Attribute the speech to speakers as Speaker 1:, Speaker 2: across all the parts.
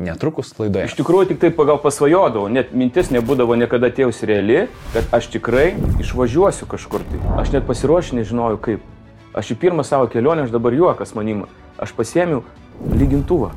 Speaker 1: netrukus laidoje.
Speaker 2: Iš tikrųjų tik taip pagal pasvajodavau, net mintis nebūdavo niekada atėjus reali, kad aš tikrai išvažiuosiu kažkur tai. Aš net pasiruošęs nežinojau kaip. Aš į pirmą savo kelionę, aš dabar juokas manim, aš pasiėmiau lygintuvą,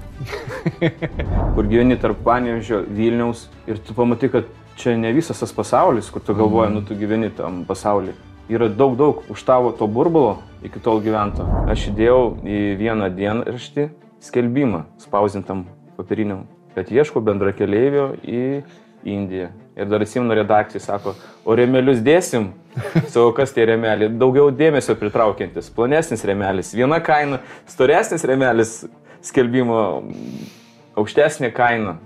Speaker 2: kur gyveni tarp Panevėžio, Vilniaus ir tu pamatai, kad čia ne visas tas pasaulis, kur tu galvoji, tu gyveni tam pasaulyje. Yra daug už tavo to burbulo iki tol gyvento. Aš įdėjau į vieną dienraštį skelbimą spausdintam papiriniam, kad ieško bendrakeleivio į Indiją. Ir dar atsimenu redakcijai, sako, o rėmelius dėsim? Savo, kas tie rėmeliai? Daugiau dėmesio pritraukiantis. Plonesnis rėmelis, viena kaina, storesnis rėmelis, skelbimo aukštesnė kaina.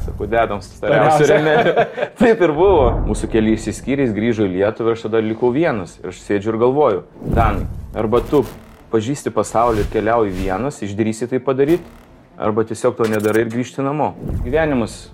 Speaker 2: Sako, dedam stariausių rėmelį. Taip ir buvo. Mūsų keliai išsiskyrės, grįžo į Lietuvą ir aš tada likau vienas. Ir aš sėdžiu ir galvoju, Danai, arba tu pažįsti pasaulį ir keliauji vienas, išdrįsi tai padaryti, arba tiesiog to nedarai ir grįžti namo. Gyvenimas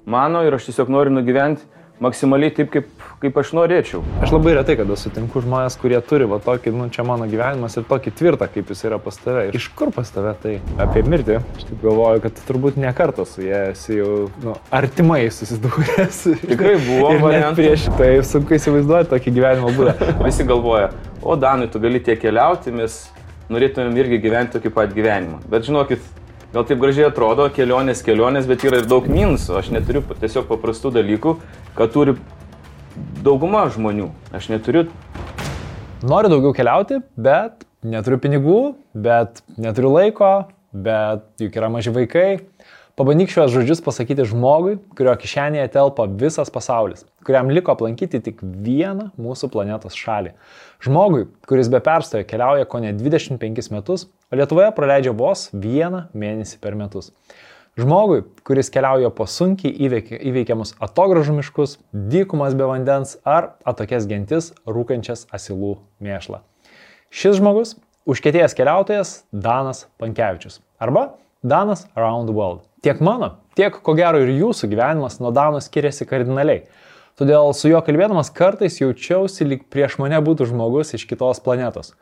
Speaker 2: mano ir aš tiesiog noriu nugyventi maksimaliai taip, kaip aš norėčiau.
Speaker 1: Aš labai retai, kada sutinku žmonės, kurie turi va tokį, čia mano gyvenimas ir tokį tvirtą, kaip jis yra pas tave. Iš kur pas tave tai? Apie mirtį. Aš taip galvoju, kad turbūt ne kartą su jie esi jau artimai susidūręs.
Speaker 2: Tikrai buvo variantų.
Speaker 1: Prieš tai sunku įsivaizduoti tokį gyvenimo būdą.
Speaker 2: Visi galvoja, o Danai, tu gali tiek keliauti, mes norėtumėm irgi gyventi tokį pat gyvenimą. Bet žinokit, gal taip gražiai atrodo, kelionės, bet yra ir daug minusų. Aš neturiu tiesiog paprastų dalykų, kad turi dauguma žmonių. Aš neturiu.
Speaker 1: Noriu daugiau keliauti, bet neturiu pinigų, bet neturiu laiko, bet juk yra maži vaikai. Pabandyk šios žodžius pasakyti žmogui, kurio kišenėje telpa visas pasaulis, kuriam liko aplankyti tik vieną mūsų planetos šalį. Žmogui, kuris be perstojo keliauja kone 25 metus, o Lietuvoje praleidžia vos 1 mėnesį per metus. Žmogui, kuris keliauja po sunkiai įveikiamus atogražų miškus, dykumas be vandens ar atokias gentis rūkančias asilų mėšlą. Šis žmogus – užkietėjęs keliautojas Danas Pankevičius arba Danas Around the World. Tiek mano, tiek ko gero ir jūsų gyvenimas nuo Dano skiriasi kardinaliai. Todėl su juo kalbėdamas kartais jaučiausi, lyg prieš mane būtų žmogus iš kitos planetos.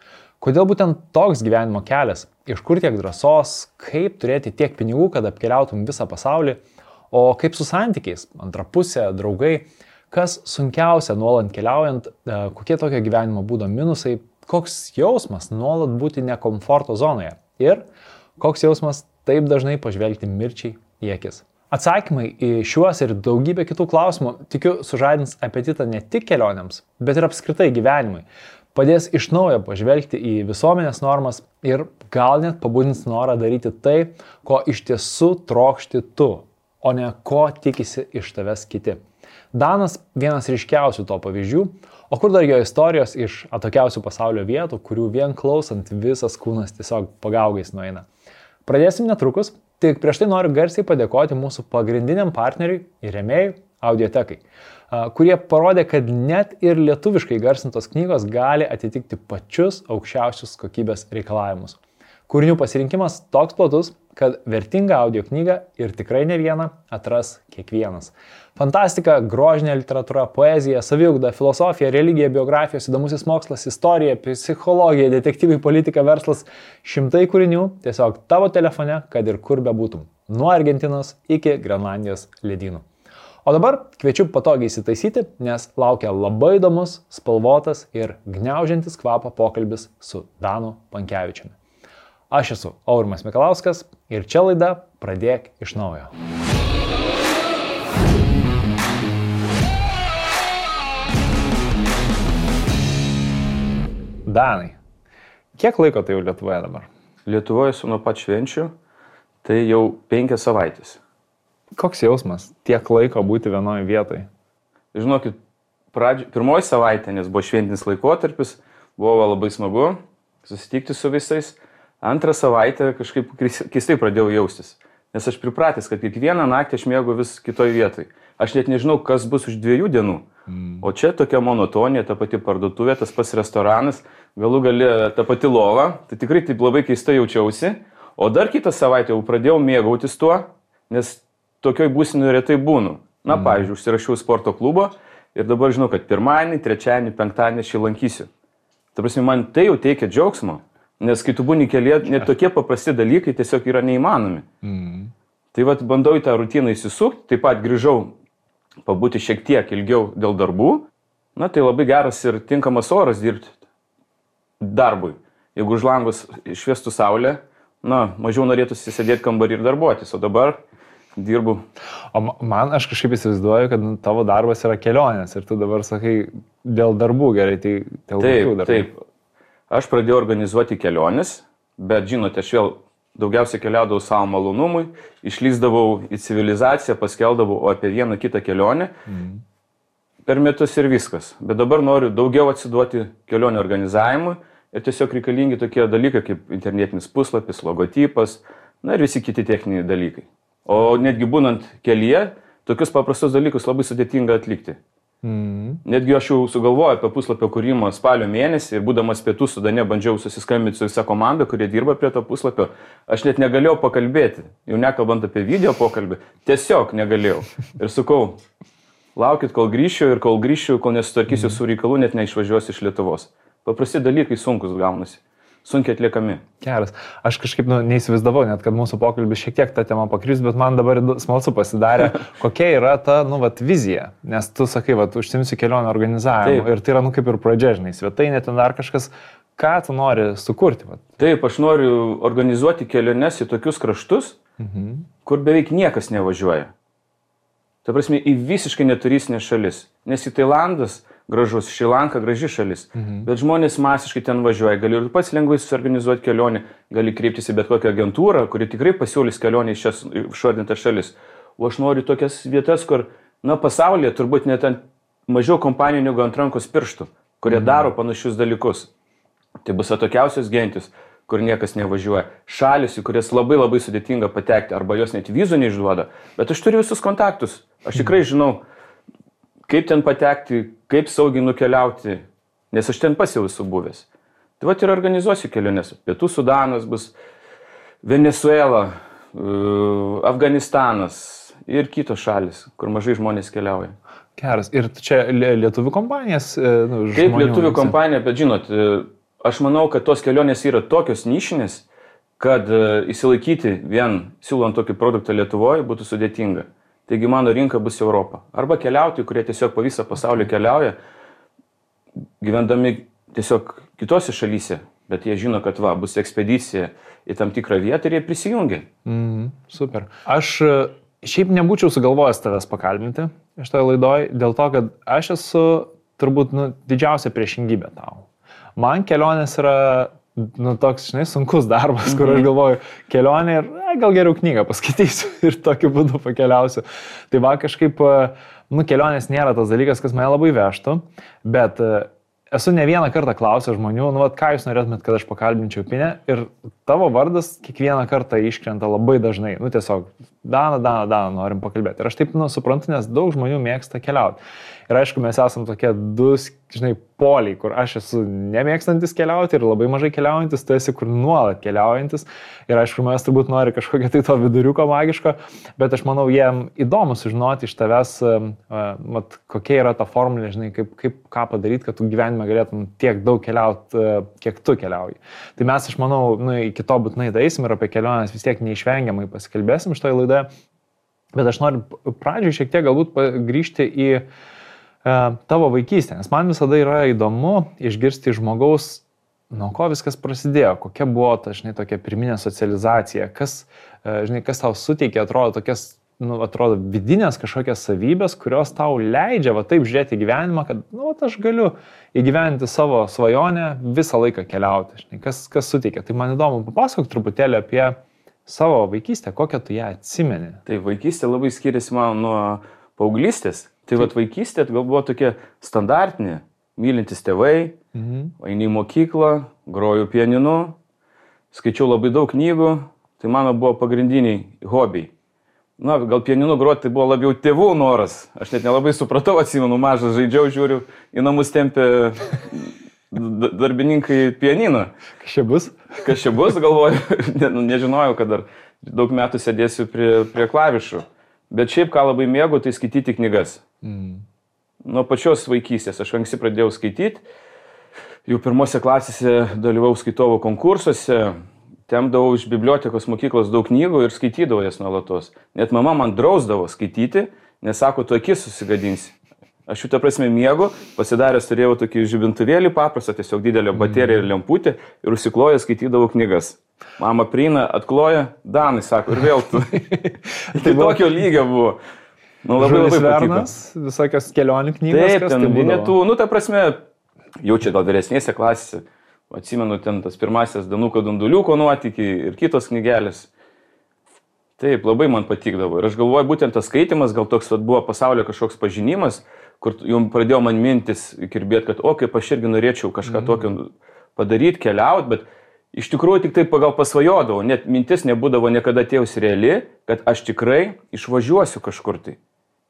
Speaker 1: Kodėl būtent toks gyvenimo kelias? Iš kur tiek drąsos? Kaip turėti tiek pinigų, kad apkeliautum visą pasaulį? O kaip su santykiais? Antra pusė, draugai? Kas sunkiausia nuolat keliaujant? Kokie tokio gyvenimo būdo minusai? Koks jausmas nuolat būti ne komforto zonoje? Ir koks jausmas taip dažnai pažvelgti mirčiai į akis? Atsakymai į šiuos ir daugybę kitų klausimų, tikiu, sužadins apetitą ne tik kelionėms, bet ir apskritai gyvenimui. Padės iš naujo pažvelgti į visuomenės normas ir gal net pabudins norą daryti tai, ko iš tiesų trokšti tu, o ne ko tikisi iš tavęs kiti. Danas vienas ryškiausių to pavyzdžių, o kur dar jo istorijos iš atokiausių pasaulio vietų, kurių vien klausant visas kūnas tiesiog pagaugais nueina. Pradėsim netrukus, tik prieš tai noriu garsiai padėkoti mūsų pagrindiniam partneriui ir rėmėjui Audiotekai, kurie parodė, kad net ir lietuviškai garsintos knygos gali atitikti pačius aukščiausius kokybės reikalavimus. Kūrinių pasirinkimas toks platus, kad vertingą audio knygą ir tikrai ne vieną atras kiekvienas. Fantastika, grožinė literatūra, poezija, saviugda, filosofija, religija, biografijos, įdomusis mokslas, istorija, psichologija, detektyvai, politika, verslas, šimtai kūrinių tiesiog tavo telefone, kad ir kur bebūtum. Nuo Argentinos iki Grenlandijos ledynų. O dabar kviečiu patogiai įsitaisyti, nes laukia labai įdomus, spalvotas ir gniaužiantis kvapą pokalbis su Danu Pankevičiumi. Aš esu Aurimas Mikalauskas ir čia laida Pradėk iš naujo. Danai, kiek laiko tai jau Lietuvoje dabar?
Speaker 2: Lietuvoje esu nuo pat švenčių, tai jau 5 savaitės.
Speaker 1: Koks jausmas tiek laiko būti vienoje vietoje?
Speaker 2: Žinokit, pirmoji savaitė, nes buvo šventinis laikotarpis, buvo labai smagu susitikti su visais. Antrą savaitę kažkaip keistai pradėjau jaustis, nes aš pripratęs, kad kiekvieną naktį aš miegu vis kitoj vietoj. Aš net nežinau, kas bus už 2 dienų. O čia tokia monotonija, ta pati parduotuvė, tas pats restoranas, galų gale ta pati lova, tai tikrai taip labai keistai jaučiausi. O dar kitą savaitę jau pradėjau mėgautis tuo, nes tokioj būsenoj retai būnu. Na, pavyzdžiui, užsirašiau sporto klubo ir dabar žinau, kad pirmadienį, trečiadienį, penktadienį aš jį lankysiu. Ta prasme, man tai jau teikia džiaugsmo. Nes kai tu būni kelyje, net tokie paprasti dalykai tiesiog yra neįmanomi. Tai vat bandau į tą rutiną įsisukti, taip pat grįžau pabūti šiek tiek ilgiau dėl darbų. Na, tai labai geras ir tinkamas oras dirbti darbui. Jeigu už langus šviestų saulė, na, mažiau norėtųsi sėdėti kambarį ir darbuotis, o dabar dirbu.
Speaker 1: O man aš kažkaip įsivaizduoju, kad tavo darbas yra kelionės ir tu dabar sakai dėl darbų gerai, tai dėl kokių darbų?
Speaker 2: Taip. Aš pradėjau organizuoti keliones, bet žinote, aš vėl daugiausiai keliaudavau savo malonumui, išlįsdavau į civilizaciją, paskeldavau apie vieną kitą kelionę per metus ir viskas. Bet dabar noriu daugiau atsiduoti kelionių organizavimui ir tiesiog reikalingi tokie dalykai kaip internetinis puslapis, logotipas, na ir visi kiti techniniai dalykai. O netgi būnant kelyje, tokius paprastus dalykus labai sudėtinga atlikti. Netgi aš jau sugalvojau apie puslapio kūrimą spalio mėnesį ir būdamas Pietų Sudane bandžiau susiskambinti su visa komanda, kurie dirba prie to puslapio. Aš net negalėjau pakalbėti, jau nekalbant apie video pokalbį, tiesiog negalėjau. Ir sakau, laukit, kol grįšiu ir kol grįšiu, kol nesutvarkysiu su reikalų, net neišvažiuosiu iš Lietuvos. Paprasti dalykai sunkus gaunasi. Sunkiai atliekami.
Speaker 1: Geras. Aš kažkaip neįsivaizdavau, net kad mūsų pokalbis šiek tiek tą temą pakris, bet man dabar smalsu pasidarė, kokia yra ta, vizija. Nes tu sakai, užsimsi kelionę organizavimu. Ir tai yra, kaip ir pradžia, žinai, svetainė, ten dar kažkas, ką tu nori sukurti.
Speaker 2: Taip, aš noriu organizuoti keliones į tokius kraštus, kur beveik niekas nevažiuoja. Ta prasme, į visiškai neturistinės šalis. Nes į Tailandas gražus, Šri Lanka graži šalis, bet žmonės masiškai ten važiuoja, gali ir pats lengvai susiorganizuoti kelionę, gali kreiptis į bet kokią agentūrą, kuri tikrai pasiūlys kelionę į šias išvardintas šalis. O aš noriu tokias vietas, kur, pasaulyje turbūt net mažiau kompanijų negu ant rankos pirštų, kurie daro panašius dalykus. Tai bus atokiausios gentis, kur niekas nevažiuoja. Šalis, į kurias labai labai sudėtinga patekti, arba jos net vizų neišduoda, bet aš turiu visus kontaktus, aš tikrai žinau, kaip ten patekti, kaip saugiai nukeliauti, nes aš ten pats jau esu buvęs. Tai ir organizuosiu keliones. Pietų Sudanas bus, Venezuela, Afganistanas ir kitos šalis, kur mažai žmonės keliauja.
Speaker 1: Geras. Ir čia lietuvių kompanijas?
Speaker 2: Kaip lietuvių kompanija, bet žinot, aš manau, kad tos kelionės yra tokios nišinės, kad įsilaikyti vien siūlant tokį produktą Lietuvoje būtų sudėtinga. Taigi mano rinka bus Europa. Arba keliautojai, kurie tiesiog po visą pasaulį keliauja, gyvendami tiesiog kitose šalyse, bet jie žino, kad bus ekspedicija į tam tikrą vietą ir jie prisijungia.
Speaker 1: Super. Aš šiaip nebūčiau sugalvojęs tavęs pakalbinti šitoje laidoje, dėl to, kad aš esu turbūt didžiausia priešingybė tau. Man kelionės yra toks, sunkus darbas, kur aš galvoju, kelionė ir gal geriau knygą paskaitysiu ir tokiu būdu pakeliausiu. Tai kažkaip, kelionės nėra tas dalykas, kas mane labai vežtų, bet esu ne vieną kartą klausęs žmonių, ką jūs norėtumėt, kad aš pakalbinčiau Pinę, ir tavo vardas kiekvieną kartą iškrenta labai dažnai. Tiesiog, Dana, norim pakalbėti. Ir aš taip, suprantu, nes daug žmonių mėgsta keliauti. Ir aišku, mes esam tokie du, poliai, kur aš esu nemėgstantis keliauti ir labai mažai keliaujantis, tu esi kur nuolat keliaujantis. Ir aišku, mes turbūt nori kažkokio tai to viduriuko magiško, bet aš manau, jiem įdomu sužinoti iš tavęs, kokia yra ta formulė, ką padaryti, kad tu gyvenime galėtum tiek daug keliauti, kiek tu keliauji. Tai mes, aš manau, iki to būtinai eisim ir apie keliones vis tiek neišvengiamai pasikalbėsim šitoje laidoje. Bet aš noriu pradžioj šiek tiek galbūt grįžti į tavo vaikystę, nes man visada yra įdomu išgirsti žmogaus, nuo ko viskas prasidėjo, kokia buvo ta, tokia pirminė socializacija, kas tau suteikė, atrodo vidinės kažkokias savybės, kurios tau leidžia taip žiūrėti į gyvenimą, kad, aš galiu įgyventi savo svajonę visą laiką keliauti, kas suteikė. Tai man įdomu, papasakok truputėlį apie savo vaikystę, kokią tu ją atsimeni.
Speaker 2: Tai vaikystė labai skiriasi man nuo paauglystės. Tai vaikystė gal buvo tokia standartinė, mylintis tėvai, eini į mokyklą, groju pianinu, skaičiau labai daug knygų, tai mano buvo pagrindiniai hobiai. Gal pianinu groti tai buvo labiau tėvų noras, aš net nelabai supratau, atsimenu, mažas žaidžiau, žiūriu, į namus tempė darbininkai pianiną. Kas čia bus, galvoju, nežinojau, kad dar daug metų sėdėsiu prie klavišų. Bet šiaip, ką labai mėgau, tai skaityti knygas. Nuo pačios vaikystės aš anksti pradėjau skaityti. Jau pirmose klasėse dalyvau skaitovo konkursuose. temdavau iš bibliotekos mokyklos daug knygų ir skaitydavau jas nuolatos. Net mama man drausdavo skaityti, nes sako, tu akis susigadinsi. Aš šitą prasme miegu, pasidaręs turėjau tokį žibintuvėlį paprastą, tiesiog didelę bateriją ir lemputę ir užsikloję skaitydavau knygas. Mama prieina, atkloja, Danai, sako, ir vėl tu. Tai tokio lygio buvo. Nu, labai patiko.
Speaker 1: Visokios kelionių knygos.
Speaker 2: Taip, ten vinetų, nu, ta prasme, jau čia gal vyresnėse klasėse, atsimenu ten tas pirmasis Danuko Dunduliuko nuotykiai ir kitos knygelės. Taip, labai man patikdavo. Ir aš galvoju, būtent tas skaitimas, gal toks buvo pasaulio kažkoks pažinimas, kur jau pradėjo man mintis kirbėti, kad, o, kaip aš irgi norėčiau kažką tokio padaryti, keliauti, bet iš tikrųjų tik taip gal pasvajodavau, net mintis nebūdavo niekada atėjus reali, kad aš tikrai išvažiuosiu kažkur tai.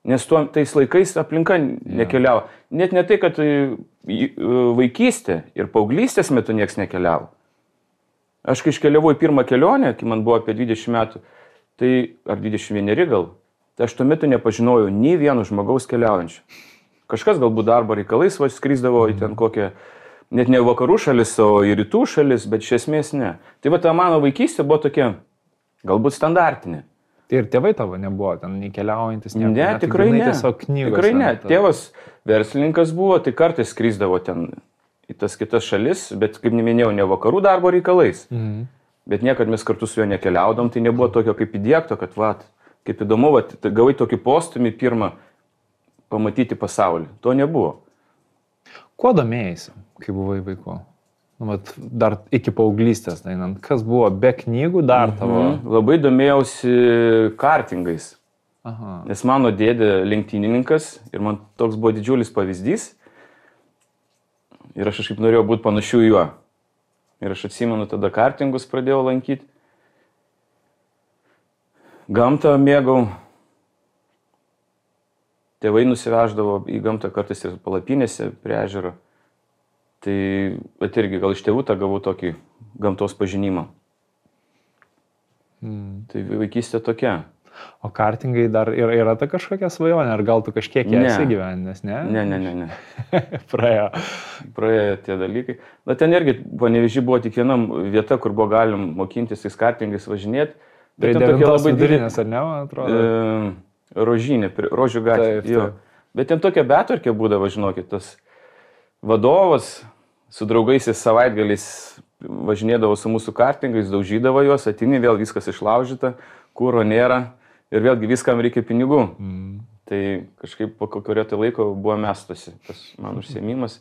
Speaker 2: Nes tais laikais aplinka nekeliavo. Net ne tai, kad vaikystė ir paauglystės metu nieks nekeliavo. Aš kai iškeliavau į pirmą kelionę, kai man buvo apie 20 metų, tai ar 21 gal, tai aš tuo metu nepažinojau nei vieno žmogaus keliaujančio. Kažkas galbūt darbo reikalais skrisdavo į ten kokią, net ne vakarų šalis, o į rytų šalis, bet iš esmės ne. Tai va ta mano vaikystė buvo tokia, galbūt standartinė.
Speaker 1: Tai ir tėvai tavo nebuvo ten nei keliaujantis,
Speaker 2: ne, tikrai ne.
Speaker 1: Tiesiog knygos.
Speaker 2: Tikrai ne. Tėvas verslininkas buvo, tai kartais skrisdavo ten į tas kitas šalis, bet kaip neminėjau, ne vakarų darbo reikalais. Bet niekad mes kartu su juo nekeliaudom, tai nebuvo tokio kaip įdiegto, kad kaip įdomu, gavai tokį postumį pirmą pamatyti pasaulį. To nebuvo.
Speaker 1: Kuo domėjai, kai buvai vaiku? Nu, dar iki paauglystės, einant, kas buvo be knygų dar tavo?
Speaker 2: Labai domėjausi kartingais.
Speaker 1: Aha.
Speaker 2: Nes mano dėdė lenktynininkas ir man toks buvo didžiulis pavyzdys. Ir aš kažkaip norėjau būti panašiu į juo. Ir aš atsimenu, tada kartingus pradėjau lankyti. Gamtą mėgau. Tėvai nusiveždavo į gamtą kartais ir palapinėse prie ežero. Tai irgi gal iš tėvų tą gavau tokį gamtos pažinimą. Tai vaikystė tokia.
Speaker 1: O kartingai dar yra ta kažkokia svajonė, ar gal tu kažkiek esi gyvenęs, ne?
Speaker 2: Ne.
Speaker 1: Praėjo
Speaker 2: tie dalykai. Na ten irgi Panevėžy buvo tik viena vieta, kur buvo galim mokintis tais kartingais važinėti.
Speaker 1: Tai devintos vidurinės, ar ne, man atrodo?
Speaker 2: Rožinė, Rožių gatvė.
Speaker 1: Taip.
Speaker 2: Bet ten tokia betvarkė būdavo, žinokit, tas vadovas su draugais savaitgaliais važinėdavo su mūsų kartingais, daužydavo juos, ateini, vėl viskas išlaužyta, kuro nėra ir vėlgi viskam reikia pinigų. Tai kažkaip po kurio tai laiko buvo mestosi tas man užsiėmimas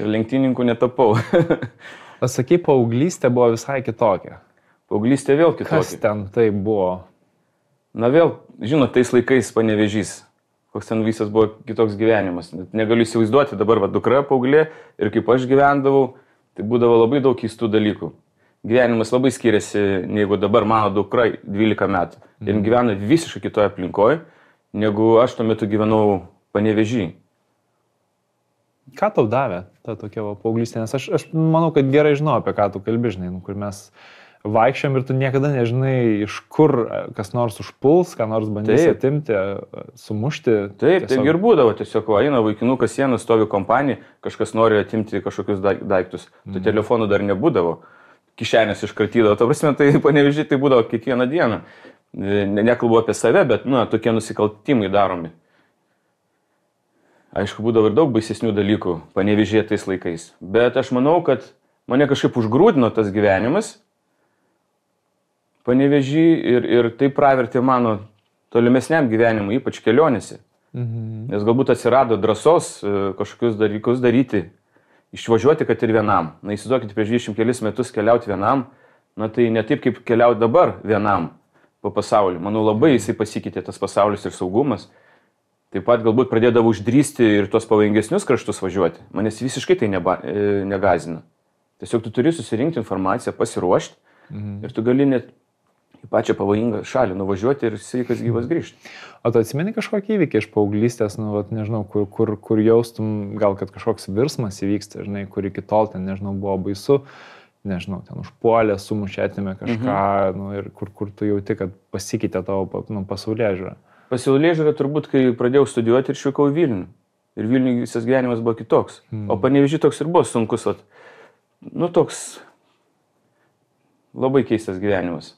Speaker 2: ir lenktynininkų netapau.
Speaker 1: Pasakai, paauglystė buvo visai kitokia.
Speaker 2: Paauglystė vėl kitokia.
Speaker 1: Kas ten tai buvo?
Speaker 2: Na vėl, žinot, tais laikais Panevėžys, koks ten visas buvo kitoks gyvenimas. Negaliu įsivaizduoti, dabar dukra paauglė ir kaip aš gyvendavau, tai būdavo labai daug keistų dalykų. Gyvenimas labai skiriasi, negu dabar mano dukra 12 metų. Ir gyvena visiškai kitoje aplinkoje, negu aš tuo metu gyvenau Panevėžy.
Speaker 1: Ką tau davė ta tokia paauglystė? Nes aš manau, kad gerai žinau, apie ką tu kalbi, žinai, kur mes vaikščiam ir tu niekada nežinai, iš kur kas nors užpuls, ką nors bandys atimti, sumušti.
Speaker 2: Taip, taip ir būdavo. Tiesiog eina vaikinukas sieną, stovi kompanija, kažkas nori atimti kažkokius daiktus. Tu telefonų dar nebūdavo. Kišenės iškratydavo. Ta prasme, tai Panevėžy tai būdavo kiekvieną dieną. Nekalbu apie save, bet tokie nusikaltimai daromi. Aišku, būdavo ir daug baisesnių dalykų Panevėžyje tais laikais. Bet aš manau, kad mane kažkaip užgrūdino tas gyvenimas Panevėžy ir tai pravertė mano tolimesniam gyvenimui, ypač kelionėse. Nes galbūt atsirado drąsos kažkokius dalykus daryti, išvažiuoti, kad ir vienam. Na, įsivaizduokite, prieš 20 kelis metus keliauti vienam, na tai ne taip, kaip keliauti dabar vienam po pasaulį. Manau, labai jisai pasikeitė tas pasaulis ir saugumas. Taip pat galbūt pradėdavo uždrįsti ir tuos pavojingesnius kraštus važiuoti. Manęs visiškai tai negazina. Tiesiog tu turi susirinkti informaciją, pasiruošti ir tu gali net į pačią pavojingą šalį nuvažiuoti ir sveikas gyvas grįžti.
Speaker 1: O tu atsimeni kažkokį įvykį iš paauglystės, nežinau, kur jaustum, gal kad kažkoks virsmas įvyksta, žinai, kur iki tol ten, nežinau, buvo baisu, nežinau, ten užpuolė, sumušė, atėmė kažką, ir kur tu jauti, kad pasikeitė tavo pasaulėžiūra.
Speaker 2: Pasaulėžiūra turbūt, kai pradėjau studijuoti ir išvykau į Vilnių. Ir Vilniui visas gyvenimas buvo kitoks. O Panevėžy toks ir buvo sunkus, toks labai keistas gyvenimas.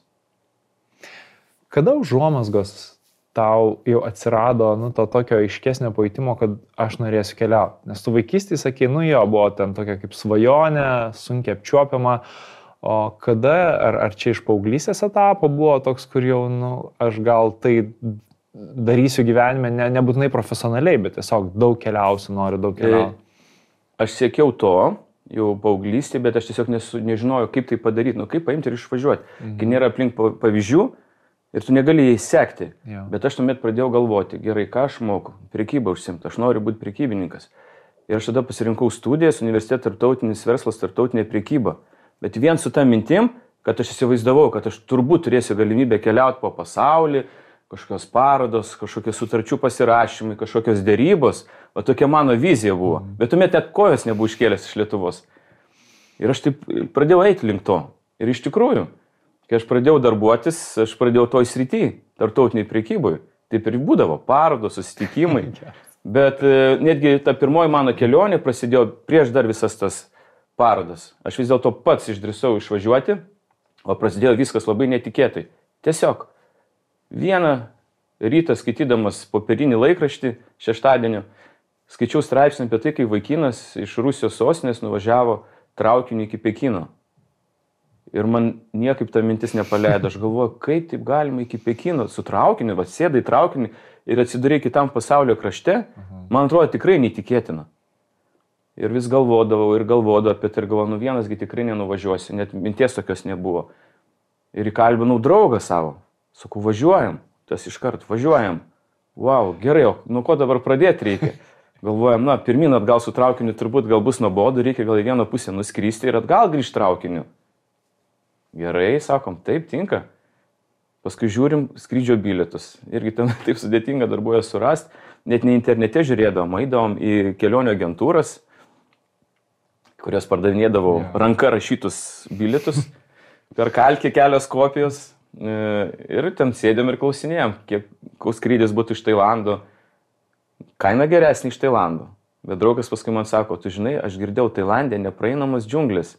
Speaker 1: Kada užuomazgos tau jau atsirado, to tokio aiškesnio pajutimo, kad aš norėsiu keliauti? Nes tu vaikystėje sakei, buvo ten tokia kaip svajonė, sunkiai apčiuopiama, o kada, ar čia iš paauglystės etapo buvo toks, kur jau, aš gal tai darysiu gyvenime, nebūtinai profesionaliai, bet tiesiog daug keliausiu, noriu daug keliauti.
Speaker 2: Aš siekiau to, jau paauglystėje, bet aš tiesiog nežinojau, kaip tai padaryti, kaip paimti ir išvažiuoti. Kai nėra aplink pavyzdžių ir tu negali jais sekti. Bet aš tuomet pradėjau galvoti, gerai, ką aš moku, prekybą užsimti, aš noriu būti prekybininkas. Ir aš tada pasirinkau studijas, universitetas, tarptautinis verslas, tarptautinė prekyba. Bet vien su ta mintim, kad aš įsivaizdavau, kad aš turbūt turėsiu galimybę keliauti po pasaulį, kažkokios parodos, kažkokie sutarčių pasirašymai, kažkokios dėrybos, o tokia mano vizija buvo. Bet tuomet net kojas nebuvo iškėlęs iš Lietuvos. Ir aš taip pradėjau eiti link to. Ir iš tikrųjų, kai aš pradėjau darbuotis, aš pradėjau toj srity, tarptautiniai prekybai. Taip ir būdavo, parodos, susitikimai. Bet netgi ta pirmoji mano kelionė prasidėjo prieš dar visas tas parodas. Aš vis dėlto pats išdrįsau išvažiuoti, o prasidėjo viskas labai netikėtai. Tiesiog vieną rytą skaitydamas popierinį laikraštį šeštadienio, skaičiau straipsnį apie tai, kai vaikinas iš Rusijos sostinės nuvažiavo traukiniu iki Pekino. Ir man niekaip ta mintis nepaleido. Aš galvoju, kaip taip galima iki Pekino su traukiniu, sėdai traukinį ir atsidarai kitam pasaulio krašte. Man atrodo tikrai neįtikėtina. Ir vis galvodavau apie tai ir galvoju, vienasgi tikrai nenuvažiuosiu, net minties tokios nebuvo. Ir įkalbinau draugą savo, sakau, važiuojam, tas iškart, važiuojam. Wow, gerai, o ko dabar pradėti reikia? Galvojam, pirmin atgal su traukiniu turbūt gal bus nuobodu, reikia gal į vieną pusę nuskristi ir atgal grįžti traukiniu. Gerai, sakom, taip tinka. Paskui žiūrim skrydžio bilietus. Irgi ten taip sudėtinga dar buvo surasti, net ne internete žiūrėdavom, eidavom į kelionių agentūras, kurios pardavinėdavo ranka rašytus bilietus, per kalkę kelios kopijos ir ten sėdėm ir klausinėjom, kiek skrydis būtų iš Tailando. Kaina geresnė iš Tailando. Bet draugas paskui man sako, tu žinai, aš girdėjau Tailandė nepraeinamas džiunglis.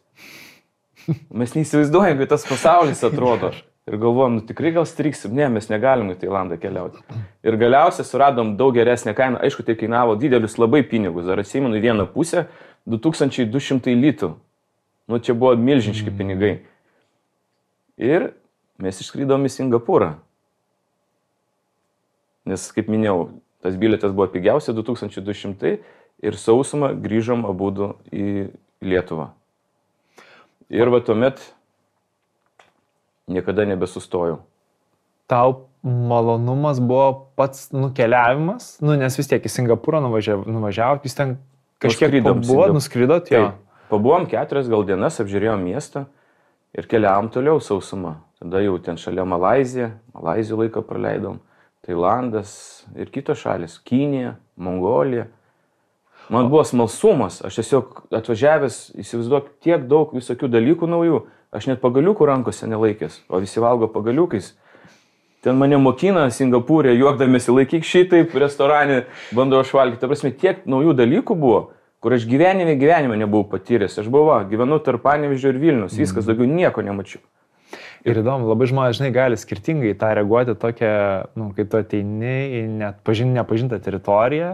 Speaker 2: Mes neįsivaizduojam, kaip tas pasaulis atrodo. Ir galvojom, tikrai gal striksim, ne, mes negalim į Tailandą keliauti. Ir galiausiai suradom daug geresnę kainą, aišku, tai kainavo didelius labai pinigus, dar atsimenu vieną pusę, 2200 litų. Čia buvo milžiniški pinigai. Ir mes išskrydom į Singapūrą. Nes, kaip minėjau, tas bilietas buvo pigiausia 2200 ir sausumą grįžom abudu į Lietuvą. Ir tuomet niekada nebesustojau.
Speaker 1: Tau malonumas buvo pats nukeliavimas, nes vis tiek į Singapūrą nuvažiavot, jūs ten kažkiek nuskridot, jo.
Speaker 2: Pabuvom 4 gal dienas, apžiūrėjom miestą ir keliavom toliau sausumą. Tada jau ten šalia Malaizijų laiką praleidom, Tailandas ir kitos šalis, Kinija, Mongolija. Man buvo smalsumas, aš tiesiog atvažiavęs, įsivaizduok, tiek daug visokių dalykų naujų, aš net pagaliukų rankose nelaikęs, o visi valgo pagaliukais. Ten mane mokina Singapūrė, juokdamėsi, laikyk šitaip, restorane bandau aš valgyti. Ta prasme, tiek naujų dalykų buvo, kur aš gyvenime nebuvau patyręs. Aš gyvenu tarp Panevėžio ir Vilnius, viskas, daugiau nieko nemačiau.
Speaker 1: Ir įdomu, labai žmonės, gali skirtingai tą reaguoti tokią, kai tu ateini į net nepažintą teritoriją,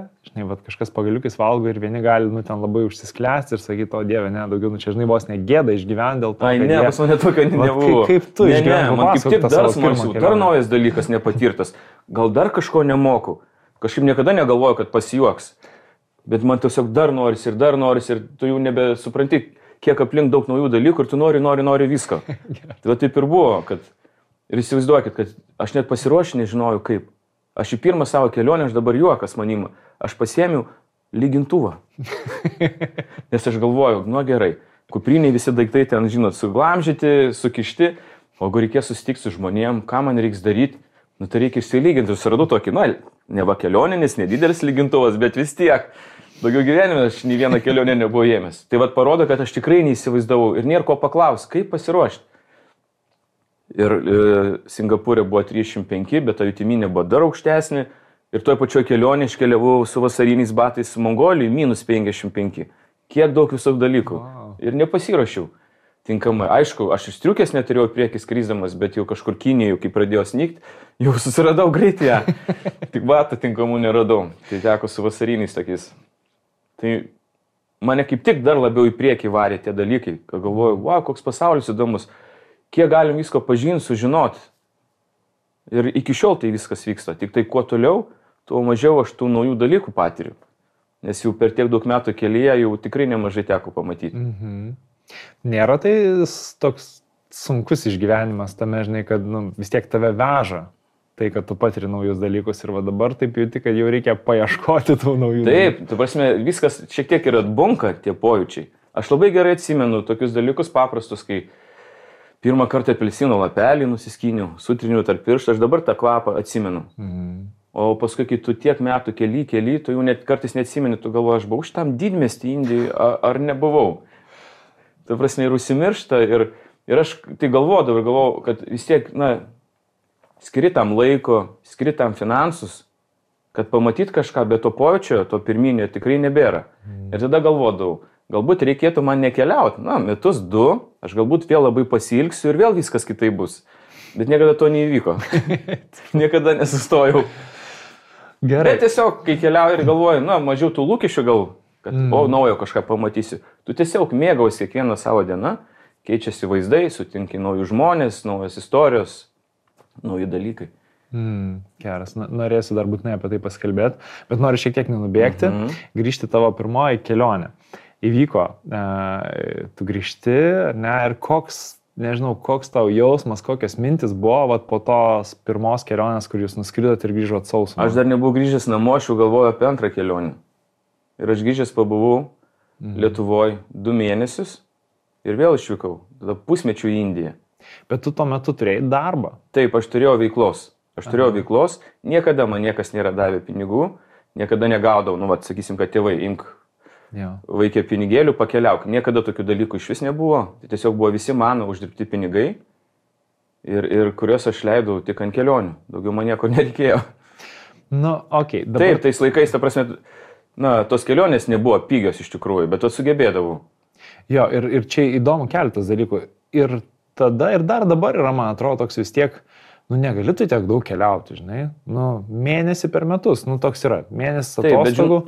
Speaker 1: kažkas pagaliukais valgo ir vieni gali, ten labai užsisklęsti ir sakyti, o Dieve, ne, daugiau, čia, vos negėda išgyventi dėl to.
Speaker 2: Ai, ne, pas mane tokio nebuvo.
Speaker 1: Kaip tu išgyventi?
Speaker 2: Man kaip tik dar smalsiau, dar naujas dalykas nepatirtas. Gal dar kažko nemoku. Kažkaip niekada negalvoju, kad pasijuoks. Bet man tiesiog dar norisi ir tu jau nebesupranti, kiek aplink daug naujų dalykų ir tu nori visko. Tai taip ir buvo, ir įsivaizduokit, kad aš net pasiruošęs nežinojau kaip. Aš į pirmą savo kelionę, aš dabar juokas manima, aš pasiėmiau lygintuvą. Nes aš galvojau, gerai, kupriniai visi daiktai ten, suglamžyti, sukišti, o jeigu reikės susitikti su žmonėm, ką man reiks daryti, tai reikia išsilyginti. Susiradau tokį, neva kelioninis, nedidelis lygintuvas, bet vis tiek. Daugiau gyvenime aš nei vieną kelionę nebuvau ėmęs. Tai parodo, kad aš tikrai neįsivaizdavau ir nėra ko paklausti, kaip pasiruošti. Ir Singapūrė buvo 305, bet ta jutiminė buvo dar aukštesnė. Ir toje pačioje kelionėje iškeliavau su vasariniais batais Mongolijai -55. Kiek daug visokių dalykų. Wow. Ir nepasiruošiau. tinkamai. Aišku, aš iš striukės neturėjau priekį skrisdamas, bet jau kažkur Kinijai, kai pradėjo snygti, jau susiradau greitai ją. Tik batų tinkamų neradau. Tai teko su vasariniais tokiais. Tai mane kaip tik dar labiau į priekį varė tie dalykai. Galvoju, wow, koks pasaulis įdomus. Kiek galim visko pažinti, sužinoti. Ir iki šiol tai viskas vyksta. Tik tai kuo toliau, tuo mažiau aš tų naujų dalykų patiriu. Nes jau per tiek daug metų kelyje jau tikrai nemažai teko pamatyti.
Speaker 1: Mhm. Nėra tai toks sunkus išgyvenimas tame, žinai, kad vis tiek tave veža. Tai, kad tu patiri naujus dalykus ir va dabar taip jauti, kad jau reikia paieškoti tų naujų dalykų.
Speaker 2: Taip, tu prasme, viskas šiek tiek ir atbunka tie pojūčiai. Aš labai gerai atsimenu tokius dalykus paprastus, kai pirmą kartą apelsino lapelį nusiskyniau, sutriniau tarp pirštų, aš dabar tą kvapą atsimenu. O paskui, kai tu tiek metų kely, tu jau net kartais neatsimeni, tu galvoji, aš buvau šitam didmiestį Indijai ar nebuvau. Tu prasme, ir užsimiršta ir aš tai galvodavau, kad vis tiek, skiri tam laiko, skiri tam finansus, kad pamatyt kažką, bet to pojūčio, to pirminio tikrai nebėra. Ir tada galvodavau, galbūt reikėtų man nekeliauti, metus, 2, aš galbūt vėl labai pasilgsiu ir vėl viskas kitaip bus. Bet niekada to neįvyko. Niekada nesustojau.
Speaker 1: Gerai.
Speaker 2: Bet tiesiog, kai keliauju ir galvoju, mažiau tų lūkesčių gal, kad naujo kažką pamatysiu. Tu tiesiog mėgausi kiekvieną savo dieną, keičiasi vaizdai, sutinki naujus žmonės, naujos istorijos, nauji dalykai.
Speaker 1: Geras, norėsiu dar būtinai apie tai pasikalbėti, bet noriu šiek tiek nenubėgti, grįžti tavo pirmoji kelionė. Įvyko, tu grįžti, ir koks tau jausmas, kokios mintis buvo po tos pirmos kelionės, kur jūs nuskridot ir grįžot sausumą?
Speaker 2: Aš dar nebuvau grįžęs namo, aš jau galvoju apie antrą kelionę. Ir aš grįžęs pabuvau Lietuvoje 2 mėnesius ir vėl išvykau, tada pusmečių į Indiją.
Speaker 1: Bet tu tuo metu turėjai darbą?
Speaker 2: Taip, aš turėjau veiklos. Niekada man niekas nėra davę pinigų, niekada negaudavau, sakysim, kad tėvai, imk vaikė pinigėlių, pakeliauk. Niekada tokių dalykų iš vis nebuvo. Tai tiesiog buvo visi mano uždirbti pinigai ir kuriuos aš leidau tik ant kelionių. Daugiau man nieko nereikėjo.
Speaker 1: Okay, dabar...
Speaker 2: Taip, tais laikais, ta prasme, tos kelionės nebuvo pigios iš tikrųjų, bet sugebėdavau.
Speaker 1: Jo, ir čia įdomu keletas dalykų. Ir tada, ir dar dabar yra, man atrodo, toks vis tiek, negali tu tiek daug keliauti, žinai. Mėnesį per metus, toks yra. Mėnesis atostogų.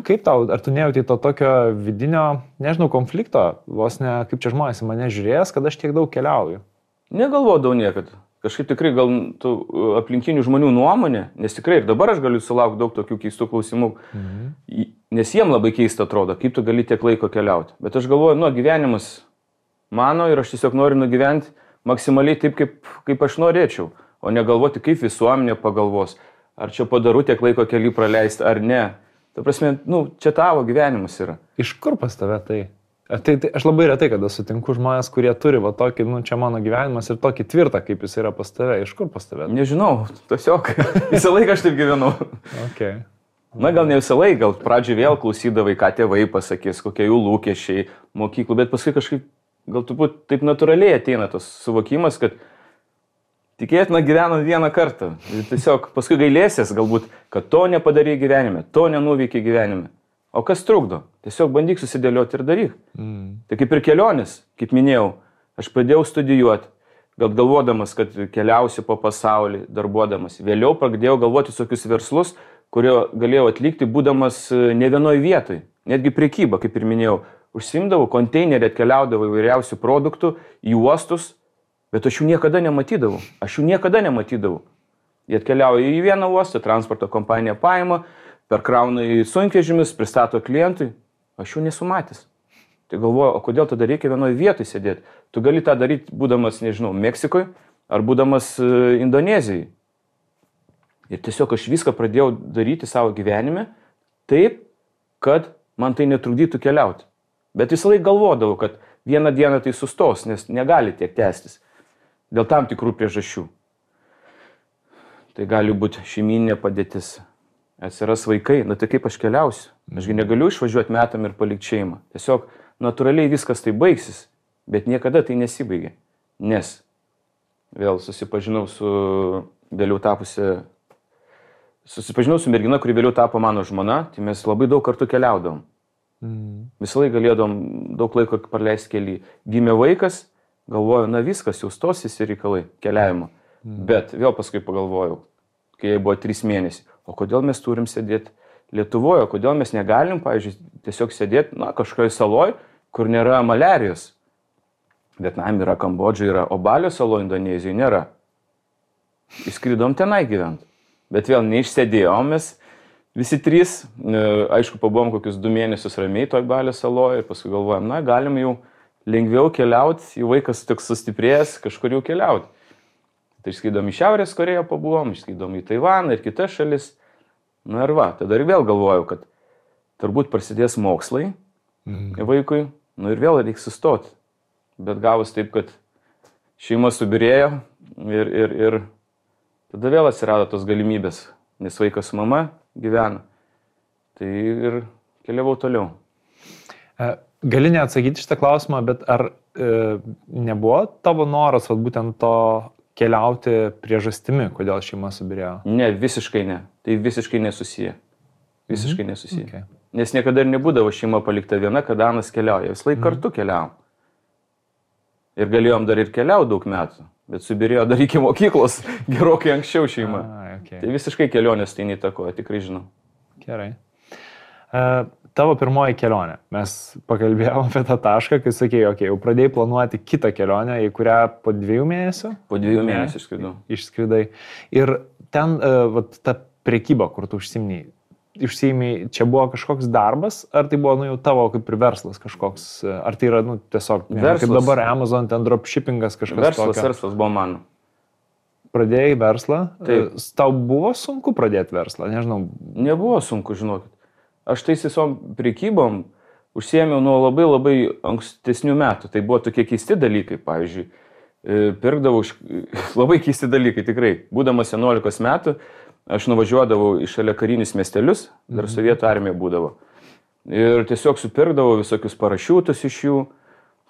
Speaker 1: Kaip tau, ar tu nejauti to tokio vidinio, nežinau, konflikto, vos ne, kaip čia žmonės į mane žiūrės, kad aš tiek daug keliauju?
Speaker 2: Negalvodavau niekad. Kažkaip tikrai gal tų aplinkinių žmonių nuomonė, nes tikrai ir dabar aš galiu sulaukti daug tokių keistų klausimų, nes jiem labai keista atrodo, kaip tu gali tiek laiko keliauti. Bet aš galvoju, gyvenimas mano ir aš tiesiog noriu nugyventi maksimaliai taip, kaip aš norėčiau, o negalvoti, kaip visuomenė pagalvos, ar čia padaru tiek laiko kelių praleisti, ar ne. Ta prasme, čia tavo gyvenimas yra.
Speaker 1: Iš kur pas tave tai? Tai aš labai retai, kada sutinku žmonės, kurie turi tokį, čia mano gyvenimas ir tokį tvirtą, kaip jis yra pas tave. Iš kur pas tave?
Speaker 2: Nežinau, tiesiog visą laiką aš taip gyvenau.
Speaker 1: Okay.
Speaker 2: Gal ne visą laiką, gal pradžioj vėl klausydavai, ką tėvai pasakys, kokie jų lūkesčiai mokyklų, bet paskui kažkaip gal turbūt taip natūraliai ateina tas suvokimas, kad tikėtina gyvenant vieną kartą. Ir tiesiog paskui gailėsies galbūt, kad to nepadarė gyvenime, to nenuveikė gyvenime. O kas trukdo? Tiesiog bandyk susidėlioti ir daryk. Tai kaip ir kelionės, kaip minėjau, aš pradėjau studijuoti, galvodamas, kad keliausiu po pasaulį, darbuodamas. Vėliau pradėjau galvoti tokius verslus, kurio galėjau atlikti, būdamas ne vienoj vietoj. Netgi prekyba, kaip ir minėjau, užsiimdavau, konteinerį atkeliaudavau įvairiausių produktų į uostus, bet aš jų niekada nematydavau. Jie atkeliauja į vieną uostą, transporto kompanija paima, perkrauna į sunkvežimius, pristato klientui, aš jų nesu matęs. Tai galvoju, o kodėl tada reikia vienoje vietoje sėdėti? Tu gali tą daryti, būdamas, nežinau, Meksikoje ar būdamas Indonezijai. Ir tiesiog aš viską pradėjau daryti savo gyvenime taip, kad man tai netrukdytų keliauti. Bet visą laiką galvodavau, kad vieną dieną tai sustos, nes negali tiek tęstis. Dėl tam tikrų priežasčių. Tai gali būti šeiminė padėtis. Atsiras vaikai, tai kaip aš keliausiu? Ašgi negaliu išvažiuoti metam ir palikti šeimą. Tiesiog natūraliai viskas tai baigsis, bet niekada tai nesibaigė. Nes vėl susipažinau su mergina, kuri vėliau tapo mano žmona, tai mes labai daug kartų keliaudavom. Visą laiką galėdom daug laiko praleisti kely. Gimė vaikas galvoju, na viskas, jau stosis ir reikalai keliavimo. Bet vėl paskui pagalvojau, kai jai buvo 3 mėnesiai, o kodėl mes turim sėdėti Lietuvoje, kodėl mes negalim, pavyzdžiui, tiesiog sėdėti, na, kažkoje saloje, kur nėra maliarijos. Vietname yra, Kambodža yra, o Balio saloje Indonezijoje nėra. Įskridom tenai gyventi. Bet vėl neišsėdėjom mes visi 3, aišku, pabuvom kokius 2 mėnesius ramiai toj Balio saloje ir paskui galvojom, na, galim jau lengviau keliauti, jau vaikas toks sustiprėjęs, kažkur jau keliauti. Tai išskridom į Šiaurės Koreją pabuvom, išskridom į Taivaną ir kitas šalis. Na ir va, tada ir vėl galvojau, kad turbūt prasidės mokslai vaikui, nu ir vėl reiks sustoti. Bet gavus taip, kad šeima subirėjo ir tada vėl atsirado tos galimybės, nes vaikas su mama gyvena. Tai ir keliavau toliau.
Speaker 1: Gali neatsakyti šitą klausimą, bet ar nebuvo tavo noras, vat, būtent to keliauti priežastimi, kodėl šeima subirėjo?
Speaker 2: Ne, visiškai ne. Tai visiškai nesusiję. Visiškai nesusiję. Okay. Nes niekada ir nebūdavo šeima palikta viena, kada Anas keliauja. Vis laik kartu keliavom. Ir galėjom dar ir keliauti daug metų, bet subirėjo dar iki mokyklos gerokai anksčiau šeima. Okay. Tai visiškai kelionės tai neįtakoja, tikrai žinau.
Speaker 1: Gerai. Tavo pirmoji kelionė. Mes pakalbėjome apie tą tašką, kai sakėjai, okay, jau pradėjai planuoti kitą kelionę, į kurią po 2 mėnesių?
Speaker 2: Po 2 mėnesių išskridau.
Speaker 1: Išskridai. Ir ten vat, ta prekyba, kur tu užsiimai, čia buvo kažkoks darbas, ar tai buvo jau tavo kaip ir verslas kažkoks, ar tai yra tiesiog, kaip dabar Amazon, ten dropshippingas kažkas tokio?
Speaker 2: Verslas buvo mano.
Speaker 1: Pradėjai verslą?
Speaker 2: Taip.
Speaker 1: Tau buvo sunku pradėti verslą, nežinau?
Speaker 2: Nebuvo sunku, žinokit. Aš tais visom prekybom užsiėmiau nuo labai ankstesnių metų. Tai buvo tokie keisti dalykai, pavyzdžiui, pirkdavau labai keisti dalykai, tikrai. Būdamas 11 metų, aš nuvažiuodavau į šalia karinius miestelius, dar sovietų armija būdavo. Ir tiesiog supirkdavau visokius parašiutus iš jų,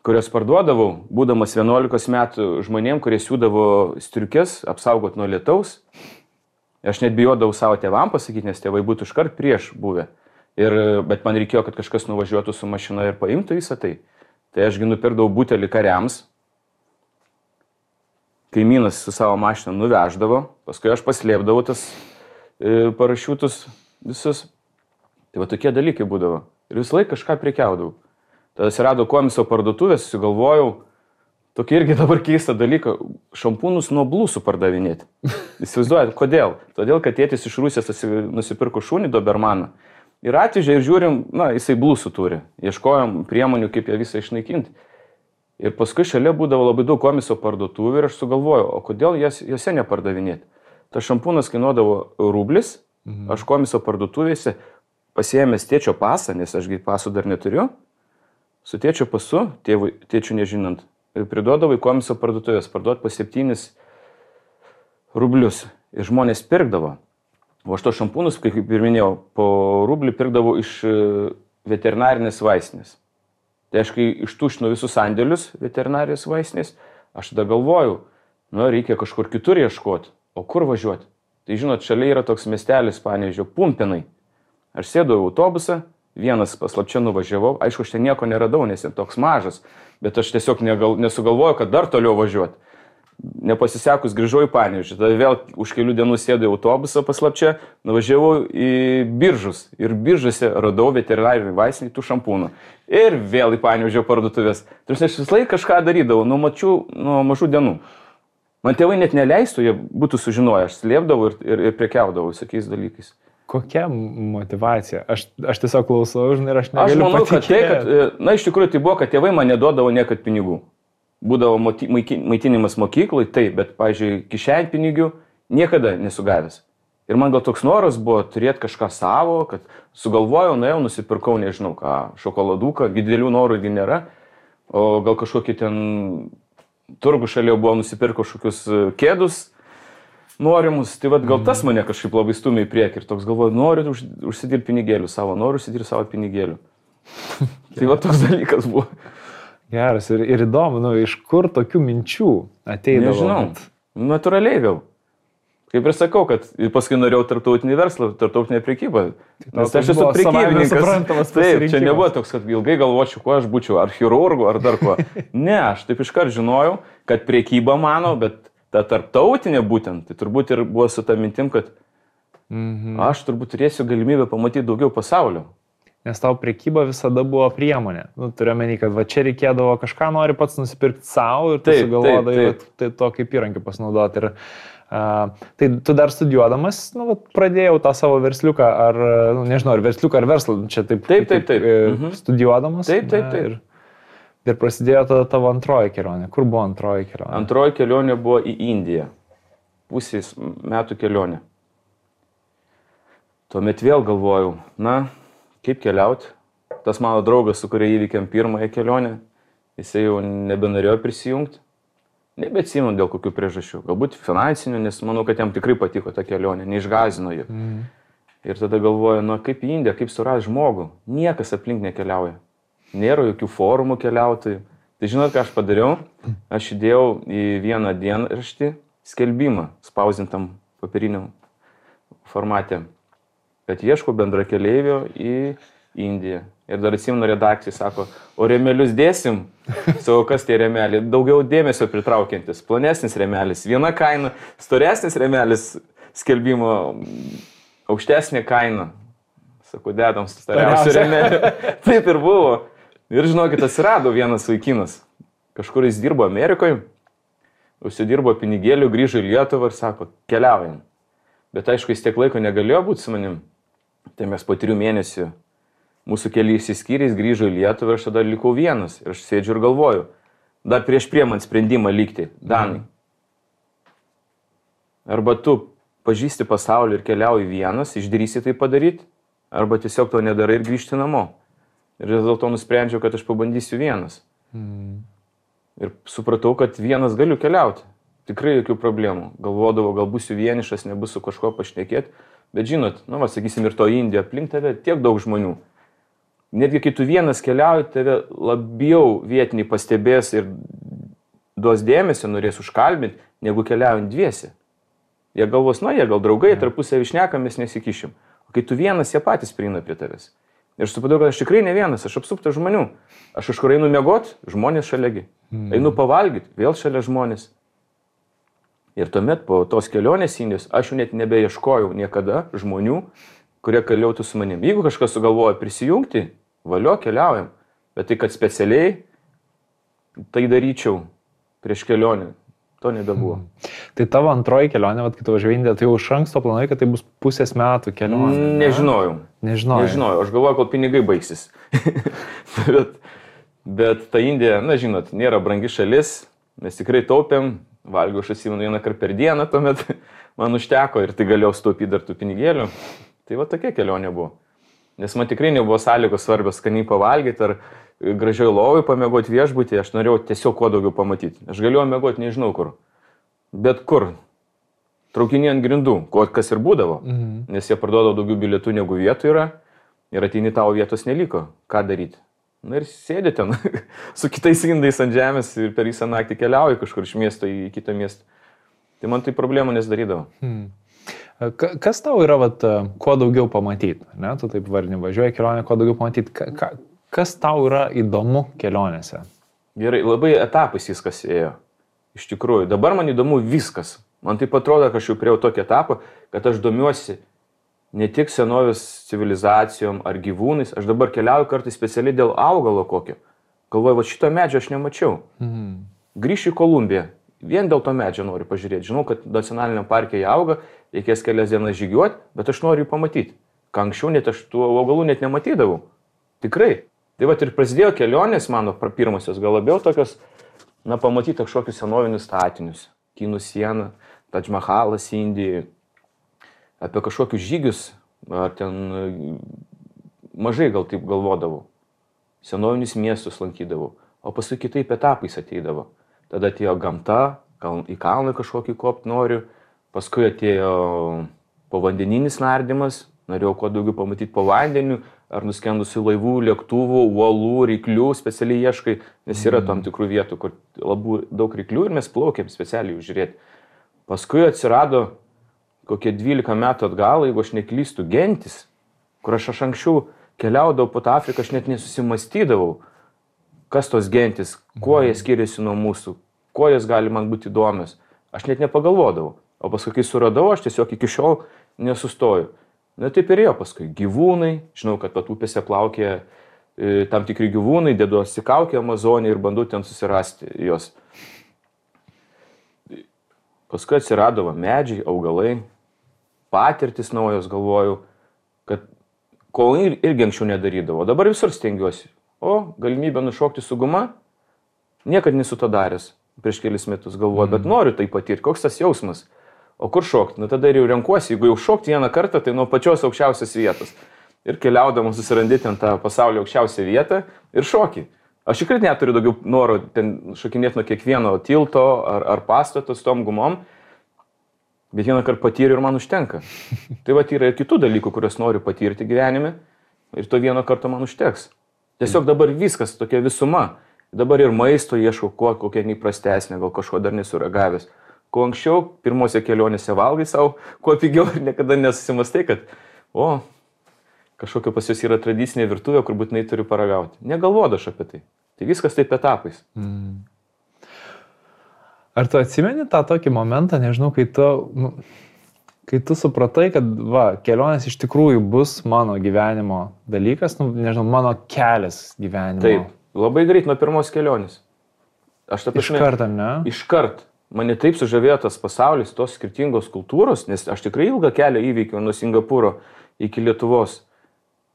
Speaker 2: kurias parduodavau, būdamas 11 metų žmonėm, kurie siūdavo striukes, apsaugot nuo lietaus. Aš net bijodavau savo tėvam pasakyti, nes tėvai būtų iškart prieš buvę. Bet man reikėjo, kad kažkas nuvažiuotų su mašina ir paimtų visą tai. Tai ašgi nupirkdavau butelį kariams. Kaimynas su savo mašina nuveždavo, paskui aš paslėpdavau tas parašiutus visus. Tai va tokie dalykai būdavo. Ir visą laiką kažką prekiaudavau. Tada atsirado komiso parduotuvės, susigalvojau tokį irgi dabar keistą dalyką, šampūnus nuo blusų pardavinėti. Įsivaizduojat, kodėl? Todėl, kad tėtis iš Rusijos nusipirko šunį Dobermaną. Ir atvežė ir žiūrim, na, jisai blusų turi. Ieškojom priemonių, kaip ją visą išnaikinti. Ir paskui šalia būdavo labai daug komiso parduotuvių ir aš sugalvojau, o kodėl jose nepardavinėti. Tas šampūnas kainuodavo rublis, aš komiso parduotuvėse pasiėmęs tėčio pasą, nes ašgi pasų dar neturiu, su tėčio pasu, tėčių nežinant, priduodavo į komiso parduotuvės, parduot po 7 rublius. Ir žmonės pirkdavo. O aš to šampūnus, kaip ir minėjau, po rublį pirkdavau iš veterinarinės vaistinės. Tai aš kai ištušinu visus sandėlius veterinarijos vaistinės, aš tada galvoju, reikia kažkur kitur ieškoti, o kur važiuoti. Tai žinot, šalia yra toks miestelis, Panevėžio, Pumpėnai. Aš sėdau į autobusą, vienas paslapčia nuvažiavau, aišku, aš ten nieko neradau, nes jis toks mažas, bet aš tiesiog nesugalvoju, kad dar toliau važiuoti. Nepasisekus grįžau į Panevėžį, tada vėl už kelių dienų sėdau į autobusą paslapčia, nuvažiavau į Biržus ir Biržuose radau veterinarinį vaistinį tų šampūnų. Ir vėl į Panevėžio parduotuvės. Tai aš vis laik kažką darydavau, nuo mažų dienų. Man tėvai net neleistų, jie būtų sužinoję, aš slėpdavau ir prekiaudavau visokiais dalykais.
Speaker 1: Kokia motivacija? Aš tiesiog klausau, žinai, ir aš negaliu
Speaker 2: manau,
Speaker 1: patikėti.
Speaker 2: Iš tikrųjų tai buvo, kad tėvai man neduodavo niekad pinigų. Būdavo maitinimas mokyklai, taip, bet, pavyzdžiui, kišenpinigių niekada nesugavęs. Ir man gal toks noras buvo turėti kažką savo, kad sugalvojau, nuėjau, nusipirkau, nežinau ką, šokoladuką, didelių norų nėra, o gal kažkokį ten turgų šalia buvo nusipirkau kažkokius kėdus norimus, tai vad gal tas mane kažkaip labai stumė į priekį ir toks galvoju, noriu užsidirbti pinigėlių savo, noriu užsidirbti savo pinigėlių. Tai va toks dalykas buvo.
Speaker 1: Geras ir įdomu, iš kur tokių minčių ateidavo?
Speaker 2: Nežinau, natūraliai vėl. Kaip ir sakau, kad paskui norėjau tarptautinį verslą, tarptautinę prekybą. Nes aš esu prekybininkas. Taip, čia nebuvo toks, kad ilgai galvočiau, kuo aš būčiau, ar chirurgu, ar dar kuo. Ne, aš taip iškart žinojau, kad prekyba mano, bet ta tarptautinė būtent, tai turbūt ir buvo su ta mintim, kad aš turbūt turėsiu galimybę pamatyti daugiau pasaulio.
Speaker 1: Nes tau prekyba visada buvo priemonė. Turiu menį, kad va čia reikėdavo kažką nori pats nusipirkti savo ir tu sugalvodai tai to kaip įrankį pasinaudoti. Ir tai tu dar studijuodamas, pradėjau tą savo versliuką, ar, nežinau, ar versliuką, ar verslą, čia taip. Studijuodamas.
Speaker 2: Taip.
Speaker 1: Ir prasidėjo tada tavo antroji kelionė. Kur buvo antroji kelionė?
Speaker 2: Antroji kelionė buvo į Indiją. Pusės metų kelionė. Tuomet vėl galvojau, kaip keliauti. Tas mano draugas, su kuria įvykėm pirmąją kelionę, jisai jau nebenorėjo prisijungti. Nebeatsimenu dėl kokių priežasčių. Galbūt finansinių, nes manau, kad jam tikrai patiko ta kelionė, neišgąsdino jų. Ir tada galvoju, kaip į Indiją, kaip surasti žmogų. Niekas aplink nekeliauja. Nėra jokių forumų keliautojų. Tai žinot, ką aš padariau? Aš įdėjau į vieną dienraštį skelbimą spausdintam papiriniam formate, kad ieško bendrakeleivio į Indiją. Ir dar atsimenu redakcijai, sako, o rėmelius dėsim? Savo, kas tie rėmeliai? Daugiau dėmesio pritraukiantis. Plonesnis rėmelis, viena kaina, storesnis rėmelis skelbimo, aukštesnė kaina. Sako, dedam stariausių rėmelių. Taip ir buvo. Ir žinokit, atsirado vienas vaikinas. Kažkur jis dirbo Amerikoje, užsidirbo pinigėlių, grįžo į Lietuvą ir sako, keliaujam. Bet aišku, jis tiek laiko negalėjo būti su manim. Tai mes po 3 mėnesių mūsų keliai išsiskyrė, jis grįžo į Lietuvą ir aš tada likau vienas. Ir aš sėdžiu ir galvoju, dar prieš priemant sprendimą likti, Danai. Arba tu pažįsti pasaulį ir keliauji vienas, išdrįsi tai padaryti, arba tiesiog to nedarai ir grįžti namo. Ir dėl to nusprendžiau, kad aš pabandysiu vienas. Ir supratau, kad vienas galiu keliauti. Tikrai jokių problemų. Galvodavau, gal būsiu vienišas, nebus su kažko pašnekėti. Bet žinot, sakysim, ir to Indija aplink tave tiek daug žmonių. Netgi kai tu vienas keliauji, tave labiau vietiniai pastebės ir duos dėmesio, norės užkalbinti, negu keliaujant dviesi. Jie galvos, jie gal draugai, tarpusavį šnekam, mes nesikišim. O kai tu vienas, jie patys prieina prie tavęs. Ir supratau, kad aš tikrai ne vienas, aš apsuptas žmonių. Aš kažkur einu miegot, žmonės šaliagi. Einu pavalgyti, vėl šalia žmonės. Ir tuomet po tos kelionės Indijos aš jau net nebeieškojau niekada žmonių, kurie keliautų su manim. Jeigu kažkas sugalvoja prisijungti, valio, keliaujam. Bet tai, kad specialiai tai daryčiau prieš kelionę, to nebebuvo.
Speaker 1: Tai tavo antroji kelionė, kai tu važiavai į Indiją, tai jau iš anksto planai, kad tai bus pusės metų kelionė.
Speaker 2: Nežinojau. Aš galvoju, kol pinigai baigsis. bet ta Indija, žinot, nėra brangi šalis. Mes tikrai taupėm. Valgiau, aš atsimenu 1 kartą per dieną, tuomet man užteko ir tai galėjau sutaupyti dar tų pinigėlių. Tai va tokia kelionė buvo. Nes man tikrai nebuvo sąlygos svarbios skaniai pavalgyti ar gražioj lovai pamiegoti viešbutį. Aš norėjau tiesiog kuo daugiau pamatyti. Aš galėjau miegoti nežinau kur. Bet kur. Traukinį ant grindų, kas ir būdavo. Nes jie parduodo daugiau bilietų negu vietų yra. Ir ateini tavo vietos neliko. Ką daryti? Ir sėdė ten su kitais indais ant žemės ir per visą naktį keliauji kažkur iš miesto į kitą miestą. Tai man tai problemų nesidarydavo.
Speaker 1: Kas tau yra, kuo daugiau pamatyti? Ne? Tu taip varni važiuoji kelionę, kuo daugiau pamatyti. Kas tau yra įdomu kelionėse?
Speaker 2: Gerai, labai etapais viskas ėjo. Iš tikrųjų, dabar man įdomu viskas. Man taip atrodo, kad aš jau priejau tokį etapą, kad aš domiuosi ne tik senovės civilizacijom ar gyvūnais, aš dabar keliauju kartais specialiai dėl augalo kokio. Galvoju, šito medžio aš nemačiau. Grįšiu į Kolumbiją, vien dėl to medžio noriu pažiūrėti. Žinau, kad nacionaliniam parke jie auga, reikės kelias dienas žygiuoti, bet aš noriu jį pamatyti. Ką anksčiau net aš tų augalų net nematydavau. Tikrai. Tai ir prasidėjo kelionės mano pirmosios, gal labiau tokios, pamatyti kažkokius senovinius statinius. Kinų siena, Tadž Mahalas Indijoje. Apie kažkokius žygius, ar ten mažai gal taip galvodavau. Senovinius miestus lankydavau, o paskui kitaip etapais ateidavo. Tada atėjo gamta, į kalną kažkokį kopti noriu, paskui atėjo povandeninis nardymas, norėjau kuo daugiau pamatyti po vandeniu, ar nuskendusių laivų, lėktuvų, uolų, ryklių, specialiai ieškai, nes yra tam tikrų vietų, kur labai daug ryklių ir mes plaukėm specialiai žiūrėti. Paskui atsirado kokie 12 metų atgal, jeigu aš neklystu, gentis, kur aš anksčiau keliaudavau po tą Afriką, aš net nesusimastydavau, kas tos gentis, kuo jie skiriasi nuo mūsų, kuo jas gali man būti įdomios. Aš net nepagalvodavau. O paskui, kai suradau, aš tiesiog iki šiol nesustoju. Na taip ir jo paskui. Gyvūnai, žinau, kad pat upėse plaukė tam tikri gyvūnai, deduosi kaukę Amazonį ir bandau ten susirasti jos. Paskui atsirado medžiai, augalai, patirtis naujos, galvoju, kad ko irgi anksčiau nedarydavo. Dabar visur stengiuosi. O galimybę nušokti su guma, niekad nesu to daręs prieš kelis metus, galvoju, bet noriu tai patirti. Koks tas jausmas? O kur šokti? Tada ir jau renkuosi, jeigu jau šokti vieną kartą, tai nuo pačios aukščiausios vietos. Ir keliaudamas susirandi ten tą pasaulio aukščiausią vietą ir šoki. Aš tikrai neturiu daugiau noro ten šokinėti nuo kiekvieno tilto ar pastato su tom gumom, bet vieną kartą patyriu ir man užtenka. Tai va, yra ir kitų dalykų, kuriuos noriu patirti gyvenime ir to vieno karto man užteks. Tiesiog dabar viskas tokia visuma. Dabar ir maisto ieškau, kokia neįprastesnė, gal kažko dar nesuragavęs. Kuo anksčiau, pirmose kelionėse valgai savo, kuo pigiau ir niekada nesusimastai, kad kažkokia pas jūs yra tradicinė virtuvė, kur būtinai turiu paragauti. Negalvodu aš apie tai. Tai viskas taip etapais.
Speaker 1: Ar tu atsimeni tą tokį momentą, nežinau, kai tu supratai, kad kelionės iš tikrųjų bus mano gyvenimo dalykas, nežinau, mano kelias gyvenimo.
Speaker 2: Taip, labai greit nuo pirmos kelionės.
Speaker 1: Iškart, ne?
Speaker 2: Iškart. Mane taip sužavėjo tas pasaulis, tos skirtingos kultūros, nes aš tikrai ilgą kelią įveikiau nuo Singapūro iki Lietuvos.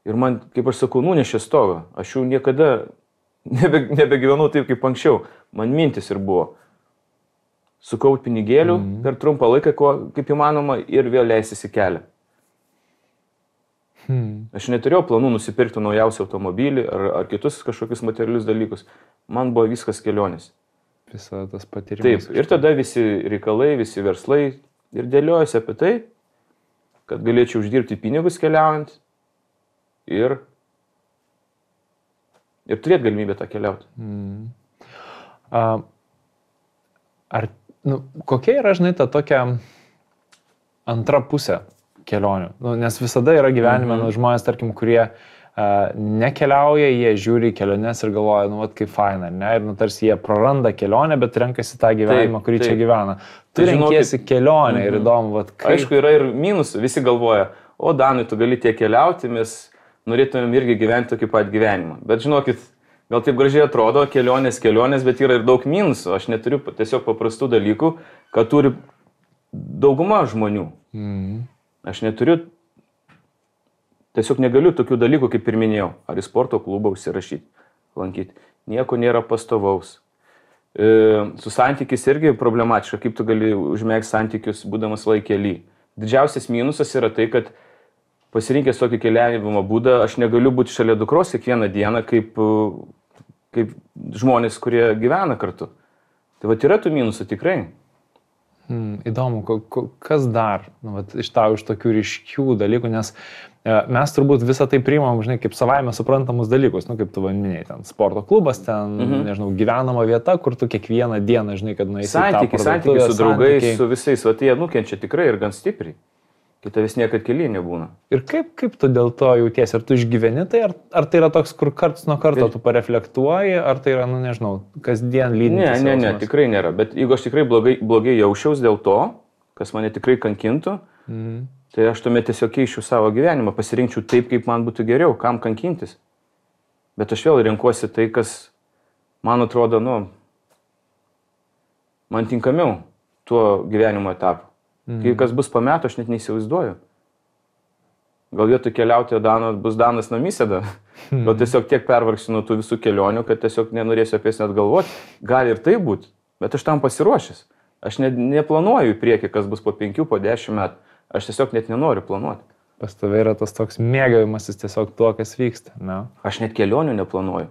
Speaker 2: Ir man, kaip aš sakau, nunešė stogą. Aš jau niekada nebegyvenau taip kaip anksčiau. Man mintis ir buvo sukaupti pinigėlių per trumpą laiką, kaip įmanoma, ir vėl leistis į kelią. Aš neturėjau planų nusipirkti naujausią automobilį ar kitus kažkokius materialius dalykus. Man buvo viskas kelionės.
Speaker 1: Visą tas patyrimas.
Speaker 2: Taip, ir tada visi reikalai, visi verslai ir dėliojasi apie tai, kad galėčiau uždirbti pinigus keliaujant ir turėti galimybę tą keliauti.
Speaker 1: Kokia yra, žinai, ta tokia antra pusė kelionių? Nes visada yra gyvenime žmonės, tarkim, kurie nekeliauja, jie žiūri į keliones ir galvoja, kaip faina, ne? Ir tarsi jie praranda kelionę, bet renkasi tą gyvenimą, kurį čia gyvena. Tu renkiesi kelionę ir įdomu, kaip...
Speaker 2: Aišku, yra ir minusų, visi galvoja, o Danai, tu gali tiek keliauti, mes norėtumėm irgi gyventi tokį pat gyvenimą. Bet žinokit, gal taip gražiai atrodo, kelionės, bet yra ir daug minusų. Aš neturiu tiesiog paprastų dalykų, kad turi dauguma žmonių. Aš neturiu, tiesiog negaliu tokių dalykų, kaip ir minėjau, ar į sporto klubą užsirašyti, lankyti. Nieko nėra pastovaus. Su santykis irgi problematiška, kaip tu gali užmėgti santykius, būdamas laikelį. Didžiausias minusas yra tai, kad pasirinkęs tokį keliavimo būdą, aš negaliu būti šalia dukros kiekvieną dieną, kaip žmonės, kurie gyvena kartu. Tai va, yra tų minusų tikrai.
Speaker 1: Įdomu, kas dar iš tokių ryškių dalykų, nes mes turbūt visą tai priimam, žinai, kaip savaime suprantamus dalykus, kaip tu minėjai, ten sporto klubas, ten, nežinau, gyvenama vieta, kur tu kiekvieną dieną, žinai, kad nueisi į tą parduotuvę.
Speaker 2: Santykiai su draugais, su visais, va, jie nukenčia tikrai ir gan stipriai. Kai tavęs niekad kelyje nebūna.
Speaker 1: Ir kaip tu dėl to jautiesi? Ar tu išgyveni tai, ar tai yra toks, kur karts nuo karto tu pareflektuoji, ar tai yra, nežinau, kasdien lydintis?
Speaker 2: Ne, tikrai nėra. Bet jeigu aš tikrai blogai jausčiaus dėl to, kas mane tikrai kankintų, tai aš tuomet tiesiog keičiu savo gyvenimą, pasirinkčiau taip, kaip man būtų geriau, kam kankintis. Bet aš vėl renkuosi tai, kas man atrodo, man tinkamiau tuo gyvenimo etapu. Kai kas bus po metų, aš net neįsivaizduoju. Gal vietoj keliauti bus Danas namysėda. Gal tiesiog tiek pervargsiu nuo tų visų kelionių, kad tiesiog nenorėsiu apie jas net galvoti. Gali ir tai būti, bet aš tam pasiruošęs. Aš neplanuoju į priekį, kas bus po 5, po 10 metų. Aš tiesiog net nenoriu planuoti.
Speaker 1: Pas tave yra tas toks mėgavimasis tiesiog tuo, kas vyksta. Ne?
Speaker 2: Aš net kelionių neplanuoju.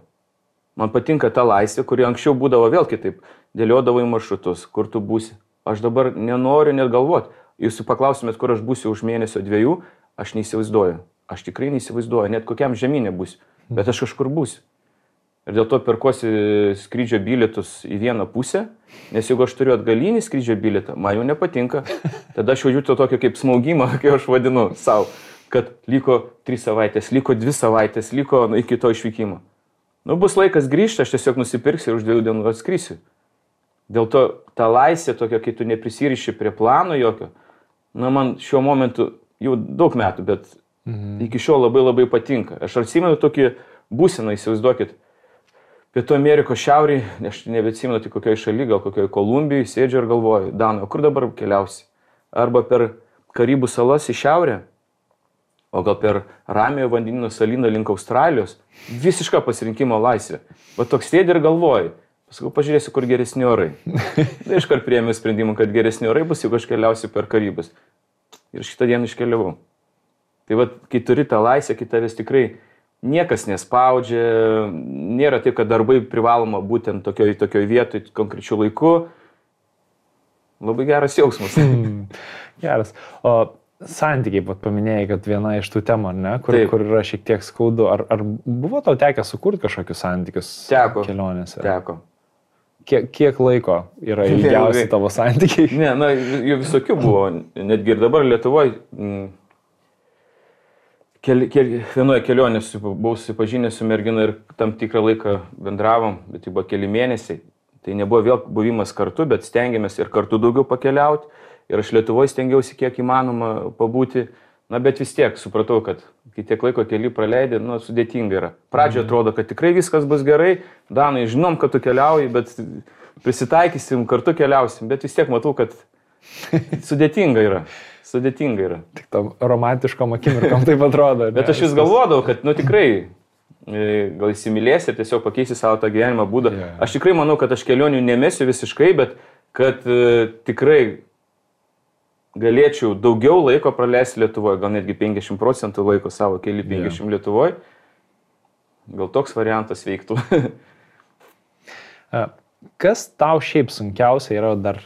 Speaker 2: Man patinka ta laisvė, kuri anksčiau būdavo vėl kitaip. Dėliodavo į maršrutus, kur tu būsi. Aš dabar nenoriu net galvoti. Jūs paklausimėt, kur aš būsiu už mėnesio 2, aš neįsivaizduoju. Aš tikrai neįsivaizduoju, net kokiam žemynė būsiu. Bet aš kažkur būsiu. ir dėl to perkuosi skrydžio bilietus į vieną pusę, nes jeigu aš turiu atgalinį skrydžio bilietą, man jau nepatinka. Tada aš jaučiu to tokio kaip smaugimą, kaip aš vadinu savo, kad liko 3 savaitės, liko 2 savaitės, liko iki to išvykimo. Nu, bus laikas grįžti, aš tiesiog nusipirksiu ir už 2 dienų atskrysiu. Dėl to ta laisvė tokia, kai tu neprisiriši prie plano jokio, na, man šiuo momentu jau daug metų, bet iki šiol labai labai patinka. Aš atsimenu tokį būseną, įsivaizduokit, Pietų Amerikos šiaurį, aš nebeatsimenu tik kokioje šalyje, gal kokioje Kolumbijoje, sėdžiu ir galvoju, Danai, o kur dabar keliausi? Arba per Karibų salas į šiaurę, o gal per Ramiojo vandenyno salyną link Australijos, visiška pasirinkimo laisvė. Va toks sėdi ir galvoji, paskui pažiūrėsiu, kur geresni orai. Tai iškart priėmiau sprendimą, kad geresni orai bus, jeigu aš keliausiu per Karibus. Ir šitą dieną iškeliavau. Tai va, kai turi tą laisvę, kai tavęs tikrai niekas nespaudžia, nėra taip, kad darbai privaloma būtent tokioj vietoj, konkrečiu laiku. Labai geras jausmas.
Speaker 1: Geras. O santykiai, paminėjai, kad viena iš tų temų, ne, kur yra šiek tiek skaudu. Ar buvo tau tekę sukurti kažkokius santykius kelionėse?
Speaker 2: Teko.
Speaker 1: Kiek laiko yra ilgiausi tavo santykiai?
Speaker 2: Ne, na, jų visokių buvo. Netgi ir dabar Lietuvoje vienoje kelionėje buvau susipažinęs su mergina ir tam tikrą laiką bendravom, bet tai buvo keli mėnesiai. Tai nebuvo vėl buvimas kartu, bet stengiamės ir kartu daugiau pakeliauti. Ir aš Lietuvoje stengiausi kiek įmanoma pabūti. Na, bet vis tiek supratau, kad kai tiek laiko keli praleidė, nu, sudėtinga yra. Pradžioje atrodo, kad tikrai viskas bus gerai. Danai, žinom, kad tu keliauji, bet prisitaikysim, kartu keliausim. Bet vis tiek matau, kad sudėtinga yra.
Speaker 1: Tik tam romantiškom akimirkom taip atrodo.
Speaker 2: Bet aš vis galvodavau, kad, nu, tikrai gal įsimylėsi ir tiesiog pakeisi savo tą gyvenimą būdą.
Speaker 1: Yeah.
Speaker 2: Aš tikrai manau, kad aš kelionių nemesiu visiškai, bet kad tikrai galėčiau daugiau laiko praleisti Lietuvoje, gal netgi 50% laiko savo keli 50 Lietuvoje. Gal toks variantas veiktų.
Speaker 1: Kas tau šiaip sunkiausia yra dar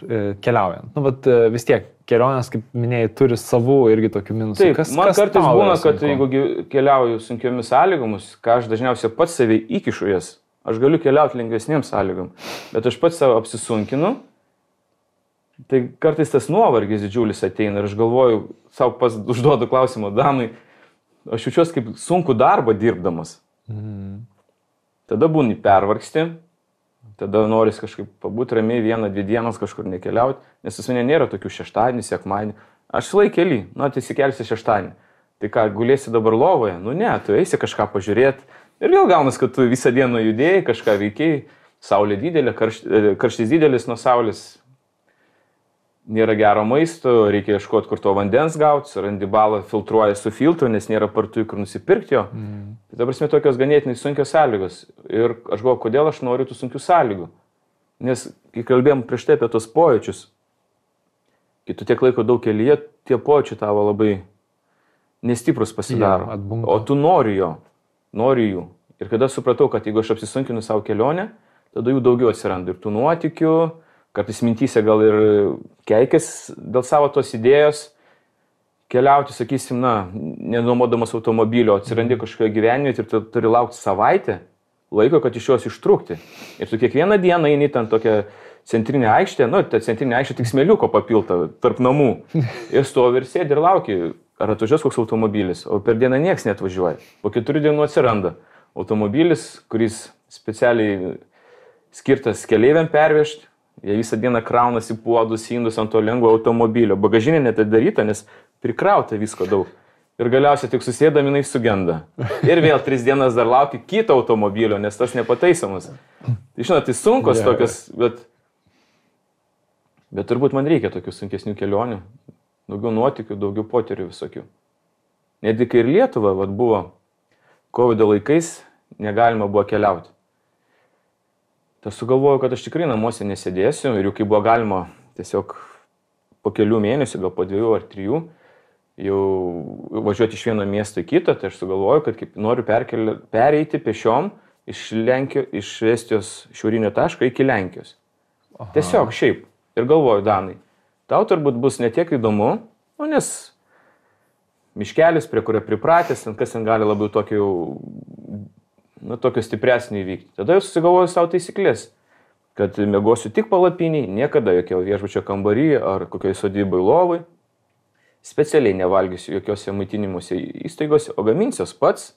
Speaker 1: keliaujant? Nu, bet vis tiek, kelionės, kaip minėjai, turi savų irgi tokių minusų.
Speaker 2: Taip, man kartais būna, kad jeigu keliauju sunkiomis sąlygomis, ką aš dažniausiai pats savai įkišu jas, aš galiu keliauti lengvesnėm sąlygom, bet aš pats savo apsisunkinu, tai kartais tas nuovargis didžiulis ateina ir aš galvoju, savo pas užduodu klausimą, Danui, aš jaučiuosi kaip sunku darbą dirbdamas. Tada būni pervargsti. Tada noris kažkaip pabūti ramiai 1-2 dienas kažkur nekeliauti, nes pas mane nėra tokių šeštadienį, sekmadienį. Aš laik keli, nu, tai įsikelsi šeštadienį. Tai ką, gulėsi dabar lovoje? Nu ne, tu eisi kažką pažiūrėti. Ir vėl gaunas, kad tu visą dieną judėjai, kažką veikiai, saulė didelė, karštis didelis nuo saulės. Nėra gero maisto, reikia ieškoti, kur to vandens gauti, surandi balą, filtruoja su filtru, nes nėra partų, kur nusipirkti jo. Tai dabar mes tokios ganėtinai sunkios sąlygos. Ir aš galvoju, kodėl aš noriu tų sunkių sąlygų. Nes, kai kalbėjom prieš tai apie tos pojūčius, kai tu tiek laiko daug kelyje, tie pojūčiai tavo labai nestiprus pasidaro. O tu nori jų. Ir kada supratau, kad jeigu aš apsisunkinu savo kelionę, tada jų daugiau atsiranda. Ir tų nuotykių, kartais mintyse gal ir keikės dėl savo tos idėjos keliauti, sakysim, na, nenuomodamas automobilio, atsirandi kažkokio gyvenime ir tu turi laukti savaitę laiko, kad iš jos ištrūkti. Ir tu kiekvieną dieną eini ten tokią centrinę aikštę, nu, ta centrinė aikštė tik smėliuko papilta tarp namų. Ir stovi ir sėdi ir lauki, ar atvažiuos koks automobilis, o per dieną nieks neatvažiuoja. Po 4 dienų atsiranda automobilis, kuris specialiai skirtas keleiviam pervežti. Jie visą dieną kraunasi puodus, indus ant to lengvo automobilio. Bagažinė netadaryta, nes prikrauta visko daug. Ir galiausiai tik susėdami jinai sugenda. Ir vėl 3 dienas dar lauki kito automobilio, nes tas nepataisomas. Tai žinot, tai sunkos tokios, bet turbūt man reikia tokių sunkesnių kelionių. Daugiau nuotykių, daugiau potyrių visokių. Netgi kai ir Lietuva buvo COVID laikais, negalima buvo keliauti. Tai sugalvojau, kad aš tikrai namuose nesėdėsiu ir jau kai buvo galima tiesiog po kelių mėnesių, gal po 2 ar 3, jau važiuoti iš vieno miesto į kitą, tai aš sugalvojau, kad noriu pereiti pešiom iš Estijos šiaurinio taško iki Lenkijos. Aha. Tiesiog šiaip. Ir galvoju, Danai, tau turbūt bus netiek įdomu, nes miškelis, prie kurio pripratęs, kas ten gali labiau tokį tokio stipresnio įvykti. Tada jau susigalvoju savo taisyklės, kad mėgosiu tik palapiniai, niekada jokio viešbučio kambarį ar kokioj sodybai lovai. Specialiai nevalgysiu jokiose maitinimuose įstaigose, o gaminsiuos pats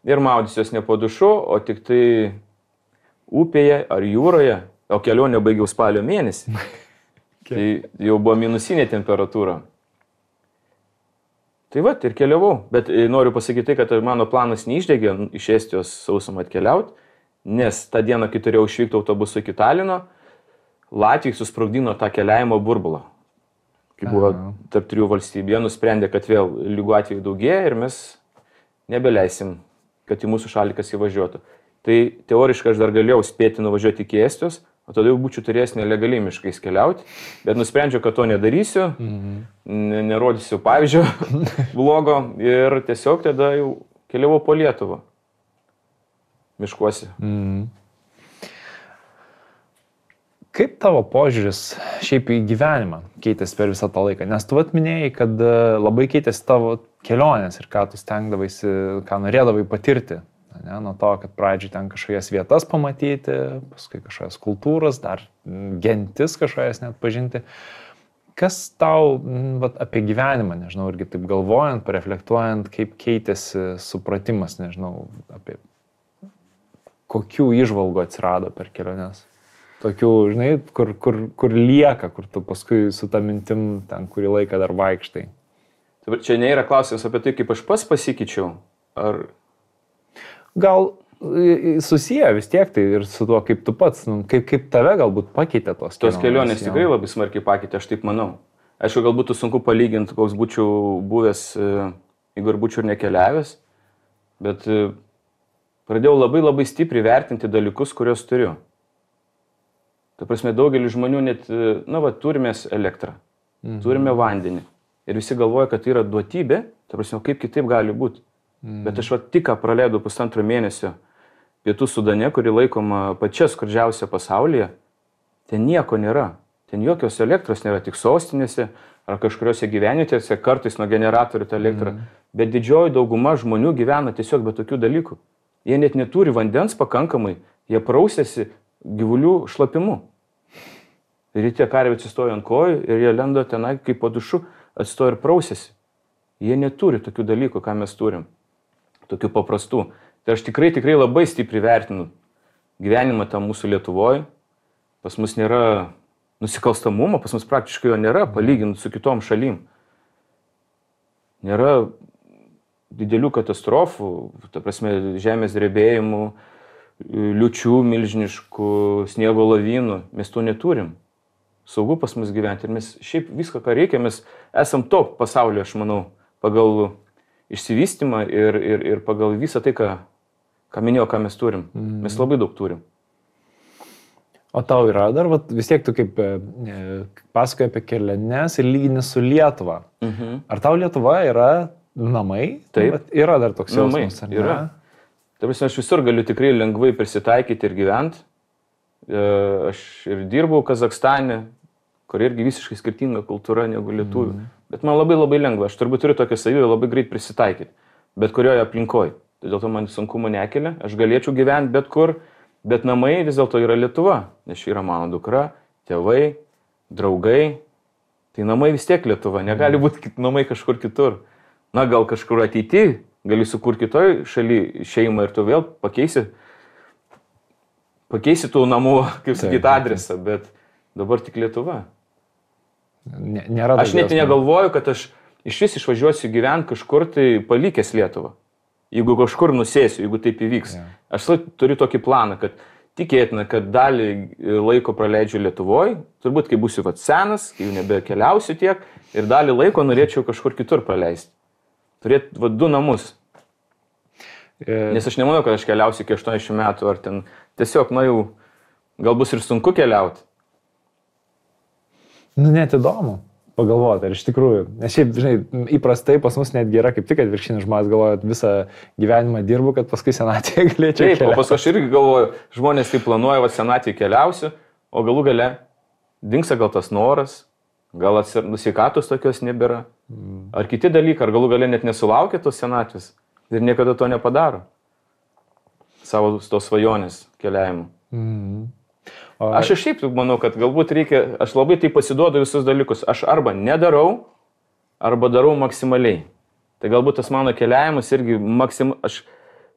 Speaker 2: ir maudysiuos ne po dušu, o tik tai upėje ar jūroje, o kelionę baigiau spalio mėnesį. Tai jau buvo minusinė temperatūra. Tai va, ir keliavau. Bet noriu pasakyti tai, kad mano planas neišdegė iš Estijos sausumą atkeliauti, nes tą dieną, kai turėjau išvykti autobusu iki Talino, Latvijai susprogdino tą keliavimo burbulą. Kai buvo tarp 3 valstybių, jie nusprendė, kad vėl lygų atvejų daugėja ir mes nebeleisim, kad į mūsų šalį kas įvažiuotų. Tai teoriškai aš dar galėjau spėti nuvažiuoti iki Estijos, o tada jau būčiau turėjęs nelegaliai miškais keliauti, bet nusprendžiau, kad to nedarysiu, nerodysiu pavyzdžio blogo ir tiesiog tada jau keliavau po Lietuvą miškuose.
Speaker 1: Kaip tavo požiūris šiaip į gyvenimą keitėsi per visą tą laiką? Nes tu minėjai, kad labai keitėsi tavo kelionės ir ką tu stengdavaisi, ką norėdavai patirti. Ne? Nuo to, kad pradžiai ten kažkokias vietas pamatyti, paskui kažkokias kultūras, dar gentis kažkokias net pažinti. Kas tau apie gyvenimą, nežinau, irgi taip galvojant, pareflektuojant, kaip keitėsi supratimas, nežinau, apie kokių įžvalgų atsirado per keliones? Tokių, žinai, kur lieka, kur tu paskui su tą mintim ten kurį laiką dar vaikštai.
Speaker 2: Čia nėra klausimas apie tai, kaip aš pats pasikeičiau, ar...
Speaker 1: Gal susiję vis tiek tai ir su tuo, kaip tu pats, kaip tave galbūt pakeitė tos kelionės.
Speaker 2: Tos kelionės tikrai labai smarkiai pakeitė, aš taip manau. Aišku, gal būtų sunku palyginti, koks būčiau buvęs, jeigu ir būčiau ir nekeliavęs, bet pradėjau labai stipriai vertinti dalykus, kuriuos turiu. Ta prasme, daugelis žmonių net, turime elektrą, turime vandenį. Ir visi galvoja, kad tai yra duotybė, ta prasme, kaip kitaip gali būti. Bet aš tik praleidau 1,5 mėnesio Pietų Sudane, kuri laikoma pačia skurdžiausia pasaulyje. Ten nieko nėra. Ten jokios elektros nėra, tik sostinėse ar kažkuriuose gyvenvietėse, kartais nuo generatorių tą elektrą. Bet didžioji dauguma žmonių gyvena tiesiog be tokių dalykų. Jie net neturi vandens pakankamai, jie prausėsi gyvulių šlapimu. Ir tie karviai atsistojo ant kojų ir jie lendo tenai kaip po dušu, atsistojo ir prausėsi. Jie neturi tokių dalykų, ką mes turim. Tokių paprastų. Tai aš tikrai labai stipriai vertinu gyvenimą tą mūsų Lietuvoje. Pas mus nėra nusikalstamumo, pas mus praktiškai jo nėra, palyginti su kitom šalim. Nėra didelių katastrofų, ta prasme, žemės drebėjimų, liūčių milžiniškų, sniego lavynų. Mes to neturim. Saugu pas mus gyventi ir mes šiaip viską, ką reikia, mes esam top pasaulyje, aš manau, pagal išsivystymą ir pagal visą tai, ką minėjau, ką mes turim. Mes labai daug turim.
Speaker 1: O tau yra dar, vis tiek tu kaip pasakoji apie keliones ir lygini su Lietuva. Ar tau Lietuva yra namai?
Speaker 2: Taip.
Speaker 1: Yra dar toks jausmas, ar ne?
Speaker 2: Yra. Ta prasme, aš visur galiu tikrai lengvai prisitaikyti ir gyventi. Aš ir dirbau Kazakstane, kur irgi visiškai skirtinga kultūra negu lietuvių. Bet man labai lengva. Aš turbūt turiu tokią savybę labai greit prisitaikyti. Bet kurioje aplinkoje. Tai dėl to man sunkumo nekelia. Aš galėčiau gyventi bet kur, bet namai vis dėlto yra Lietuva. Nes čia yra mano dukra, tėvai, draugai. Tai namai vis tiek Lietuva. Negali būti namai kažkur kitur. Na, gal kažkur ateity gali sukurti kitoj šaly šeimą ir tu vėl pakeisi tų namų, kaip sakyti, adresą, bet dabar tik Lietuva.
Speaker 1: Nėra
Speaker 2: aš net negalvoju, kad aš iš vis išvažiuosiu gyventi kažkur tai palikęs Lietuvą. Jeigu kažkur nusėsiu, jeigu taip įvyks. Aš turiu tokį planą, kad tikėtina, kad dalį laiko praleidžiu Lietuvoje, turbūt kai būsiu senas, kai jau nebekeliausiu tiek, ir dalį laiko norėčiau kažkur kitur praleisti. Turėti 2 namus. Nes aš nemanau, kad aš keliausiu iki 80 metų, ar ten tiesiog, jau gal bus ir sunku keliauti.
Speaker 1: Net įdomu pagalvoti, ar iš tikrųjų. Nes šiaip, žinai, įprastai pas mus netgi yra kaip tik atvirkštinis žmonės galvoja, kad visą gyvenimą dirbu, kad paskui senatvėje galėčiau keliauti.
Speaker 2: Taip, o paskui aš irgi galvoju, žmonės tai planuoja, senatvėje keliausiu, o galų gale dingsta gal tas noras, gal sveikatos tokios nebėra. Ar kiti dalykai, ar galų gale net nesulaukia tos senatvės ir niekada to nepadaro. savo tos svajonės keliavimu. Aš ir šiaip manau, kad galbūt reikia, aš labai tai pasiduodu visus dalykus. Aš arba nedarau, arba darau maksimaliai. Tai galbūt tas mano keliavimas irgi aš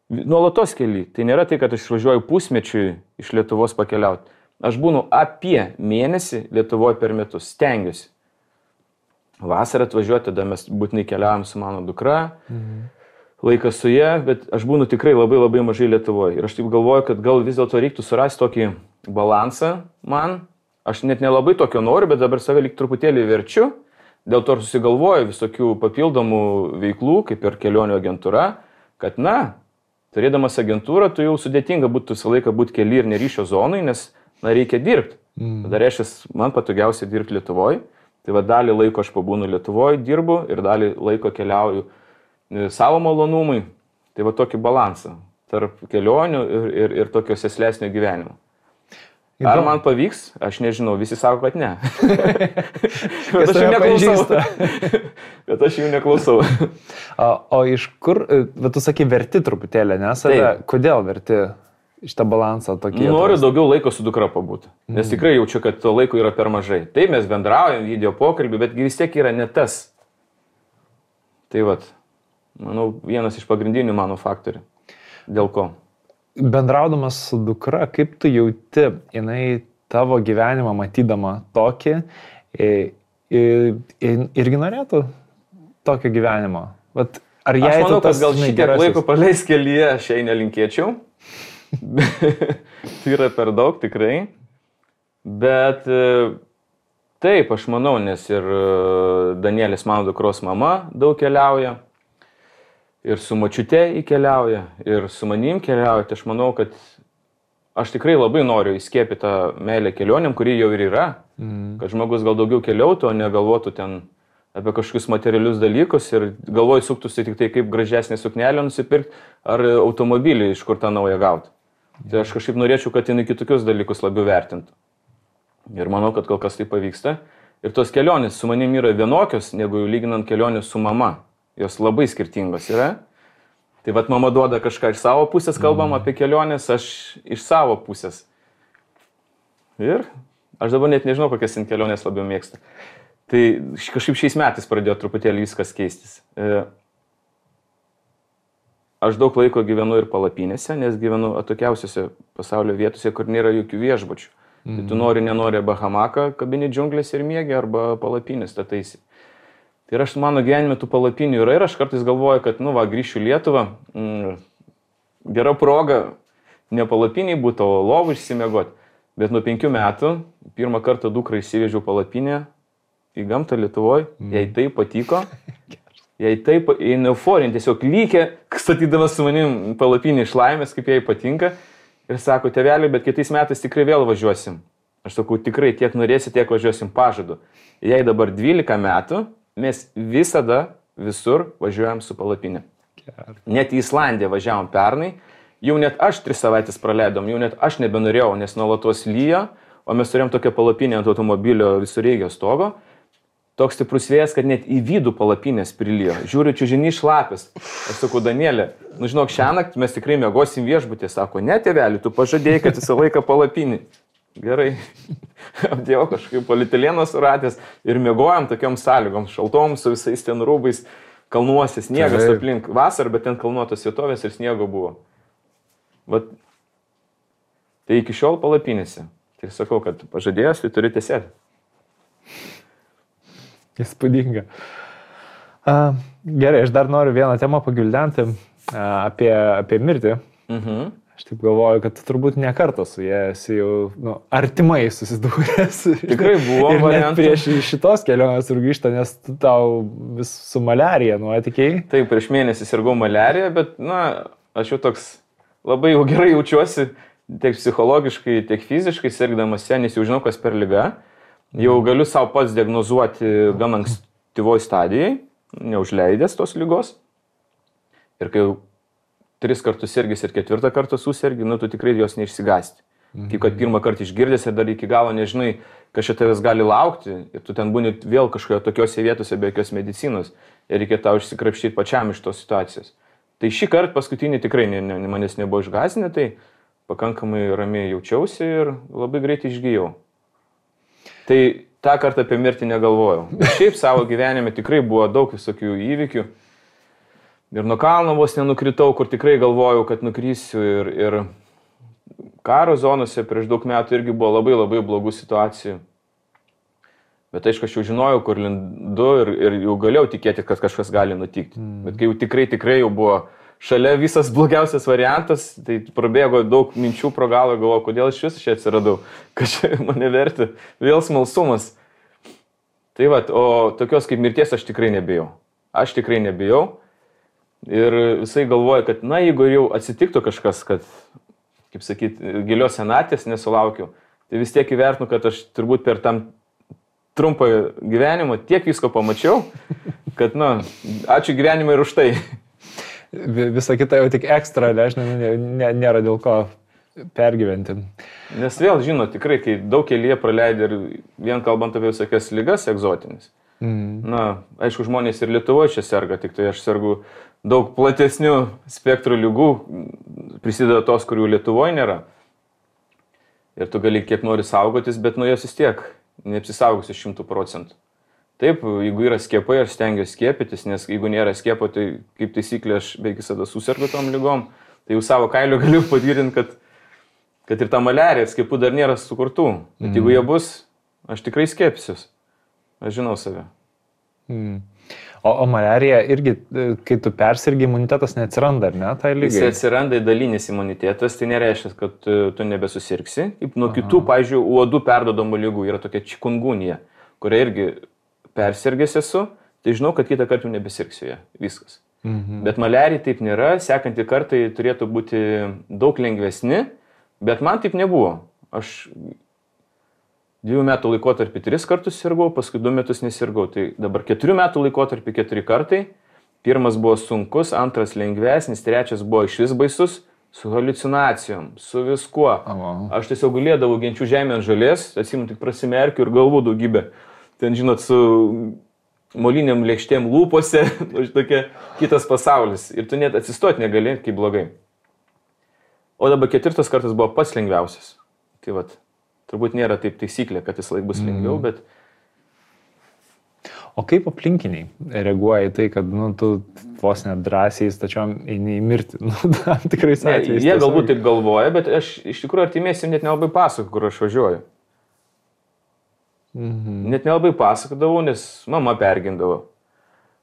Speaker 2: nuolatos keli. Tai nėra tai, kad aš išvažiuoju pusmečiui iš Lietuvos pakeliauti. Aš būnu apie mėnesį Lietuvoje per metus. Stengiuosi. Vasarą atvažiuoti, tada mes būtinai keliavom su mano dukra. Laikas su ja, bet aš būnu tikrai labai labai mažai Lietuvoje. Ir aš taip galvoju, kad gal vis dėlto reiktų surasti tokį balansą man. Aš net nelabai tokio noriu, bet dabar save lyg truputėlį verčiu. Dėl to susigalvoju visokių papildomų veiklų, kaip ir kelionių agentūra, kad turėdamas agentūrą, tu jau sudėtinga būtų visą laiką būti keli ir neryšio zonai, nes reikia dirbti. Tada reiškia, man patogiausia dirbti Lietuvoje. Tai dalį laiko aš pabūnu Lietuvoje, dirbu ir dalį laiko keliauju savo malonumui. Tai tokį balansą tarp kelionių ir tokio seslesnio gyvenimo. Ar man pavyks? Aš nežinau, visi sako, kad ne. Bet aš jų neklausau. Bet aš jų neklausau.
Speaker 1: O iš kur, tu sakai, verti truputėlį, ne? Kodėl verti šitą balansą tokį?
Speaker 2: Noriu daugiau laiko su dukra pabūti. Nes tikrai jaučiu, kad to laiko yra per mažai. Taip, mes bendraujam, video pokalbį, bet vis tiek yra ne tas. Tai manau, vienas iš pagrindinių mano faktorių. Dėl ko?
Speaker 1: Bendraudamas su dukra, kaip tu jauti, jinai tavo gyvenimą matydama tokį, irgi norėtų tokio gyvenimo? Ar
Speaker 2: aš manau, kad gal šitiek laiko praleis kelyje, aš jai nelinkėčiau. Tai yra per daug tikrai. Bet taip, aš manau, nes ir Danielis, mano dukros mama, daug keliauja. Ir su močiute įkeliauja, ir su manim keliauja. Tai aš manau, kad aš tikrai labai noriu įskiepyti tą meilę kelionėm, kuri jau ir yra. Kad žmogus gal daugiau keliautų, o negalvotų ten apie kažkokius materialius dalykus ir galvoj suktųsi tik tai, kaip gražesnė suknelė nusipirkti ar automobilį iš kur tą naują gauti. Tai aš kažkaip norėčiau, kad jinai kitokius dalykus labiau vertintų. Ir manau, kad kol kas tai pavyksta. Ir tos kelionės su manim yra vienokios, negu lyginant kelionės su mama. Jos labai skirtingos yra. Tai mama duoda kažką iš savo pusės, kalbam apie kelionės, aš iš savo pusės. Ir aš dabar net nežinau, kokias kelionės labiau mėgstu. Tai kažkaip šiais metais pradėjo truputėlį viskas keistis. Aš daug laiko gyvenu ir palapinėse, nes gyvenu atokiausiose pasaulio vietose, kur nėra jokių viešbučių. Tai tu nenori arba hamaką kabini džiunglės ir miegi, arba palapinės stataisi. Tai ir mano gyvenime tų palapinių yra ir aš kartais galvoju, kad, grįšiu į Lietuvą, gera proga ne palapiniai būtų, o lovų išsimiegoti. Bet nuo 5 metų pirmą kartą dukrą išsivežiau palapinę į gamtą Lietuvoje, jai tai patiko, jai taip, jai euforinė, tiesiog lygė, statydamas su manim palapinį iš laimės, kaip jai patinka. Ir sako, tėveliai, bet kitais metais tikrai vėl važiuosim. Aš sakau, tikrai tiek norėsi, tiek važiuosim, pažadu. Jai dabar 12 metų. Mes visada visur važiuojam su palapinė. Net į Islandiją važiavom pernai, jau net aš 3 savaitės praleidom, jau net aš nebenorėjau, nes nuolatos lyjo, o mes turėjom tokią palapinę ant automobilio visureigio stogo. Toks stiprus vėjas, kad net į vidų palapinės prilijo. Žiūriu, čiužinys šlapis. Aš sakau, Danielė, žinok, šiąnakt mes tikrai miegosim viešbutį. Sako, ne, tėveli, tu pažadėjai, kad visą laiką palapinį. Gerai. Apdėjau kažkaip polietileno suratęs ir miegojom tokiom sąlygom, šaltom su visais ten rūbais, kalnuose, sniegas aplink vasarą, bet ten kalnuotos vietovės ir sniego buvo. Tai iki šiol palapinėse. Tai sakau, kad pažadėjęs, tai turi tiesėti.
Speaker 1: Įspūdinga. Gerai, aš dar noriu vieną temą pagvildenti apie mirtį. Aš taip galvoju, kad turbūt ne kartą su jie esi jau artimai susidūręs.
Speaker 2: Tikrai buvo variantų.
Speaker 1: Prieš šitos kelionės ir grįžta, nes tau vis su maliarija nuotikiai.
Speaker 2: Taip, prieš mėnesį sirgau maliarija, bet aš jau toks labai jau gerai jaučiuosi tiek psichologiškai, tiek fiziškai sirgdamas ją, nes jau žinau, kas per liga. Jau galiu savo pats diagnozuoti gan ankstyvoj stadijai, neužleidęs tos ligos. Ir kai jau 3 kartus sirgis ir 4 kartą susirgi, tu tikrai jos neišsigąsti. Kaip kad pirmą kartą išgirdęs ir dar iki galo nežinai, kas čia tavęs gali laukti ir tu ten būni vėl kažkoje tokiose vietose be jokios medicinos ir reikia tau išsikrapštyti pačiam iš tos situacijos. Tai šį kartą paskutinį tikrai manęs nebuvo išgąsdinę, tai pakankamai ramiai jaučiausi ir labai greitai išgyjau. Tai tą kartą apie mirtį negalvojau. Bet šiaip savo gyvenime tikrai buvo daug visokių įvykių. Ir nuo kalno vos nenukritau, kur tikrai galvojau, kad nukrysiu. Ir karo zonose prieš daug metų irgi buvo labai labai blogų situacijų. Bet aišku, aš jau žinojau, kur lindu ir jau galėjau tikėti, kad kažkas gali nutikti. Bet kai jau tikrai jau buvo šalia visas blogiausias variantas, tai prabėgo daug minčių pro galvą, galvoju, kodėl aš vis čia atsiradau, kad čia mane verti, vėl smalsumas. Tai va, o tokios kaip mirties aš tikrai nebijau. Aš tikrai nebijau. Ir visai galvoju, kad na, jeigu jau atsitiktų kažkas, kad, kaip sakyti, gilios senatvės nesulaukiau, tai vis tiek įvertinu, kad aš turbūt per tam trumpą gyvenimą tiek visko pamačiau, kad, na, ačiū gyvenimui ir už tai.
Speaker 1: Visa kita jau tik ekstra, nežinau, nėra dėl ko pergyventi.
Speaker 2: Nes vėl, žinot, tikrai, kai daug kelyje praleidai ir vien kalbant apie visokias ligas egzotinis. Na, aišku, žmonės ir Lietuvoje čia serga, tik tai aš sergu daug platesnių spektrų ligų, prisideda tos, kurių Lietuvoje nėra. Ir tu gali kiek nori saugotis, bet nuo jos vis tiek neapsisaugosi 100%. Taip, jeigu yra skiepai, aš stengiuosi skiepytis, nes jeigu nėra skiepo, tai kaip taisyklė aš beveik visada susirgu tom lygom, tai jau savo kailiu galiu patvirtinti, kad ir ta maliarija skiepų dar nėra sukurtų. Bet jeigu jie bus, aš tikrai skiepsiuos. Aš žinau save.
Speaker 1: O maliarija irgi, kai tu persirgi, imunitetas neatsiranda, ar ne, tai lygiai?
Speaker 2: Jis atsiranda dalinis imunitetas, tai nereiškia, kad tu nebesusirgsi. Kaip nuo kitų, pavyzdžiui, uodų perduodamų lygų yra tokia čikungunija, kuria irgi persirgęs esu, tai žinau, kad kitą kartą nebesirgsiu ją. Viskas. Bet maliarija taip nėra, sekantį kartą turėtų būti daug lengvesni, bet man taip nebuvo. Aš 2 metų laikotarpį 3 kartus sirgau, paskui 2 metus nesirgau. Tai dabar 4 metų laikotarpį 4 kartai. Pirmas buvo sunkus, antras lengvesnis, trečias buvo išvis baisus, su haliucinacijom, su viskuo. Aš tiesiog gulėdavau genčių žemė ant žolės, atsimenu, tik prasimerkiu ir galvų daugybę. Ten, žinot, su moliniam lėkštėm lūpose, tokia kitas pasaulis. Ir tu net atsistoti negali, kaip blogai. O dabar 4 kartas buvo pats lengviausias. Tai vat. Turbūt nėra taip taisyklė, kad jis laik bus lengviau, bet...
Speaker 1: O kaip aplinkiniai reaguoja į tai, kad tu vos net drąsiai stačiom eini į mirtį? Tam tikrais atvejais.
Speaker 2: Jie galbūt taip galvoja, bet aš iš tikrųjų artimiesiam net nelabai pasakoju, kur aš važiuoju. Net nelabai pasakodavau, nes mama pergindavo.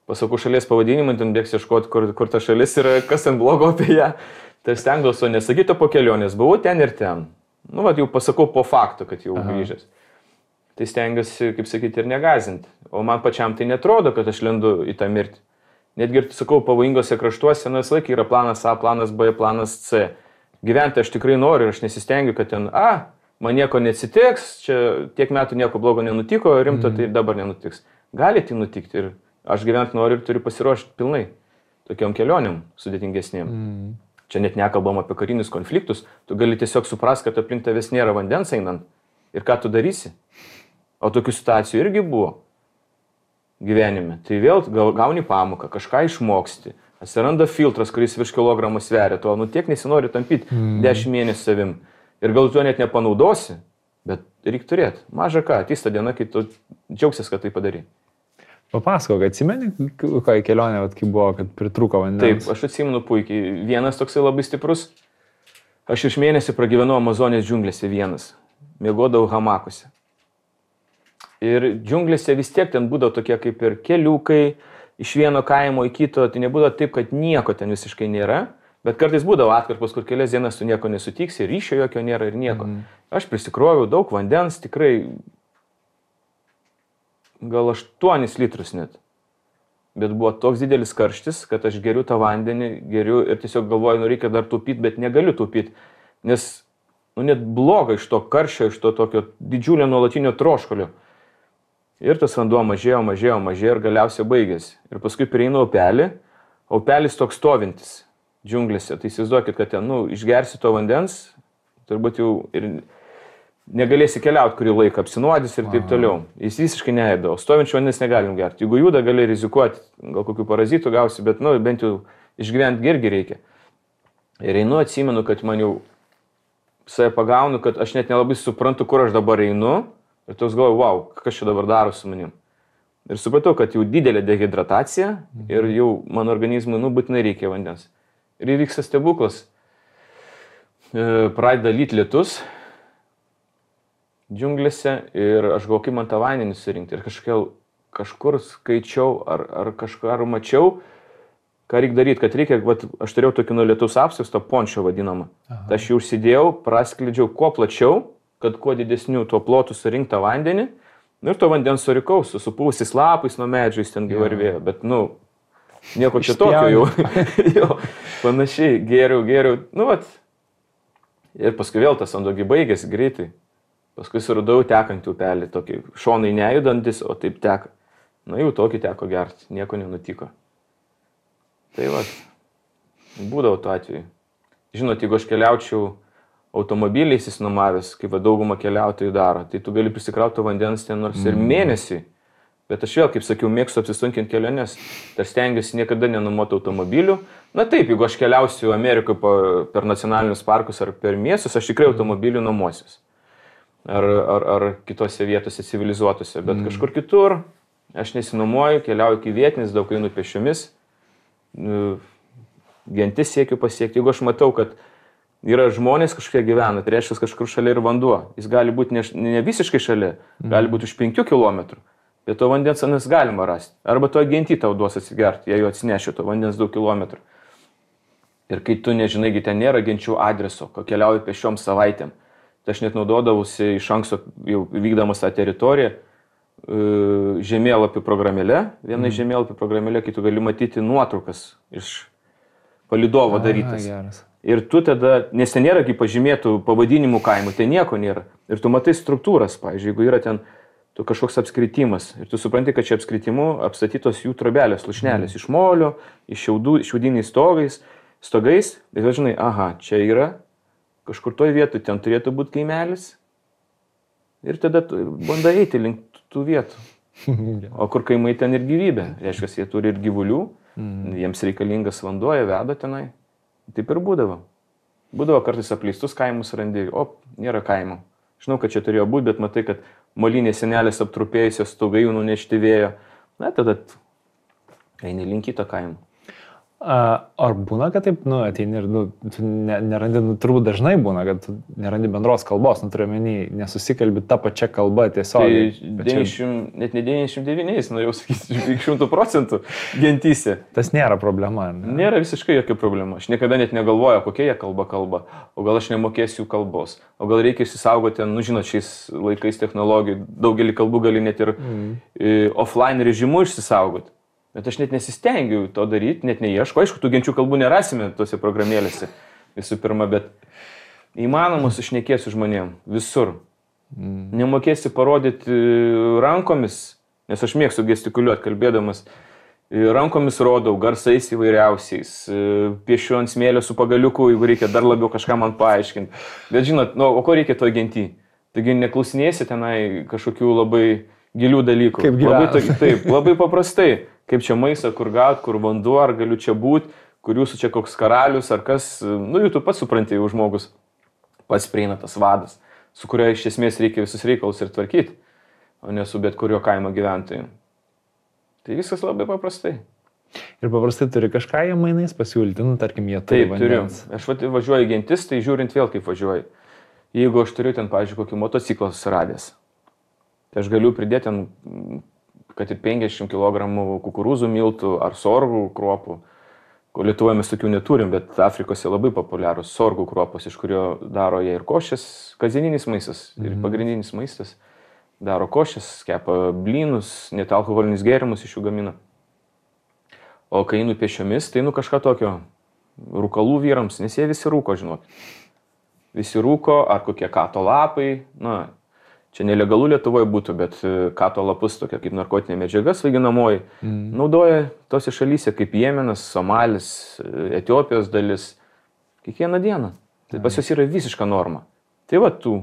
Speaker 2: Pasakau šalies pavadinimą, ten bėgs ieškoti, kur ta šalis yra, kas ten blogo apie ją. Tai stengdavau nesakyti po kelionės, buvau ten ir ten. Nu, vat jau pasakau po faktu, kad jau grįžęs. Tai stengiuosi, kaip sakyti, ir negazinti. O man pačiam tai netrodo, kad aš lendu į tą mirtį. Netgi ir, sakau, pavojingose kraštuose, nes laikai yra planas A, planas B, planas C. Gyventi aš tikrai noriu ir aš nesistengiu, kad ten, man nieko neatsitiks, čia tiek metų nieko blogo nenutiko, rimto tai dabar nenutiks. Gali tai nutikti ir aš gyventi noriu ir turiu pasiruošti pilnai tokiom kelionėm sudėtingesnėm. Čia net nekalbam apie karinius konfliktus, tu gali tiesiog suprasti, kad aplink tavęs nėra vandens einant ir ką tu darysi. O tokių situacijų irgi buvo gyvenime. Tai vėl gauni pamoką, kažką išmoksti, atsiranda filtras, kuris virš kilogramų sveria, to tiek nesinori tampyti 10 mėnesių savim. Ir gal tu net nepanaudosi, bet reikia turėti. Maža ką, ateis ta diena, kai tu džiaugsies, kad tai padarai.
Speaker 1: Papasakok, atsimeni, kokia kelionė, kai buvo, kad pritrūko vandens?
Speaker 2: Taip, aš atsimenu puikiai. Vienas toksai labai stiprus. Aš iš mėnesį pragyvenau Amazonės džiunglėse vienas. Miegodavau hamakuose. Ir džiunglėse vis tiek ten būdavo tokie kaip ir keliukai, iš vieno kaimo į kito. Tai nebūdavo taip, kad nieko ten visiškai nėra. Bet kartais būdavo atkarpos, kur kelias dienas tu nieko nesutiksi, ryšio jokio nėra ir nieko. Aš prisikroviau daug vandens, tikrai... gal 8 litrus net. Bet buvo toks didelis karštis, kad aš geriu tą vandenį, geriu ir tiesiog galvoju, reikia dar taupyti, bet negaliu taupyti. Nes net bloga iš to karščio, iš to tokio didžiulio nuolatinio troškulio. Ir tas vanduo mažėjo ir galiausiai baigėsi. Ir paskui prieinu upelį, upelis toks stovintis džiunglėse. Tai įsivaizduokit, kad ten, išgersi to vandens, turbūt jau ir... negalėsi keliauti kurį laiką, apsinuodys ir taip toliau. Jis visiškai neėda, o stovinčio vandens negalim gerti. Jeigu juda, gali rizikuoti, gal kokių parazitų gausi, bet bent jau išgyventi irgi reikia. Ir einu, atsimenu, kad man jau save pagaunu, kad aš net nelabai suprantu, kur aš dabar einu. Ir toks galvoju, wow, kas čia dabar daro su manim. Ir supratau, kad jau didelė dehidratacija ir jau mano organizmui, būtinai reikia vandens. Ir įvyksta stebuklas. Pradeda lyti lietus džiunglėse ir aš galvoju, kaip man tą vandenį surinkti. Ir kažkur skaičiau ar kažką mačiau, ką reikia daryti, kad reikia, aš turėjau tokį nuo lietaus apsiausto pončio vadinamą. Tai aš jį užsidėjau, prasklidžiau kuo plačiau, kad kuo didesnių tuo plotų surinktą vandenį. Ir to vandens surikau su supūsis lapais nuo medžių, jis ten gyvarvėjo. Bet, nieko čia tokio jau. Jo, panašiai, geriau. Ir paskui vėl tas andogi baigėsi greitai. Paskui suradau tekantį upelį, tokį šonai nejudantis, o taip teka. Jau tokį teko gerti, nieko nenutiko. Tai būdavo tuo atveju. Žinot, jeigu aš keliaučiau automobiliais įsinuomavęs, kaip dauguma keliautojų daro, tai tu gali prisikrauti vandens ten nors ir mėnesį. Bet aš vėl, kaip sakiau, mėgstu apsisunkinti keliones. Tai stengiuosi niekada nenumoti automobilių. Taip, jeigu aš keliausiu Amerikoje per nacionalinius parkus ar per miestus, aš tikrai automobilių nuomosius. Ar kitose vietose civilizuotose. Bet kažkur kitur aš nesinuomoju, keliauju iki vietinis, daug einu pėsčiomis. Gentis siekiu pasiekti. Jeigu aš matau, kad yra žmonės kažkokie gyvena, tai reiškia kažkur šalia ir vanduo. Jis gali būti ne visiškai šalia, gali būti už 5 km. Bet to vandens anas galima rasti. Arba to gentį tau duos atsigerti, jei jo atsinešė to vandens 2 km. Ir kai tu nežinai, ten nėra genčių adreso, ko keliauji pešiom savaitėm. Tai aš net naudodavausi iš anksto jau vykdamas tą teritoriją žemėlapių programėlė. Viena iš žemėlapių programėlė, kai tu gali matyti nuotraukas iš palidovo darytas.
Speaker 1: Geras.
Speaker 2: Ir tu tada, nes ten nėra kaip pažymėtų pavadinimų kaimų, tai nieko nėra. Ir tu matai struktūras, pavyzdžiui, jeigu yra ten kažkoks apskritimas. Ir tu supranti, kad čia apskritimu apstatytos jų trobelės, lušnelės iš molio, iš šiaudiniais stogais. Ir žinai, čia yra kažkur toj vietoj, ten turėtų būti kaimelis. Ir tada tu bandai eiti link tų vietų. O kur kaimai ten ir gyvybė. Reiškia, jie turi ir gyvulių, jiems reikalingas vanduo, jie veda tenai. Taip ir būdavo. Būdavo kartais apleistus kaimus randi, nėra kaimo. Žinau, kad čia turėjo būti, bet matai, kad molinės senelės aptrupėjusios stogai jų nunešti vėjo. Tada eini link kito kaimo.
Speaker 1: Ar būna, kad taip, ateini ir nerandi, turbūt dažnai būna, kad nerandi bendros kalbos, turiu menį, nesusikalbi tą pačią kalbą tiesiog.
Speaker 2: Tai net ne 99, norėjau sakyti, 100% gentyse.
Speaker 1: Tas nėra problema, ne?
Speaker 2: Nėra visiškai jokia problema. Aš niekada net negalvoju, kokia jie kalba, o gal aš nemokėsiu jų kalbos, o gal reikia išsisaugoti, žinot, šiais laikais technologijų, daugelį kalbų gali net ir offline režimu išsisaugoti. Bet aš net nesistengiu to daryti, net neieško. Aišku, tų genčių kalbų nerasime tose programėlėse visų pirma, bet įmanoma sušnekėti su žmonėm visur. Nemokėsi parodyti rankomis, nes aš mėgstu gestikuliuoti kalbėdamas. Rankomis rodau, garsais įvairiausiais, piešiu ant smėlio su pagaliuku, jeigu reikia dar labiau kažką man paaiškinti. Bet žinot, o ko reikia to genty? Taigi neklausinėsi tenai kažkokių labai gilių dalykų.
Speaker 1: Kaip gyvena.
Speaker 2: Taip, labai paprastai. Kaip čia maistą, kur gaut, kur vanduo, ar galiu čia būti, kur jūsų čia koks karalius, ar kas. Jau tu pats supranti, jau žmogus pats prieina tas vadas, su kurio iš esmės reikia visus reikalus ir tvarkyti, o ne su bet kurio kaimo gyventojų. Tai viskas labai paprastai.
Speaker 1: Ir paprastai turi kažką jie mainais pasiūlyti, tarkim, jie turi vandens.
Speaker 2: Taip, turiu. Aš važiuoju gentis, tai žiūrint vėl kaip važiuoju. Jeigu aš turiu ten, pavyzdžiui, kokį motociklą susiradęs, tai aš galiu pridėti ten, kad ir 50 kg kukurūzų miltų ar sorgų kruopų. Lietuvoje mes tokių neturim, bet Afrikose labai populiarus sorgų kruopos, iš kurio daro jie ir košės, kasdieninis maistas ir pagrindinis maistas. Daro košės, kepa blynus, net alkoholinius gėrimus iš jų gamina. O kai einu pėsčiomis, tai kažką tokio rūkalų vyrams, nes jie visi rūko, žinot. Visi rūko, ar kokie kato lapai, čia nelegalu Lietuvoje būtų, bet kato lapus, tokia kaip narkotinė medžiaga svaiginamoji, naudoja tose šalyse kaip Jemenas, Somalis, Etiopijos dalis, kiekvieną dieną. Tai pas jos yra visiška norma. Tai tų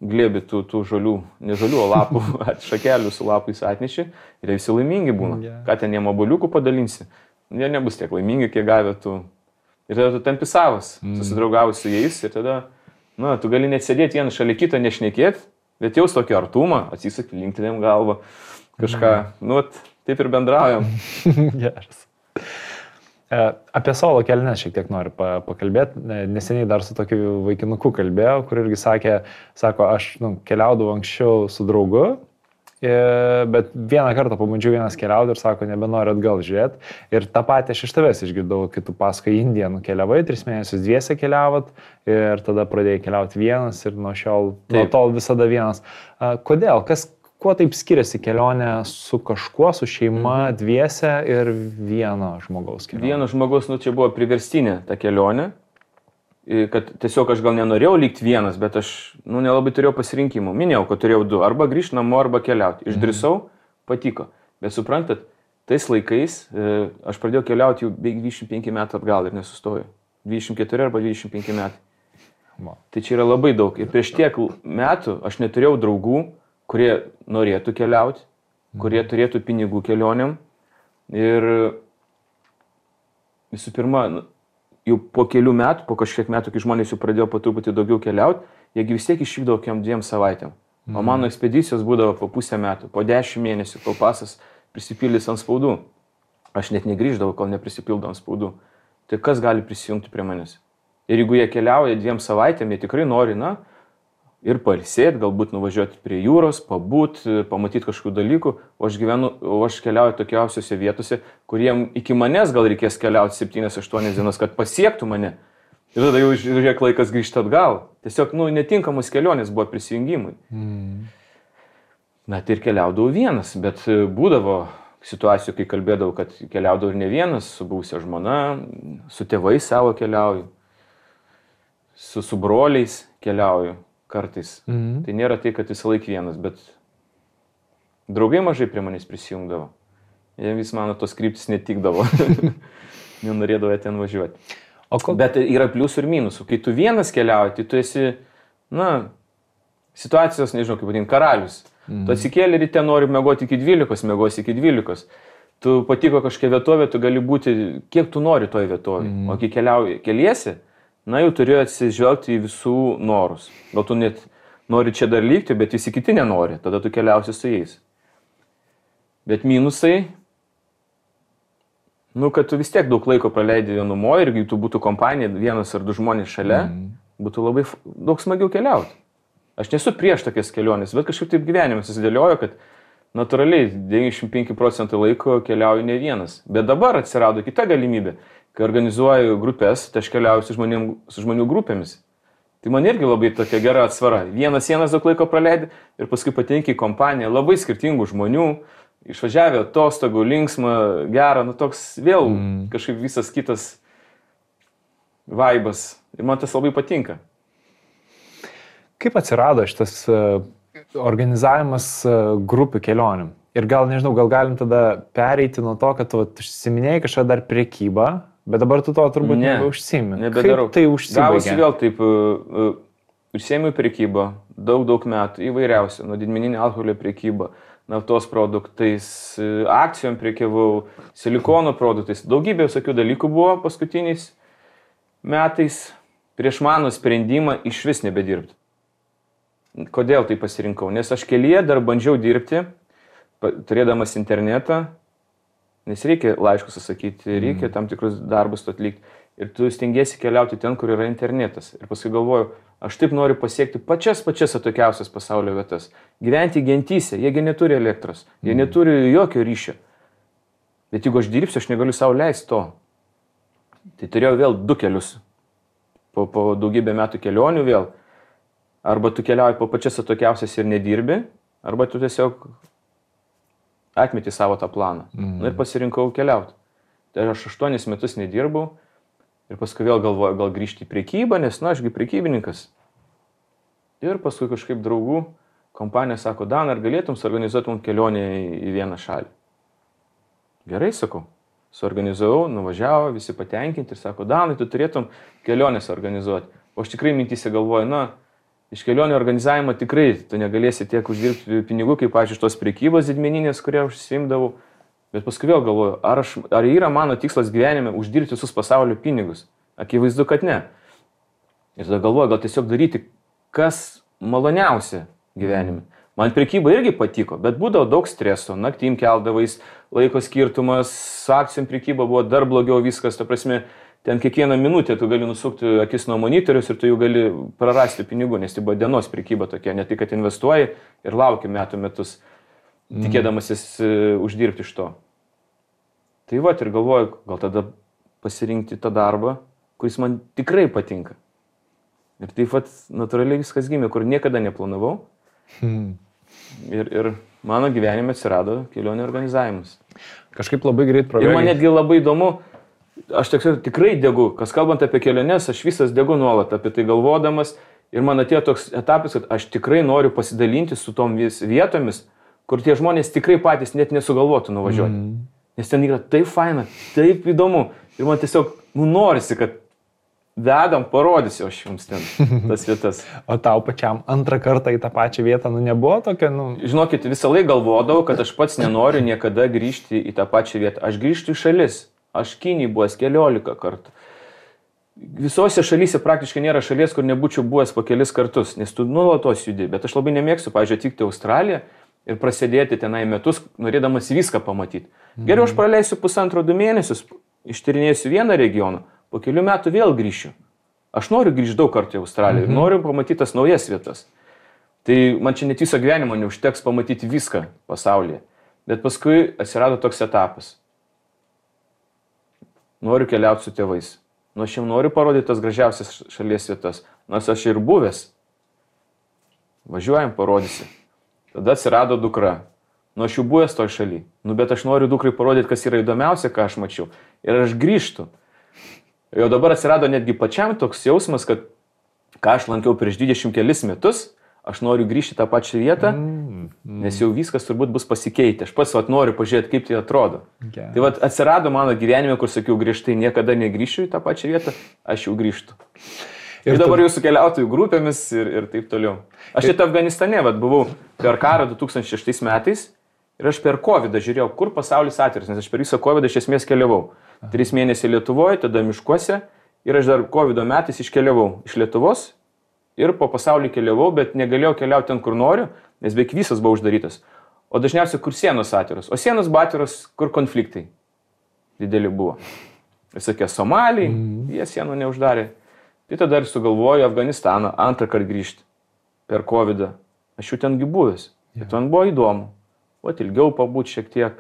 Speaker 2: glėbi tų žolių, ne žolių, o lapų, šakelių su lapais atneši ir visi laimingi būna. Ką ten jiem obuoliukų padalinsi? jie nebus tiek laimingi, kiek gavę tu. Ir tada tu tampi savas, susidraugavus su jais ir tada, tu gali net sėdėti vieną šalia kitą, nešnekėti, bet jaus tokį artumą, atsisakyti, linktelėm galvą, kažką, taip ir bendraujam.
Speaker 1: Geras. Apie solo kelnes šiek tiek noriu pakalbėti. Neseniai dar su tokiu vaikinuku kalbėjau, kur irgi sako, aš keliaudavau anksčiau su draugu, bet vieną kartą pabandžiau vienas keliauti ir sako, nebenoriu atgal žiūrėti. Ir tą patį aš iš tavęs išgirdau, kai tu pasakoji Indiją nukeliavai, 3 mėnesius dviese keliavot ir tada pradėjai keliauti vienas ir nuo tol visada vienas. Kodėl? Kuo taip skiriasi kelionė su kažkuo, su šeima, dviese ir vieno žmogaus kelionė?
Speaker 2: Vieno žmogaus, čia buvo priverstinė ta kelionė, kad tiesiog aš gal nenorėjau likti vienas, bet aš nelabai turėjau pasirinkimų. Minėjau, kad turėjau 2, arba grįžti namo, arba keliauti. Išdrįsau, patiko. Bet suprantat, tais laikais aš pradėjau keliauti jau beveik 25 metų atgal ir nesustojau. 24 arba 25 metai. Tai čia yra labai daug. Ir prieš tiek metų aš neturėjau draugų, kurie norėtų keliauti, kurie turėtų pinigų kelionėm. Ir visų pirma, jau po kelių metų, po kažkiek metų, kai žmonės jau pradėjo po truputį daugiau keliauti, jiegi vis tiek išvykdavo kokiam 2 savaitėm. O mano ekspedicijos būdavo po pusę metų, po 10 mėnesių, kol pasas prisipildys ant spaudų. Aš net negrįždavau, kol neprisipildo ant spaudų. Tai kas gali prisijungti prie manęs? Ir jeigu jie keliauja 2 savaitėm, jie tikrai nori, ir pailsėti, galbūt nuvažiuoti prie jūros, pamatyti kažkokių dalykų, o aš keliauju tokiausiose vietose, kuriem iki manęs gal reikės keliauti 7-8 dienas, kad pasiektų mane. Ir tada jau žiūrėk laikas grįžti atgal. Tiesiog, netinkamos kelionės buvo prisijungimai. Tai ir keliaudavau vienas, bet būdavo situacijų, kai kalbėdavau, kad keliaudavau ir ne vienas, su buvusia žmona, su tėvais savo keliauju, su broliais keliauju. Kartais. Tai nėra tai, kad visą laiką vienas, bet draugai mažai prie manęs prisijungdavo. Jie vis mano tos kryptis netikdavo. Nenorėdavo ten važiuoti. Bet yra pliusų ir minusų. Kai tu vienas keliauji, tai tu esi, situacijos, nežinau, kaip vadinti, karalius. Tu atsikėlė ryte, nori mėgoti iki 12, mėgosi iki 12. Tu patiko kažkokia vietovė, tu gali būti, kiek tu nori toje vietovė. O kai keliesi, jau turėjo atsižvelgti į visų norus. Gal tu net nori čia dar likti, bet visi kiti nenori. Tada tu keliausi su jais. Bet minusai, kad tu vis tiek daug laiko praleidi vienumoje ir jeigu tu būtų kompanija, 1 ar 2 žmonės šalia, būtų labai daug smagiau keliauti. Aš nesu prieš tokias kelionės, bet kažkaip taip gyvenimas susidėliojo, kad natūraliai 95% laiko keliauju ne vienas. Bet dabar atsirado kita galimybė. Kai organizuoju grupės, tai aš keliauju su žmonių grupėmis. Tai man irgi labai tokia gera atsvara. Vienas daug laiko praleidi ir paskui patenki į kompaniją labai skirtingų žmonių, išvažiavę atostogų, linksma, gera, toks vėl kažkaip visas kitas vaibas. Ir man tas labai patinka.
Speaker 1: Kaip atsirado šitas organizavimas grupių kelionių? Ir gal galim tada pereiti nuo to, kad tu užsiminėjai kažką dar prekybą, bet dabar tu to turbūt nebeužsiimi.
Speaker 2: Nebedarau.
Speaker 1: Kaip tai užsibaigė?
Speaker 2: Gavosi vėl taip, užsiėmiau prekybą, daug metų, įvairiausių, nuo didmeninio alkoholio prekybą, naftos produktais, akcijom prekiavau, silikono produktais. Daugybė visokių dalykų buvo paskutiniais metais prieš mano sprendimą išvis nebedirbti. Kodėl tai pasirinkau? Nes aš kelyje dar bandžiau dirbti, turėdamas internetą, nes reikia laiškus atsakyti, reikia tam tikrus darbus atlikti. Ir tu stengiesi keliauti ten, kur yra internetas. Ir paskui galvoju, aš taip noriu pasiekti pačias atokiausias pasaulio vietas. Gyventi gentyse, jiegi neturi elektros, jie neturi jokio ryšio. Bet jeigu aš dirbsiu, aš negaliu savo leisti to. Tai turėjau vėl 2 kelius. Po daugybę metų kelionių vėl. Arba tu keliauji po pačias atokiausias ir nedirbi, arba tu tiesiog atmeti savo tą planą. Ir pasirinkau keliauti. Tai aš 8 metus nedirbau ir paskui vėl galvoju, gal grįžti į prekybą, nes, ašgi prekybininkas. Ir paskui kažkaip draugų kompanija sako, Dan, ar galėtum suorganizuoti mums kelionę į vieną šalį? Gerai, sakau. Suorganizavau, nuvažiavo, visi patenkinti ir sako, Danai, tu turėtum kelionės organizuoti. O aš tikrai mintyse galvoju, iš kelionių organizavimo tikrai tu negalėsi tiek uždirbti pinigų, kaip, pavyzdžiui, iš tos prekybos didmeninės, kurie užsiimdavau. Bet paskui vėl galvoju, ar yra mano tikslas gyvenime uždirbti visus pasaulio pinigus? Akivaizdu, kad ne. Ir tada galvoju, gal tiesiog daryti, kas maloniausia gyvenime. Man prekyba irgi patiko, bet būdavo daug streso, naktim keldavais, laiko skirtumas, su akcijom prekyba buvo dar blogiau viskas, ta prasme, ten kiekvieną minutę tu gali nusukti akis nuo monitorius ir tu jau gali prarasti pinigų, nes tai buvo dienos prekyba tokia, ne tai, kad investuoji ir lauki metų metus, tikėdamasis uždirbti iš to. Tai va, ir galvoju, gal tada pasirinkti tą darbą, kuris man tikrai patinka. Ir taip pat natūraliai viskas gimė, kur niekada neplanavau. Ir mano gyvenime atsirado kelionių organizavimas.
Speaker 1: Kažkaip labai greit prabėgo.
Speaker 2: Ir man netgi labai įdomu, aš tikrai degu, kas kalbant apie keliones, aš visas degu nuolat apie tai galvodamas. Ir man atėjo toks etapas, kad aš tikrai noriu pasidalinti su tom vietomis, kur tie žmonės tikrai patys net nesugalvotų nuvažiuoti. Nes ten yra taip faina, taip įdomu. Ir man tiesiog norisi, kad vedam, parodysiu aš jums ten tas vietas.
Speaker 1: O tau pačiam antrą kartą į tą pačią vietą, nebuvo tokia,
Speaker 2: Žinokit, visą laiką galvodavau, kad aš pats nenoriu niekada grįžti į tą pačią vietą. Aš grįžtu į šalis. Aš Kinijai buvęs 14 kartų. Visose šalyse praktiškai nėra šalies, kur nebūčiau buvęs po kelis kartus, nes tu nuolatos judi. Bet aš labai nemėgstu, pavyzdžiui, atvykti į Australiją ir prasidėti tenai metus, norėdamas viską pamatyti. Geriau aš praleisiu 1,5-2 mėnesius, ištyrinėsiu vieną regioną. Po kelių metų vėl grįšiu. Aš noriu grįžti daug kartų į Australiją ir noriu pamatyti tas naujas vietas. Tai man čia net viso gyvenimo neužteks pamatyti viską pasaulyje. Bet paskui atsirado toks etapas. Noriu keliauti su tėvais. Aš jiems noriu parodyti tas gražiausias šalies vietas. Nors aš ir buvęs. Važiuojam, parodysi. Tada atsirado dukra. Aš jau buvęs toj šaly. Bet aš noriu dukrai parodyti, kas yra įdomiausia, ką aš mačiau. Ir aš grįžtu. Jau dabar atsirado netgi pačiam toks jausmas, kad ką aš lankiau prieš 20 kelis metus, aš noriu grįžti tą pačią vietą, nes jau viskas turbūt bus pasikeitę. Aš pats noriu pažiūrėti, kaip tai atrodo. Okay. Tai atsirado mano gyvenime, kur sakiau, griežtai niekada negrįšiu į tą pačią vietą, aš jau grįžtu. Ir dabar jau su keliautojų grupėmis ir taip toliau. Aš čia Afganistane buvau per karą 2006 metais ir aš per COVID žiūrėjau, kur pasaulis atviras, nes aš per visą COVID iš esmės keliavau. 3 mėnesiai Lietuvoje, tada miškuose ir aš dar COVID metais iškeliavau iš Lietuvos ir po pasaulį keliavau, bet negalėjau keliauti ten, kur noriu, nes beveik visas buvo uždarytas. O dažniausiai, kur sienos atviros. O sienos buvo atviros, kur konfliktai dideli buvo. Visokie Somaliai, jie sienų neuždarė. Tai tada ir sugalvoju Afganistaną antrą kartą grįžti per COVID. Aš jau tengi buvęs. Ir ten buvo įdomu. Ilgiau pabūti šiek tiek,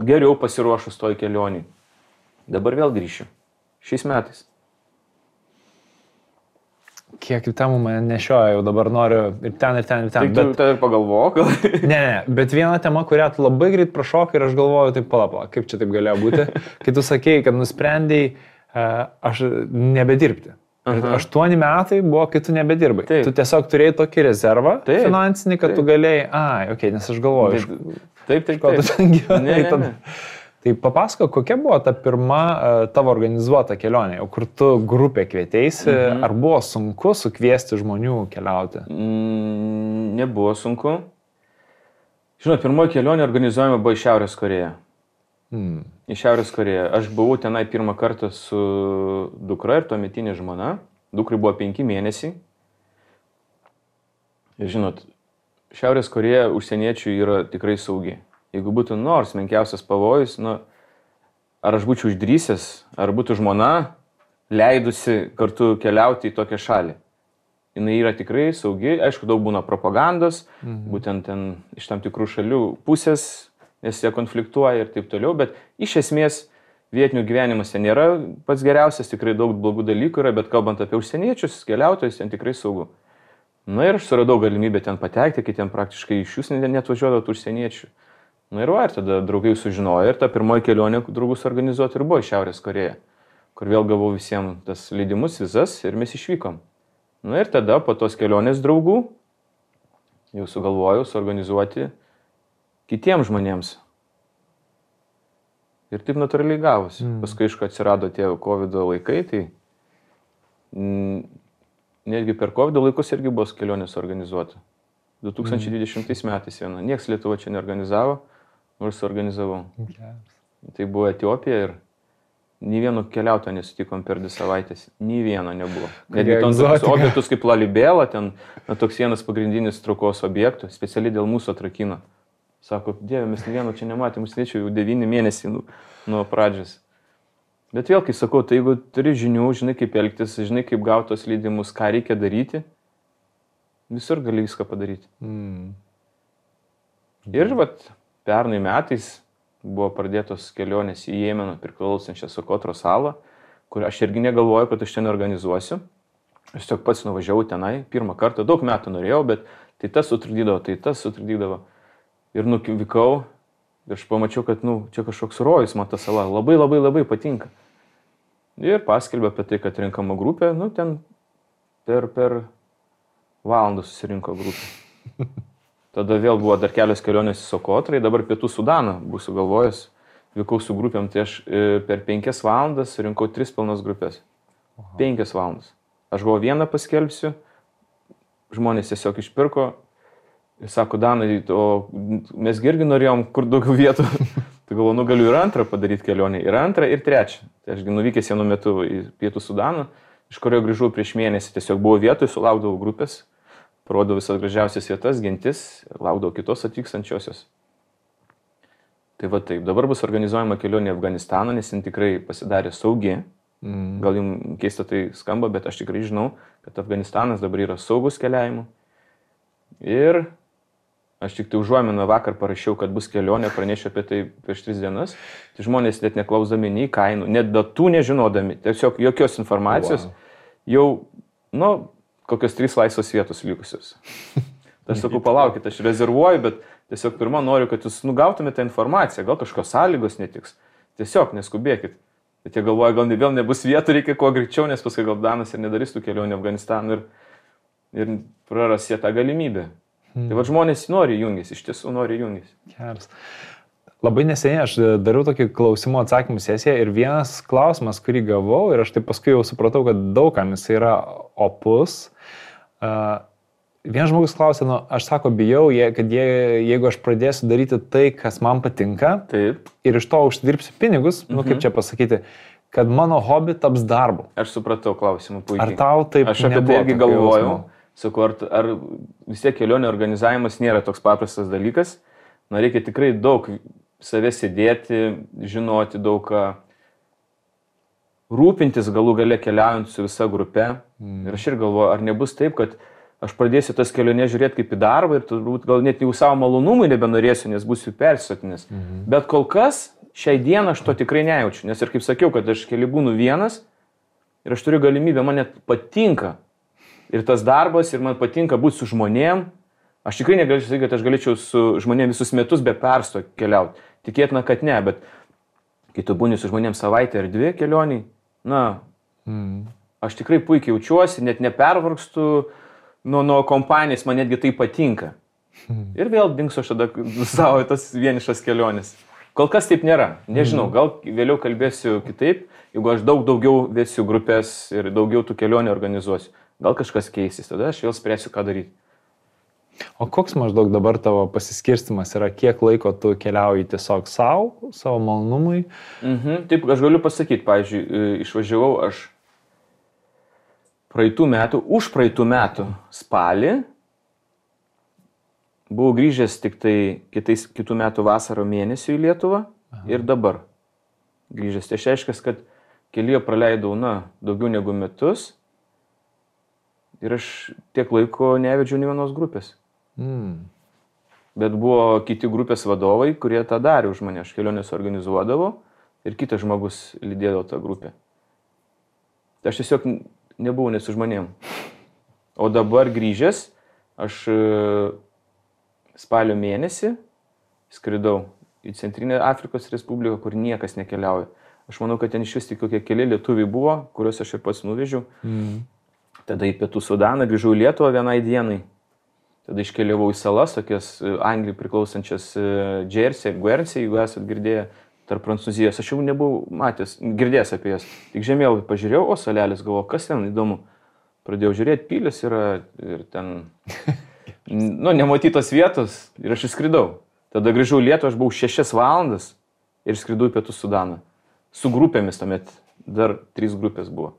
Speaker 2: geriau pasiruošus toj kelionį. Dabar vėl grįšiu. Šiais metais.
Speaker 1: Kiek temų mane nešioja, jau dabar noriu ir ten, ir ten, ir ten.
Speaker 2: Tai tu ir pagalvok.
Speaker 1: Ne, bet viena tema, kurią tu labai greit prašokai ir aš galvoju, taip pala, kaip čia taip galėjo būti, kai tu sakėjai, kad nusprendėjai aš nebedirbti. 8 metai buvo, kai tu nebedirbai. Taip. Tu tiesiog turėjai tokį rezervą finansinį, kad tu galėjai, nes aš galvoju,
Speaker 2: ko
Speaker 1: tu ten gyvenai. Tai papasako, kokia buvo ta pirma tavo organizuota kelionė, kur tu grupė kvietėsi, ar buvo sunku sukviesti žmonių keliauti?
Speaker 2: Nebuvo sunku. Žinot, pirmoji kelionė organizuojama buvo į Šiaurės Koreją. Į Šiaurės Koreją. Aš buvau tenai pirmą kartą su dukra ir tuometinė žmona. Dukrai buvo 5 mėnesiai. Ir žinot, Šiaurės Koreja užsieniečių yra tikrai saugi. Jeigu būtų nors menkiausias pavojus, ar aš būčiau išdrįsęs, ar būtų žmona leidusi kartu keliauti į tokią šalį. Jis yra tikrai saugi, aišku, daug būna propagandos, būtent ten iš tam tikrų šalių pusės, nes jie konfliktuoja ir taip toliau, bet iš esmės vietinių gyvenimas ten nėra pats geriausias, tikrai daug blogų dalykų yra, bet kalbant apie užsieniečius, keliautojus, ten tikrai saugu. Ir aš suradau galimybę ten patekti, kai ten praktiškai iš jūs net važiuodavo užsieniečių. Ir tada draugai sužinojo ir ta pirmoji kelionė draugus organizuoti ir buvo į Šiaurės Koreją, kur vėl gavau visiems tas leidimus, vizas ir mes išvykom. Ir tada po tos kelionės draugų jau sugalvojau suorganizuoti kitiems žmonėms. Ir taip natūraliai gavosi. Paskui, aišku, atsirado tie COVID laikai, tai netgi per COVID laikus irgi buvo kelionės organizuota. 2020 metais viena. Niekas Lietuva čia neorganizavo. ir suorganizavau.
Speaker 1: Geras.
Speaker 2: Tai buvo Etiopija ir nei vieno keliautojo nesutikom per 2 savaitės. Nei vieno nebuvo. Netgi ten tokius objektus kaip Lalibela, ten toks vienas pagrindinis traukos objektų, specialiai dėl mūsų atrakino. Sako, Dieve, mes nei vieno čia nematėm, mūsų nečiau jau 9 mėnesiai nuo pradžios. Bet vėl, kai sakau, tai jeigu turi žinių, žinai kaip elgtis, žinai kaip gautos leidimus, ką reikia daryti, visur gali viską padaryti. Ir vat, pernai metais buvo pradėtos kelionės į Jemeną priklausančią Sokotro salą, kur aš irgi negalvoju, kad aš ten organizuosiu. Aš tiesiog pats nuvažiavau tenai, pirmą kartą, daug metų norėjau, bet tai tas sutrukdydavo. Ir nuvykau ir aš pamačiau, kad čia kažkoks rojus man ta sala, labai patinka. Ir paskelbė apie tai, kad renkama grupė, ten per valandą susirinko grupė. Tada vėl buvo dar kelios kelionės į Sokotrai, dabar Pietų Sudaną būsiu galvojęs, vykau su grupėm, tai aš per 5 valandas surinkau 3 pilnas grupės. 5 valandas. Aš galvoju, vieną paskelbsiu, žmonės tiesiog išpirko ir sako, Danai, o mes irgi norėjom kur daugiau vietų. Tai galvoju, galiu ir antrą padaryti kelionę, ir antrą, ir trečią. Tai aš nuvykęs vienu metu į Pietų Sudaną, iš kurio grįžau prieš mėnesį, tiesiog buvo vietoj, sulaukdavau grupės. Parodau visas gražiausias vietas, gentis, laukdavau kitos atvykstančiosios. Tai va taip, dabar bus organizuojama kelionė į Afganistaną, nes jin tikrai pasidarė saugi. Gal jums keista tai skamba, bet aš tikrai žinau, kad Afganistanas dabar yra saugus keliavimu. Ir aš tik tai užuominą vakar parašiau, kad bus kelionė, pranešiau apie tai prieš 3 dienas. Tai žmonės net neklausdami nei kainų, net datų nežinodami, tiesiog jokios informacijos, jau, kokios 3 laisvos vietos likusios. Tai aš sakau, palaukit, aš rezervuoju, bet tiesiog pirmą noriu, kad jūs gautumėte informaciją, gal kažkokios sąlygos netiks. Tiesiog neskubėkit. Bet jie galvoja, gal vėl nebus vietų, reikia kuo greičiau, nes paskui gal Danas ir nedarys tų kelionių į Afganistaną ir praras jie tą galimybę. Tai va žmonės nori jungis, iš tiesų nori jungis.
Speaker 1: Geras. Labai neseniai aš dariau tokį klausimų atsakymų sesiją ir vienas klausimas, kurį gavau ir aš taip paskui jau supratau, kad daugam jis yra opus. Vienas žmogus klausė, aš bijau, kad jeigu aš pradėsiu daryti tai, kas man patinka,
Speaker 2: taip,
Speaker 1: ir iš to užsidirbsiu pinigus, kaip čia pasakyti, kad mano hobi taps darbu.
Speaker 2: Aš supratau klausimą puikiai.
Speaker 1: Ar tau taip
Speaker 2: aš apie tai irgi galvojau. Sakau, ar vis tiek kelionė organizavimas nėra toks paprastas dalykas. Reikia tikrai daug save sėdėti, žinoti daug ką, rūpintis galų gale keliaujant su visa grupe. Ir aš ir galvoju, ar nebus taip, kad aš pradėsiu tas kelionės žiūrėti kaip į darbą ir turbūt gal net jau savo malonumui nebenorėsiu, nes būsiu persisotinęs. Bet kol kas šiai dieną aš to tikrai nejaučiu, nes ir kaip sakiau, kad aš keli būnu vienas ir aš turiu galimybę, man net patinka ir tas darbas ir man patinka būti su žmonėm. Aš tikrai negalėčiau sakyti, kad aš galėčiau su žmonėm visus metus be persto keliauti. Tikėtina, kad ne, bet kai tu būni su žmonėm savaitę ar 2 kelioniai, aš tikrai puikiai jaučiuosi, net nepervargstu nuo kompanijos, man netgi tai patinka. Ir vėl dingsiu aš tada savo tas vienišas keliones. Kol kas taip nėra, nežinau, gal vėliau kalbėsiu kitaip, jeigu aš daugiau vesiu grupės ir daugiau tų kelionių organizuosiu. Gal kažkas keisis, tada aš vėl spręsiu, ką daryti.
Speaker 1: O koks maždaug dabar tavo pasiskirstimas yra, kiek laiko tu keliauji tiesiog savo malonumui?
Speaker 2: Taip, aš galiu pasakyti, pavyzdžiui, išvažiavau aš už praeitų metų spalį, buvau grįžęs tik tai kitų metų vasaro mėnesių į Lietuvą ir dabar grįžęs. Tai reiškia, kad kelyje praleidau, daugiau negu metus ir aš tiek laiko nevedžiau nė vienos grupės. Bet buvo kiti grupės vadovai, kurie tą darė už mane. Aš kelionės organizuodavau ir kitas žmogus lydėdavo tą grupę. Tai aš tiesiog nebuvau ne su žmonėm. O dabar grįžęs, aš spalio mėnesį skridau į Centrinę Afrikos Respubliką, kur niekas nekeliauja. Aš manau, kad ten iš vis tik kokie keli lietuviai buvo, kuriuos aš ir pats nuvežiau. Tada į Pietų Sudaną grįžau į Lietuvą vienai dienai. Tada iškeliavau į salas, tokias Anglijai priklausančias Jersey, Guernsey, jeigu esat girdėję, tarp Prancūzijos. Aš jau nebuvau girdėjęs apie jas. Tik žemėlapį pažiūrėjau, o salelis, galvoju, kas ten įdomu. Pradėjau žiūrėti, pilis yra ir ten, nematytos vietos ir aš išskridau. Tada grįžau į Lietuvą, aš buvau 6 valandas ir skridau į Pietų Sudaną. Su grupėmis tuomet, dar 3 grupės buvo.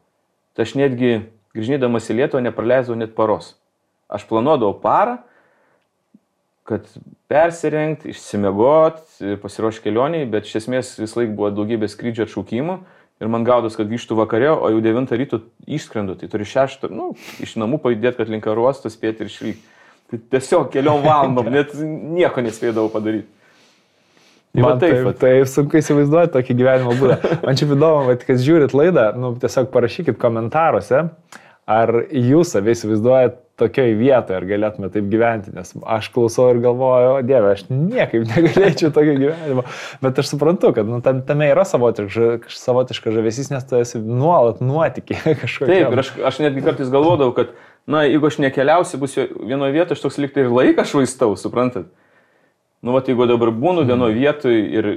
Speaker 2: Tai aš netgi grįžnydamas į Lietuvą nepraleisdavau net paros. Aš planuodavau parą, kad persirengti, išsimiegot, pasiruošti kelioniai, bet iš esmės vis laik buvo daugybė skrydžio atšaukimų ir man gaudos, kad grįžtų vakare, o jau 9 ryto išskrendu, tai turi 6, iš namų pajudėti, kad link oro uosto spėti ir išvykti. Tai tiesiog keliom valandom, net nieko nespėdavau padaryti.
Speaker 1: Man taip sunku įsivaizduoti tokį gyvenimo būdą. Man čia įdomu, kad žiūrit laidą, tiesiog parašykit komentaruose, ar jūs savai įsivaizduojat tokioj vietoje, ar galėtume taip gyventi, nes aš klausau ir galvoju, o Dieve, aš niekaip negalėčiau tokio gyvenimo, bet aš suprantu, kad tame yra savotiška žavesys, nes tu esi nuolat nuotykiai kažkokia.
Speaker 2: Taip, ir aš netgi kartais galvodavau, kad, jeigu aš nekeliausiu, bus vienoje vietoje, aš toks liktai ir laiką švaistau, suprantat? Jeigu dabar būnu vienoje vietoje ir...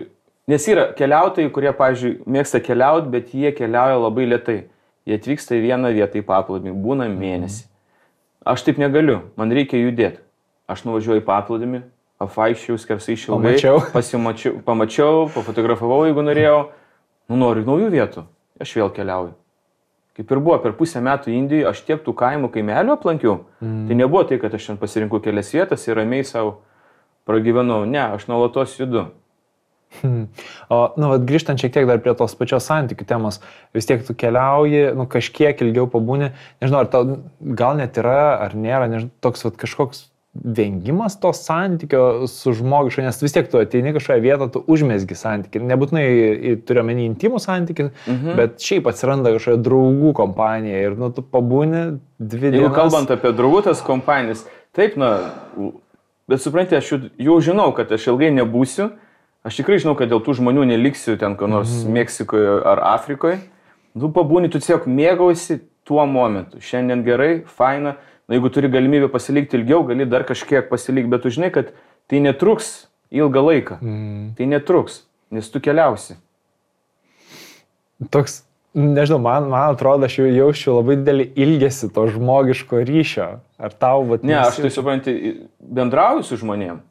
Speaker 2: Nes yra keliautojai, kurie, pavyzdžiui, mėgsta keliauti, bet jie keliauja labai lėtai. Jie atvyksta į vieną vietą į paplūdimį, būna mėnesį. Aš taip negaliu, man reikia judėti. Aš nuvažiuoju į paplūdimį, apvaikščiau, skersai išilgai, pamačiau, pafotografavau, jeigu norėjau. Noriu naujų vietų, aš vėl keliauju. Kaip ir buvo, per pusę metų Indijoje aš tiek tų kaimų kaimelių aplankiau. Tai nebuvo tai, kad aš ten pasirinkau kelias vietas ir ramiai savo pragyvenau. Ne, aš nuolatos judu.
Speaker 1: O, grįžtant šiek tiek dar prie tos pačios santykių temos, vis tiek tu keliauji, kažkiek ilgiau pabūni, nežinau, ar tau gal net yra, ar nėra, nežinau, toks kažkoks vengimas to santykio su žmogišku, nes vis tiek tu ateini kažkoje vietą, tu užmesgi santykį, nebūtinai turiu omeny intimų santykį, bet šiaip atsiranda kažkoje draugų kompanija ir tu pabūni 2 dienas.
Speaker 2: Jeigu kalbant apie draugų tas kompanijas, taip, bet supranti, aš jau žinau, kad aš ilgai nebūsiu. Aš tikrai žinau, kad dėl tų žmonių neliksiu ten, kur nors Meksikoje ar Afrikoje. Tu pabūni, tu tiesiog mėgausi tuo momentu. Šiandien gerai, faina. Jeigu turi galimybę pasilikti ilgiau, gali dar kažkiek pasilikti, bet tu žinai, kad tai netruks ilgą laiką. Tai netruks, nes tu keliausi.
Speaker 1: Toks, nežinau, man atrodo, aš jaučiu labai didelį ilgesį to žmogiško ryšio. Ar tau,
Speaker 2: Ne, aš tai supranti, bendrauju su žmonėm.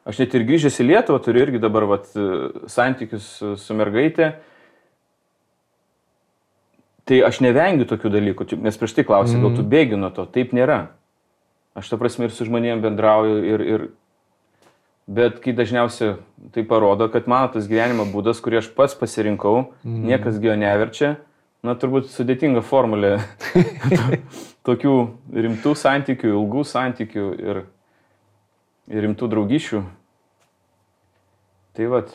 Speaker 2: Aš net ir grįžęs į Lietuvą turiu irgi dabar santykius su mergaitė. Tai aš nevengiu tokių dalykų, nes prieš tai klausė, gal tu bėgi nuo to. Taip nėra. Aš ta prasme ir su žmonėm bendrauju bet kai dažniausiai tai parodo, kad mano tas gyvenimo būdas, kurį aš pats pasirinkau, niekas jo neverčia. Turbūt sudėtinga formulė tokių rimtų santykių, ilgų santykių ir rimtų draugyšių. Tai vat.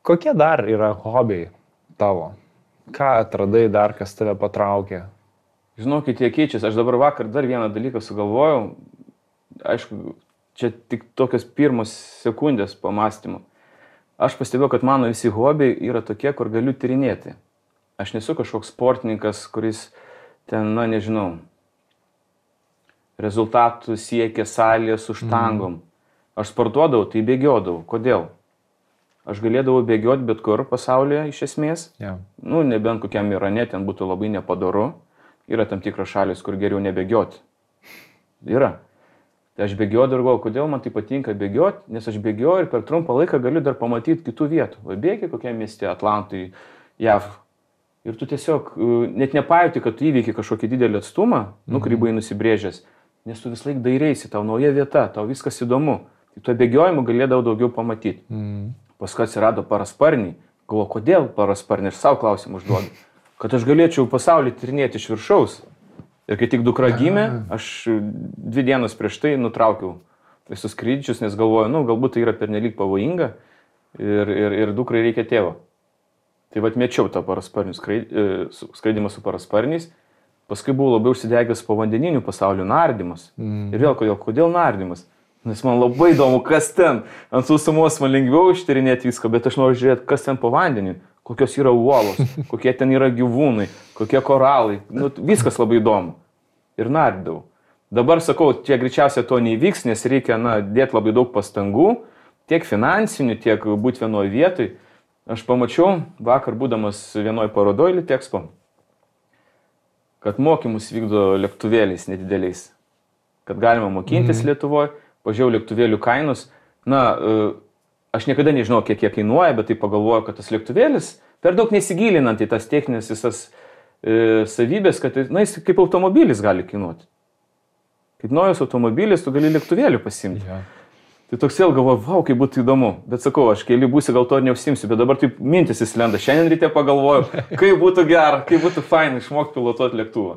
Speaker 1: Kokie dar yra hobiai tavo? Ką atradai dar, kas tave patraukė?
Speaker 2: Žinokit, jie keičiasi. Aš dabar vakar dar vieną dalyką sugalvojau. Aišku, čia tik tokios pirmos sekundės pamastymų. Aš pastebėjau, kad mano visi hobiai yra tokie, kur galiu tyrinėti. Aš nesu kažkoks sportininkas, kuris ten, nežinau, rezultatų siekia salėje su štangom. Aš sportuodavau, tai bėgiodavau. Kodėl? Aš galėdavau bėgioti bet kur pasaulyje iš esmės. Nebent kokiam Irane ten būtų labai nepadoru. Yra tam tikros šalis, kur geriau nebėgioti. Yra. Tai aš bėgiodavau ir galvoju, kodėl man tai patinka bėgioti, nes aš bėgioju ir per trumpą laiką galiu dar pamatyti kitų vietų. Bėgi kokiam mieste, Atlantui, JAV. Ir tu tiesiog net nepajauti, kad tu įveiki kažkokį didelį atstumą, kurį buvai nusibrėžęs. Nes tu vis laik dairaisi, tau nauja vieta, tau viskas įdomu. Tai tuo bėgiojimu galėdavau daugiau pamatyti. Paskui atsirado parasparniai. Galvoju, kodėl parasparniai? Aš savo klausimą užduodu. Kad aš galėčiau pasaulį tyrinėti iš viršaus. Ir kai tik dukra gimė, aš 2 dienas prieš tai nutraukiau visus skrydžius, nes galvoju, galbūt tai yra pernelyg pavojinga ir dukrai reikia tėvo. Tai mečiau tą skraidimą su parasparniais. Paskui buvau labai užsidegęs povandeninių pasaulių nardymas. Ir vėl kodėl nardymas? Nes man labai įdomu, kas ten. Ant sausumos man lengviau ištyrinėti viską, bet aš noriu žiūrėti, kas ten po vandeniu, kokios yra uolos, kokie ten yra gyvūnai, kokie koralai. Viskas labai įdomu. Ir nardydavau. Dabar sakau, čia greičiausiai to neįvyks, nes reikia dėti labai daug pastangų, tiek finansinių, tiek būti vienoje vietoj. Aš pamačiau vakar būdamas vienoje parodoje Litexpo, kad mokymus vykdo lėktuvėliais nedideliais. kad galima mokintis Lietuvoje, pažiūrėjau lėktuvėlių kainus. Na, aš niekada nežinau, kiek jie kainuoja, bet tai pagalvoju, kad tas lėktuvėlis, per daug nesigilinant į tas techninės visas savybės, kad jis kaip automobilis gali kainuoti. Kaip naujas automobilis, tu gali lėktuvėlių pasimti.
Speaker 1: Ja.
Speaker 2: Tai toks vėl galvoju, vau, kaip būtų įdomu. Bet sakau, aš keli būsiu, gal to ir neužsimsiu, bet dabar taip mintis įslenda. Šiandien ryte pagalvoju, kaip būtų gera, kaip būtų fainai išmokti pilotuoti lėktuvą.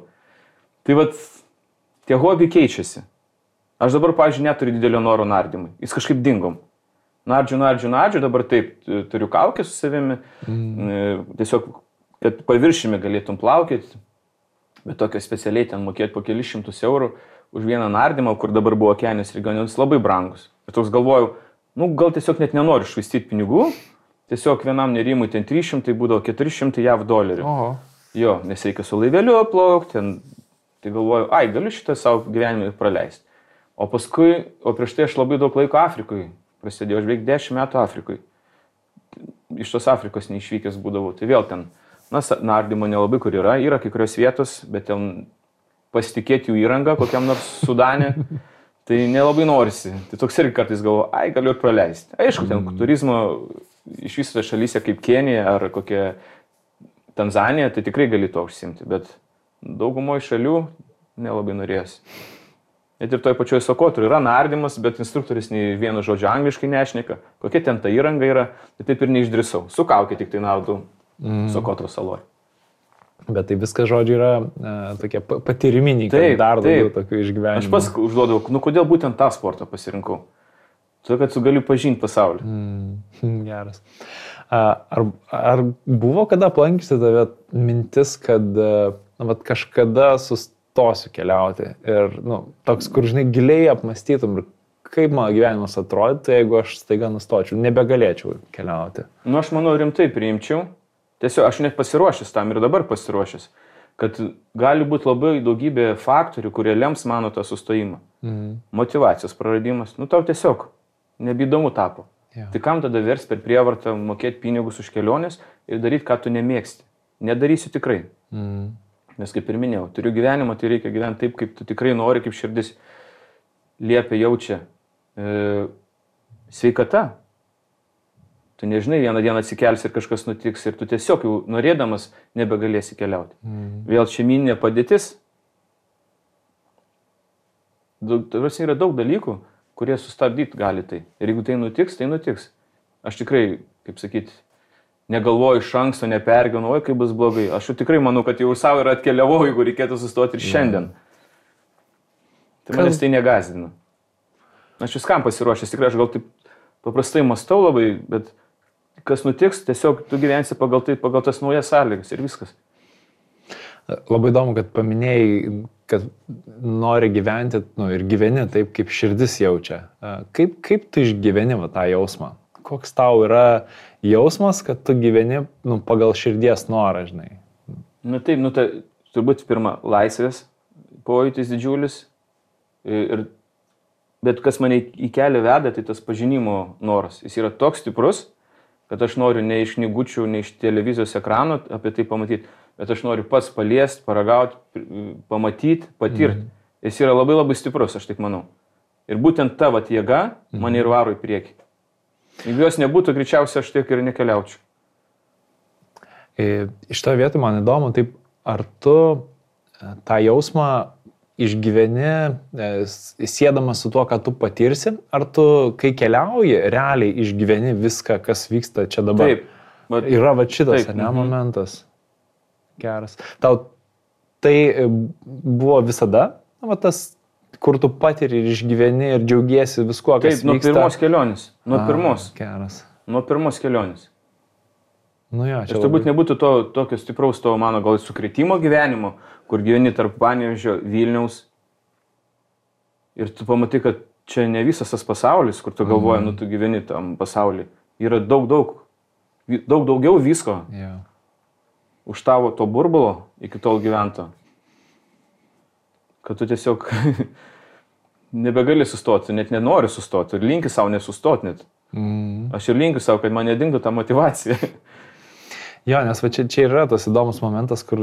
Speaker 2: Tai vat, tie hobiai keičiasi. Aš dabar, pavyzdžiui, neturiu didelio noro nardymui. Jis kažkaip dingom. Nardžiu, dabar taip, turiu kaukę su savimi. Tiesiog, kad paviršimi galėtum plaukėti, bet tokio specialiai ten mokėti po kelius šimtus eurų už vieną nardymą, kur dabar buvo Okeanijos regionas, labai brangus. Ir toks galvoju, gal tiesiog net nenoriu švaistyti pinigų, tiesiog vienam nerimui ten 300, būdavo 400 JAV dolerių.
Speaker 1: Oho.
Speaker 2: Jo, nes reikia su laiveliu plaukti, tai galvoju, galiu šitą savo gyvenimą praleisti. O prieš tai aš labai daug laiko Afrikoje prasidėjau, aš beveik 10 metų Afrikoje. Iš tos Afrikos neišvykęs būdavau, tai vėl ten, nardymo nelabai kur yra kai kurios vietos, bet ten pasitikėti jų įrangą, kokiam nors Sudane, tai nelabai norisi. Tai toks irgi kartais galvoju, galiu ir praleisti. Aišku, ten turizmo iš viso šalyse kaip Kenija ar kokia Tanzanija, tai tikrai gali to užsimti, bet daugumoje šalių nelabai norėsi. Net ir toj pačioj Sokotroj yra nardymas, bet instruktorius nei vieno žodžio angliškai nešneka, kokia ten ta įranga yra, tai taip ir neišdrįsau. Su kaukė tik tai naudau Sokotro saloj.
Speaker 1: Bet tai viskas, žodžiu, yra tokie patyriminiai, kad dar daugiau tokių išgyvenimų.
Speaker 2: Aš pas užduodavau, kodėl būtent tą sportą pasirinkau. Todėl, kad tu gali pažinti pasaulį.
Speaker 1: Geras. Ar buvo kada aplankysi tave mintis, kad kažkada sustosiu keliauti ir toks, kur, žinai, giliai apmąstytum, kaip mano gyvenimas atrodytų, jeigu aš staiga nustočiau, nebegalėčiau keliauti?
Speaker 2: Aš manau, rimtai priimčiau. Tiesiog aš net pasiruošęs tam ir dabar pasiruošęs, kad gali būti labai daugybė faktorių, kurie lems mano tą sustojimą. Motyvacijos praradimas. Tau tiesiog nebeįdomu tapo.
Speaker 1: Ja.
Speaker 2: Tai kam tada vers per prievartą mokėti pinigus už kelionės ir daryti, ką tu nemėgsti? Nedarysiu tikrai. Nes kaip ir minėjau, turiu gyvenimą, tai reikia gyventi taip, kaip tu tikrai nori, kaip širdis liepia, jaučia. Sveikata. Tu nežinai, vieną dieną atsikelsi ir kažkas nutiks ir tu tiesiog jau norėdamas nebegalėsi keliauti. Vėl šeiminė padėtis. Yra daug dalykų, kurie sustabdyti gali tai. Ir jeigu tai nutiks, tai nutiks. Aš tikrai, kaip sakyti, negalvoju iš anksto, nepergyvenu, kaip bus blogai. Aš jau tikrai manau, kad jau savo ir atkeliavau, jeigu reikėtų sustoti ir šiandien. Tai manęs tai negazdina. Aš viskam pasiruošęs, tikrai aš gal taip paprastai mąstau labai, bet kas nutiks, tiesiog tu gyvensi pagal tas naujas sąlygas ir viskas.
Speaker 1: Labai įdomu, kad paminėjai, kad nori gyventi ir gyveni taip, kaip širdis jaučia. Kaip tu išgyveni tą jausmą? Koks tau yra jausmas, kad tu gyveni pagal širdies norą, žinai?
Speaker 2: Taip, turbūt pirma, laisvės pojūtis didžiulis. Bet kas mane į kelią veda, tai tas pažinimo noras. Jis yra toks stiprus, kad aš noriu ne iš knygučių, ne iš televizijos ekranų apie tai pamatyti, bet aš noriu pats paliesti, paragauti, pamatyti, patirti. Jis yra labai labai stiprus, aš taip manau. Ir būtent ta jėga mane ir varo į priekį. Jeigu jos nebūtų, greičiausiai aš tiek ir nekeliaučiau.
Speaker 1: Iš to vietų man įdomu, taip, ar tu tą jausmą išgyveni siedamas su tuo, ką tu patirsi, ar tu, kai keliauji, realiai išgyveni viską, kas vyksta čia dabar?
Speaker 2: Taip.
Speaker 1: Yra šitas, momentas. Geras. Tau tai buvo visada, tas, kur tu patiri ir išgyveni ir džiaugiesi viskuo, kas vyksta?
Speaker 2: Taip, nuo pirmos kelionės. Nuo pirmos.
Speaker 1: Geras.
Speaker 2: Nuo pirmos kelionės.
Speaker 1: Jo,
Speaker 2: aš turbūt nebūtų tokio stipraus to mano gal sukretimo gyvenimo, kur gyveni tarp Panevėžio, Vilniaus. Ir tu pamatai, kad čia ne visas tas pasaulis, kur tu galvoji, tu gyveni tam pasaulyje. Yra daug daugiau visko.
Speaker 1: Yeah.
Speaker 2: Už tavo to burbulo iki tol gyvento. Kad tu tiesiog nebegali sustoti, net nenori sustoti. Ir linki savo nesustoti net. Aš ir linkiu savo, kad man nedingtų ta motyvacija.
Speaker 1: Jo, nes čia yra tas įdomus momentas, kur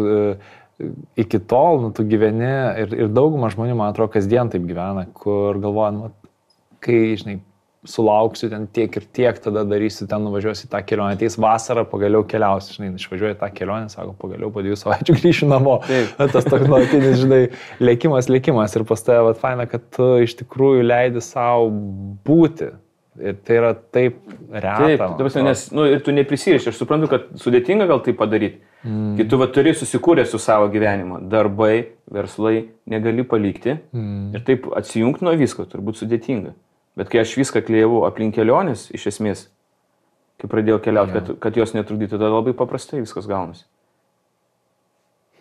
Speaker 1: iki tol, tu gyveni ir dauguma žmonių, man atrodo, kasdien taip gyvena, kur galvoja, kai, žinai, sulauksiu ten tiek ir tiek, tada darysiu, ten nuvažiuosiu tą kelionę, ateis vasarą, pagaliau keliausiu, žinai, išvažiuoju tą kelionę, sako, pagaliau po 2 savaičių grįšiu namo. Tas toks nuolatinis, žinai, lėkimas ir pas tave, faina, kad tu iš tikrųjų leidi savo būti. Ir tai yra taip reta.
Speaker 2: Taip, nes ir tu neprisiriši, aš suprantu, kad sudėtinga gal tai padaryti. Kai tu turi susikūrę su savo gyvenimu, darbai, verslai, negali palikti ir taip atsijungti nuo visko, turbūt sudėtinga. Bet kai aš viską klijavau aplink kelionės, iš esmės, kai pradėjau keliauti, kad jos netrukdytų, tada labai paprastai viskas gaunasi.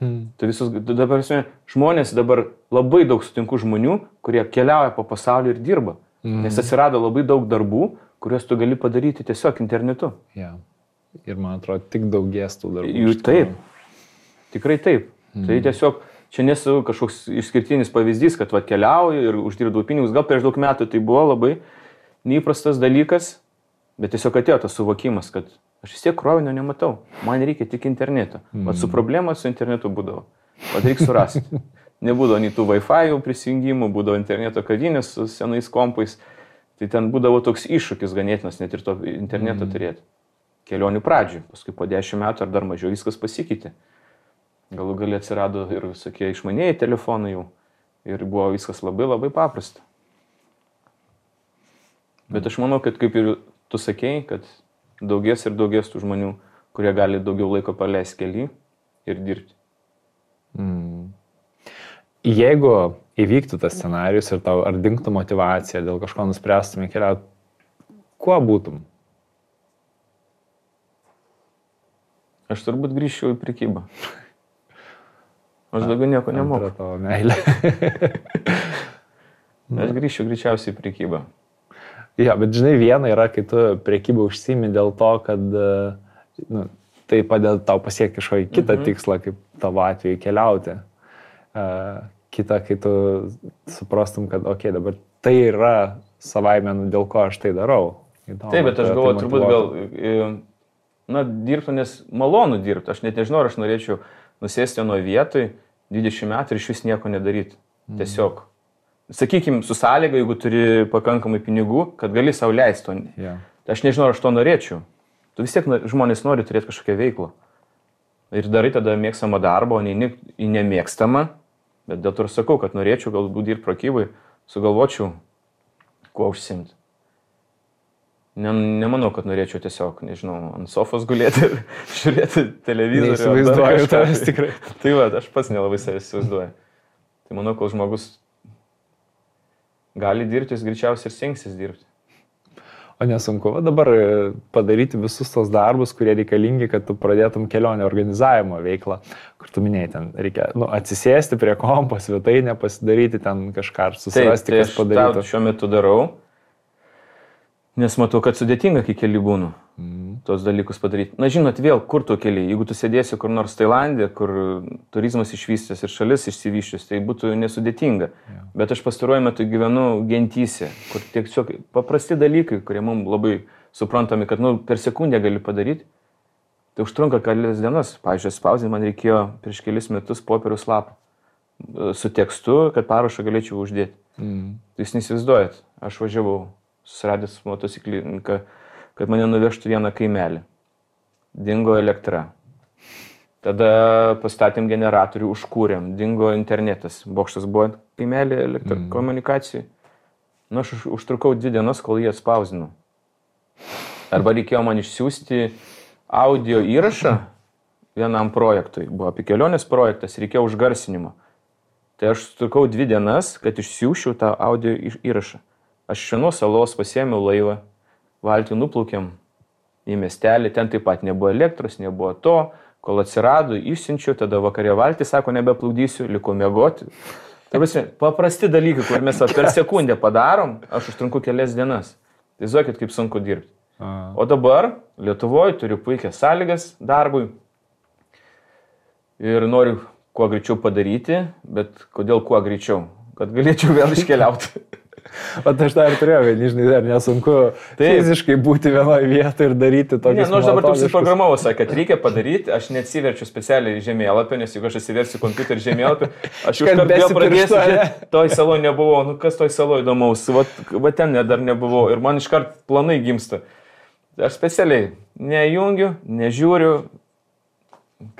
Speaker 2: Dabar žmonės dabar labai daug sutinku žmonių, kurie keliauja po pasaulį ir dirba. Nes atsirado labai daug darbų, kuriuos tu gali padaryti tiesiog internetu.
Speaker 1: Ir man atrodo, tik daugės tų darbų.
Speaker 2: Taip, tikrai taip. Tai tiesiog čia nesu kažkoks išskirtinis pavyzdys, kad keliauju ir uždirbau pinigus. Gal prieš daug metų tai buvo labai neįprastas dalykas, bet tiesiog atėjo tas suvokimas, kad aš vis tiek krovinio nematau. Man reikia tik interneto. Su problema su internetu būdavo. Reikia surasti. Nebūdavo nei tų Wi-Fi prisijungimų, būdavo interneto kavinės su senais kompais. Tai ten būdavo toks iššūkis ganėtinas net ir to interneto turėti. Kelionių pradžių, paskui po 10 metų ar dar mažiau viskas pasikeitė. Galų gali atsirado ir visokie išmanėjai telefonai jau. Ir buvo viskas labai labai paprasta. Bet aš manau, kad kaip ir tu sakei, kad daugės ir daugės tų žmonių, kurie gali daugiau laiko praleisti kely ir dirbti.
Speaker 1: Jeigu įvyktų tas scenarius ir tau ar dingtų motivacija, dėl kažko nuspręstumė keliauti, kuo būtum?
Speaker 2: Aš turbūt grįžčiau į prekybą. Aš daugiau nieko nemoku.
Speaker 1: Antra tavo meilė.
Speaker 2: Aš grįžčiau greičiausiai į prekybą.
Speaker 1: Bet žinai, viena yra, kai tu prekybą užsiimi dėl to, kad tai padeda tau pasiekti kažkokį kitą tikslą, kaip tavo atveju keliauti. Kita, kai tu suprastum, kad dabar tai yra savaime, dėl ko aš tai darau.
Speaker 2: Taip, bet aš galvoju, turbūt gal dirbtų, nes malonu dirbti. Aš net nežinau, ar aš norėčiau nusėsti nuo vietoj 20 metų ir iš vis nieko nedaryti. Tiesiog. Sakykime, su sąlyga, jeigu turi pakankamai pinigų, kad gali sau leisti to. Aš nežinau, ar aš to norėčiau. Tu vis tiek žmonės nori turėti kažkokią veiklą. Ir darai tada mėgstamą darbą, o ne į nemėgstamą. Bet dėl to ir sakau, kad norėčiau galbūt dirbti prekybai, sugalvočiau, kuo užsiimti. Nemanau, kad norėčiau tiesiog, nežinau, ant sofos gulėti ir žiūrėti televizorių.
Speaker 1: Neįsivaizduoju tavęs tikrai.
Speaker 2: Tai aš pats nelabai savęs įsivaizduoju. Tai manau, kol žmogus gali dirbti, jis greičiausiai ir stengsis dirbti.
Speaker 1: O nesunku dabar padaryti visus tos darbus, kurie reikalingi, kad tu pradėtum kelionę organizavimo veiklą, kur tu minėjai, ten reikia atsisėsti prie kompo, svetainę pasidaryti, ten kažką ar susirasti, kas padarytų.
Speaker 2: Taip, šiuo metu darau, nes matau, kad sudėtinga, kai keli būnu tos dalykus padaryti. Na, žinot, vėl, kur tu keli? Jeigu tu sėdėsi kur nors Tailandė, kur turizmas išvystęs ir šalis išsivyščius, tai būtų nesudėtinga. Bet aš pastaruoju metu gyvenu gentyse, kur tiesiog paprasti dalykai, kurie mums labai suprantami, kad per sekundę gali padaryti, tai užtrunka kelias dienas. Pavyzdžiui, spausdinti man reikėjo prieš kelis metus popieriaus lapą su tekstu, kad parašą galėčiau uždėti. Tai jūs neįsivaizduojat, aš važiavau susiradęs motociklininką, kad mane nuvežtų vieną kaimelį. Dingo elektra. Tada pastatėm generatorių, užkūrėm, dingo internetas. Bokštas buvo kaimelį elektrokomunikacijai. Aš užtrukau 2 dienas, kol jį atspausdinau. Arba reikėjo man išsiųsti audio įrašą vienam projektui. Buvo apie kelionės projektas, reikėjo užgarsinimo. Tai aš užtrukau 2 dienas, kad išsiųsčiau tą audio įrašą. Aš iš vienos salos pasiėmiau laivą, valtį nuplaukėm į miestelį, ten taip pat nebuvo elektros, nebuvo to, kol atsirado, išsiunčiau, tada vakarė valtį, sako, nebeplukdysiu, liko miegoti. Paprasti dalykai, kur mes per sekundę padarom, aš užtrunku kelias dienas. Tai žinokit, kaip sunku dirbti. O dabar Lietuvoje turiu puikias sąlygas darbui ir noriu kuo greičiau padaryti, bet kodėl kuo greičiau? Kad galėčiau vėl iškeliauti.
Speaker 1: O aš dar turėjau, žinai, dar nesunku fiziškai būti vienoje vietoje ir daryti tokius.
Speaker 2: Ne, aš dabar taip suprogramavau, kad reikia padaryti, aš neatsiverčiu specialiai žemėlapį, nes jeigu aš atsiversiu kompiuterį žemėlapį, aš iš karto vėl pradėsiu, toj saloje nebuvau, kas toj saloje įdomaus, va ten dar nebuvau ir man iš karto planai gimsta. Aš specialiai nejungiu, nežiūriu,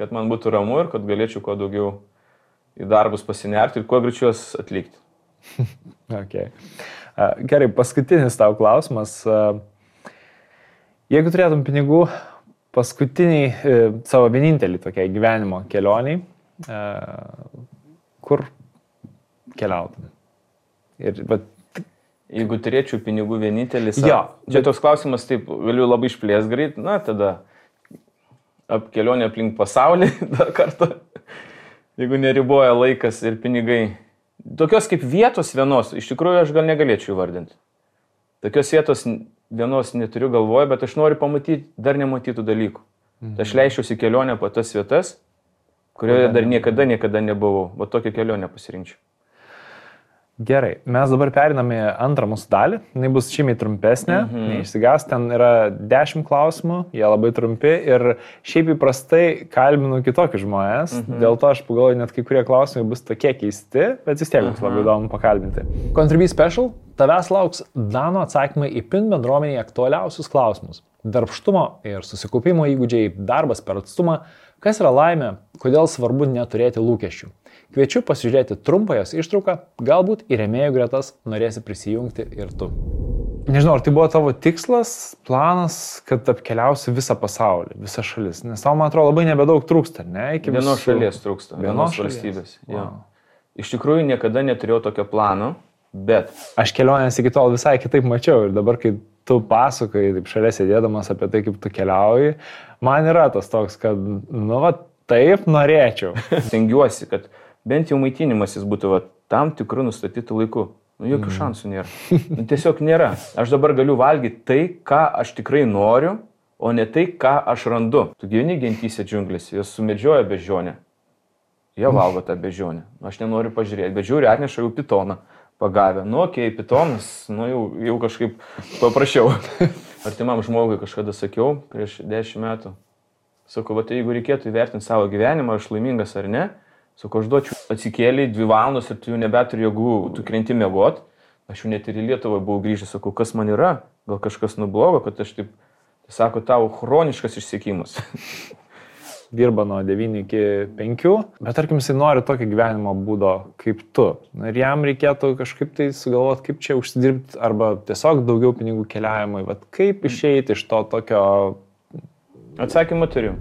Speaker 2: kad man būtų ramu ir kad galėčiau kuo daugiau į darbus pasinerti ir kuo greičiau juos atlikti.
Speaker 1: Okay. Gerai, paskutinis tau klausimas. Jeigu turėtum pinigų paskutiniai savo vienintelį tokiai gyvenimo kelioniai, kur keliautum?
Speaker 2: Jeigu turėčiau pinigų vienintelis, čia toks klausimas, taip, galiu labai išplės greit, na tada kelionė aplink pasaulį dar kartą, jeigu neriboja laikas ir pinigai. Tokios kaip vietos vienos, iš tikrųjų aš gal negalėčiau vardinti. Tokios vietos vienos neturiu galvoje, bet aš noriu pamatyti dar nematytų dalykų. Tai aš leisčiausi kelionę po tas vietas, kurioje dar niekada nebuvau. O tokią kelionę pasirinkčiau.
Speaker 1: Gerai, mes dabar periname į antrą mūsų dalį, jinai bus žymiai trumpesnė, neišsigas, ten yra 10 klausimų, jie labai trumpi ir šiaip įprastai kalbinu kitokius žmonės, dėl to aš pagalvoju, net kai kurie klausimai bus tokie keisti, bet vis tiek bus labai įdomu pakalbinti. Contribui Special, tavęs lauks Dano atsakymai į PIN bendruomenėje aktualiausius klausimus. Darbštumo ir susikaupimo įgūdžiai, darbas per atstumą, kas yra laimė, kodėl svarbu neturėti lūkesčių. Kviečiu pasižiūrėti trumpą jos ištrauką, galbūt į rėmėjų gretas norėsi prisijungti ir tu. Nežinau, ar tai buvo tavo tikslas, planas, kad apkeliausi visą pasaulį, visą šalis, nes tau, man atrodo, labai nebedaug trūksta, ne?
Speaker 2: Vienos šalies trūksta, vienos valstybės. Wow. Iš tikrųjų, niekada neturėjau tokio plano, bet... Aš
Speaker 1: kelionės iki tol visai kitaip mačiau ir dabar, kai tu pasakoji, taip šalia sėdėdamas apie tai, kaip tu keliauji, man yra tas toks, kad, taip norėčiau.
Speaker 2: Stengiuosi, kad bent jau maitinimasis būtų tam tikrų nustatytų laikų. Jokių šansų nėra. Tiesiog nėra. Aš dabar galiu valgyti tai, ką aš tikrai noriu, o ne tai, ką aš randu. Tu gyveni gentyse džiunglėse, jos sumedžioja beždžionę. Jie valgo tą beždžionę. Aš nenoriu pažiūrėti, bet žiūri, atneša jau pitoną pagavę. Pitonas, jau kažkaip paprašiau. Artimam žmogui kažkada sakiau, prieš 10 metų. Sakau, jeigu reikėtų įvertinti savo gyvenimą, aš laimingas ar ne, sakau, aš duočiau atsikėlį 2 valandos ir tu jau nebeturi jėgų, tu krenti miegot. Aš jau net ir į Lietuvą buvau grįžęs, sakau, kas man yra, gal kažkas nublogo, kad aš taip, sako, tau chroniškas išsekimas.
Speaker 1: Dirba nuo 9 iki 5, bet tarkim, jisai nori tokio gyvenimo būdo kaip tu. Ir jam reikėtų kažkaip tai sugalvoti, kaip čia užsidirbti, arba tiesiog daugiau pinigų keliavimui. Kaip išeiti iš to tokio...
Speaker 2: Atsakymą turiu.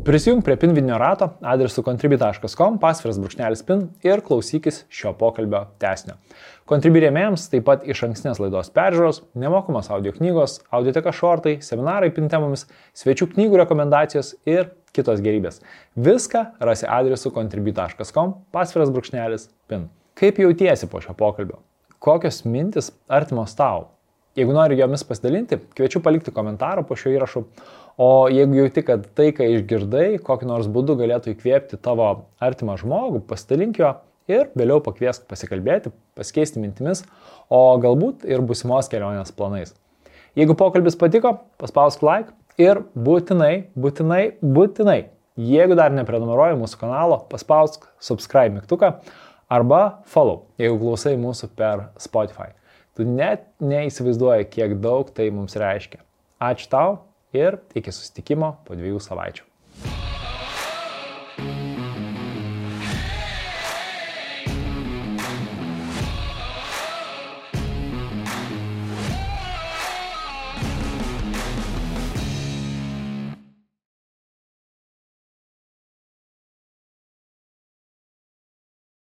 Speaker 1: Prisijung prie PIN vidinio rato adresu contribui.com, /PIN ir klausykis šio pokalbio tęsinio. Contribui rėmėjams taip pat iš ankstinės laidos peržiūros, nemokamos audio knygos, audioteka šortai, seminarai PIN temomis, svečių knygų rekomendacijos ir kitos gerybės. Viską rasi adresu contribui.com, /PIN. Kaip jautiesi po šio pokalbio? Kokios mintis artimos tau? Jeigu nori jomis pasidalinti, kviečiu palikti komentarą po šio įrašu. O jeigu jauti, kad tai, ką išgirdai, kokiu nors būdu galėtų įkvėpti tavo artimą žmogų, pasidalink jo ir vėliau pakviesk pasikalbėti, pasikeisti mintimis, o galbūt ir būsimos kelionės planais. Jeigu pokalbis patiko, paspausk like ir būtinai, jeigu dar neprenumeruoji mūsų kanalo, paspausk subscribe mygtuką arba follow, jeigu klausai mūsų per Spotify. Tu net neįsivaizduoji, kiek daug tai mums reiškia. Ačiū tau ir iki susitikimo po 2 savaičių.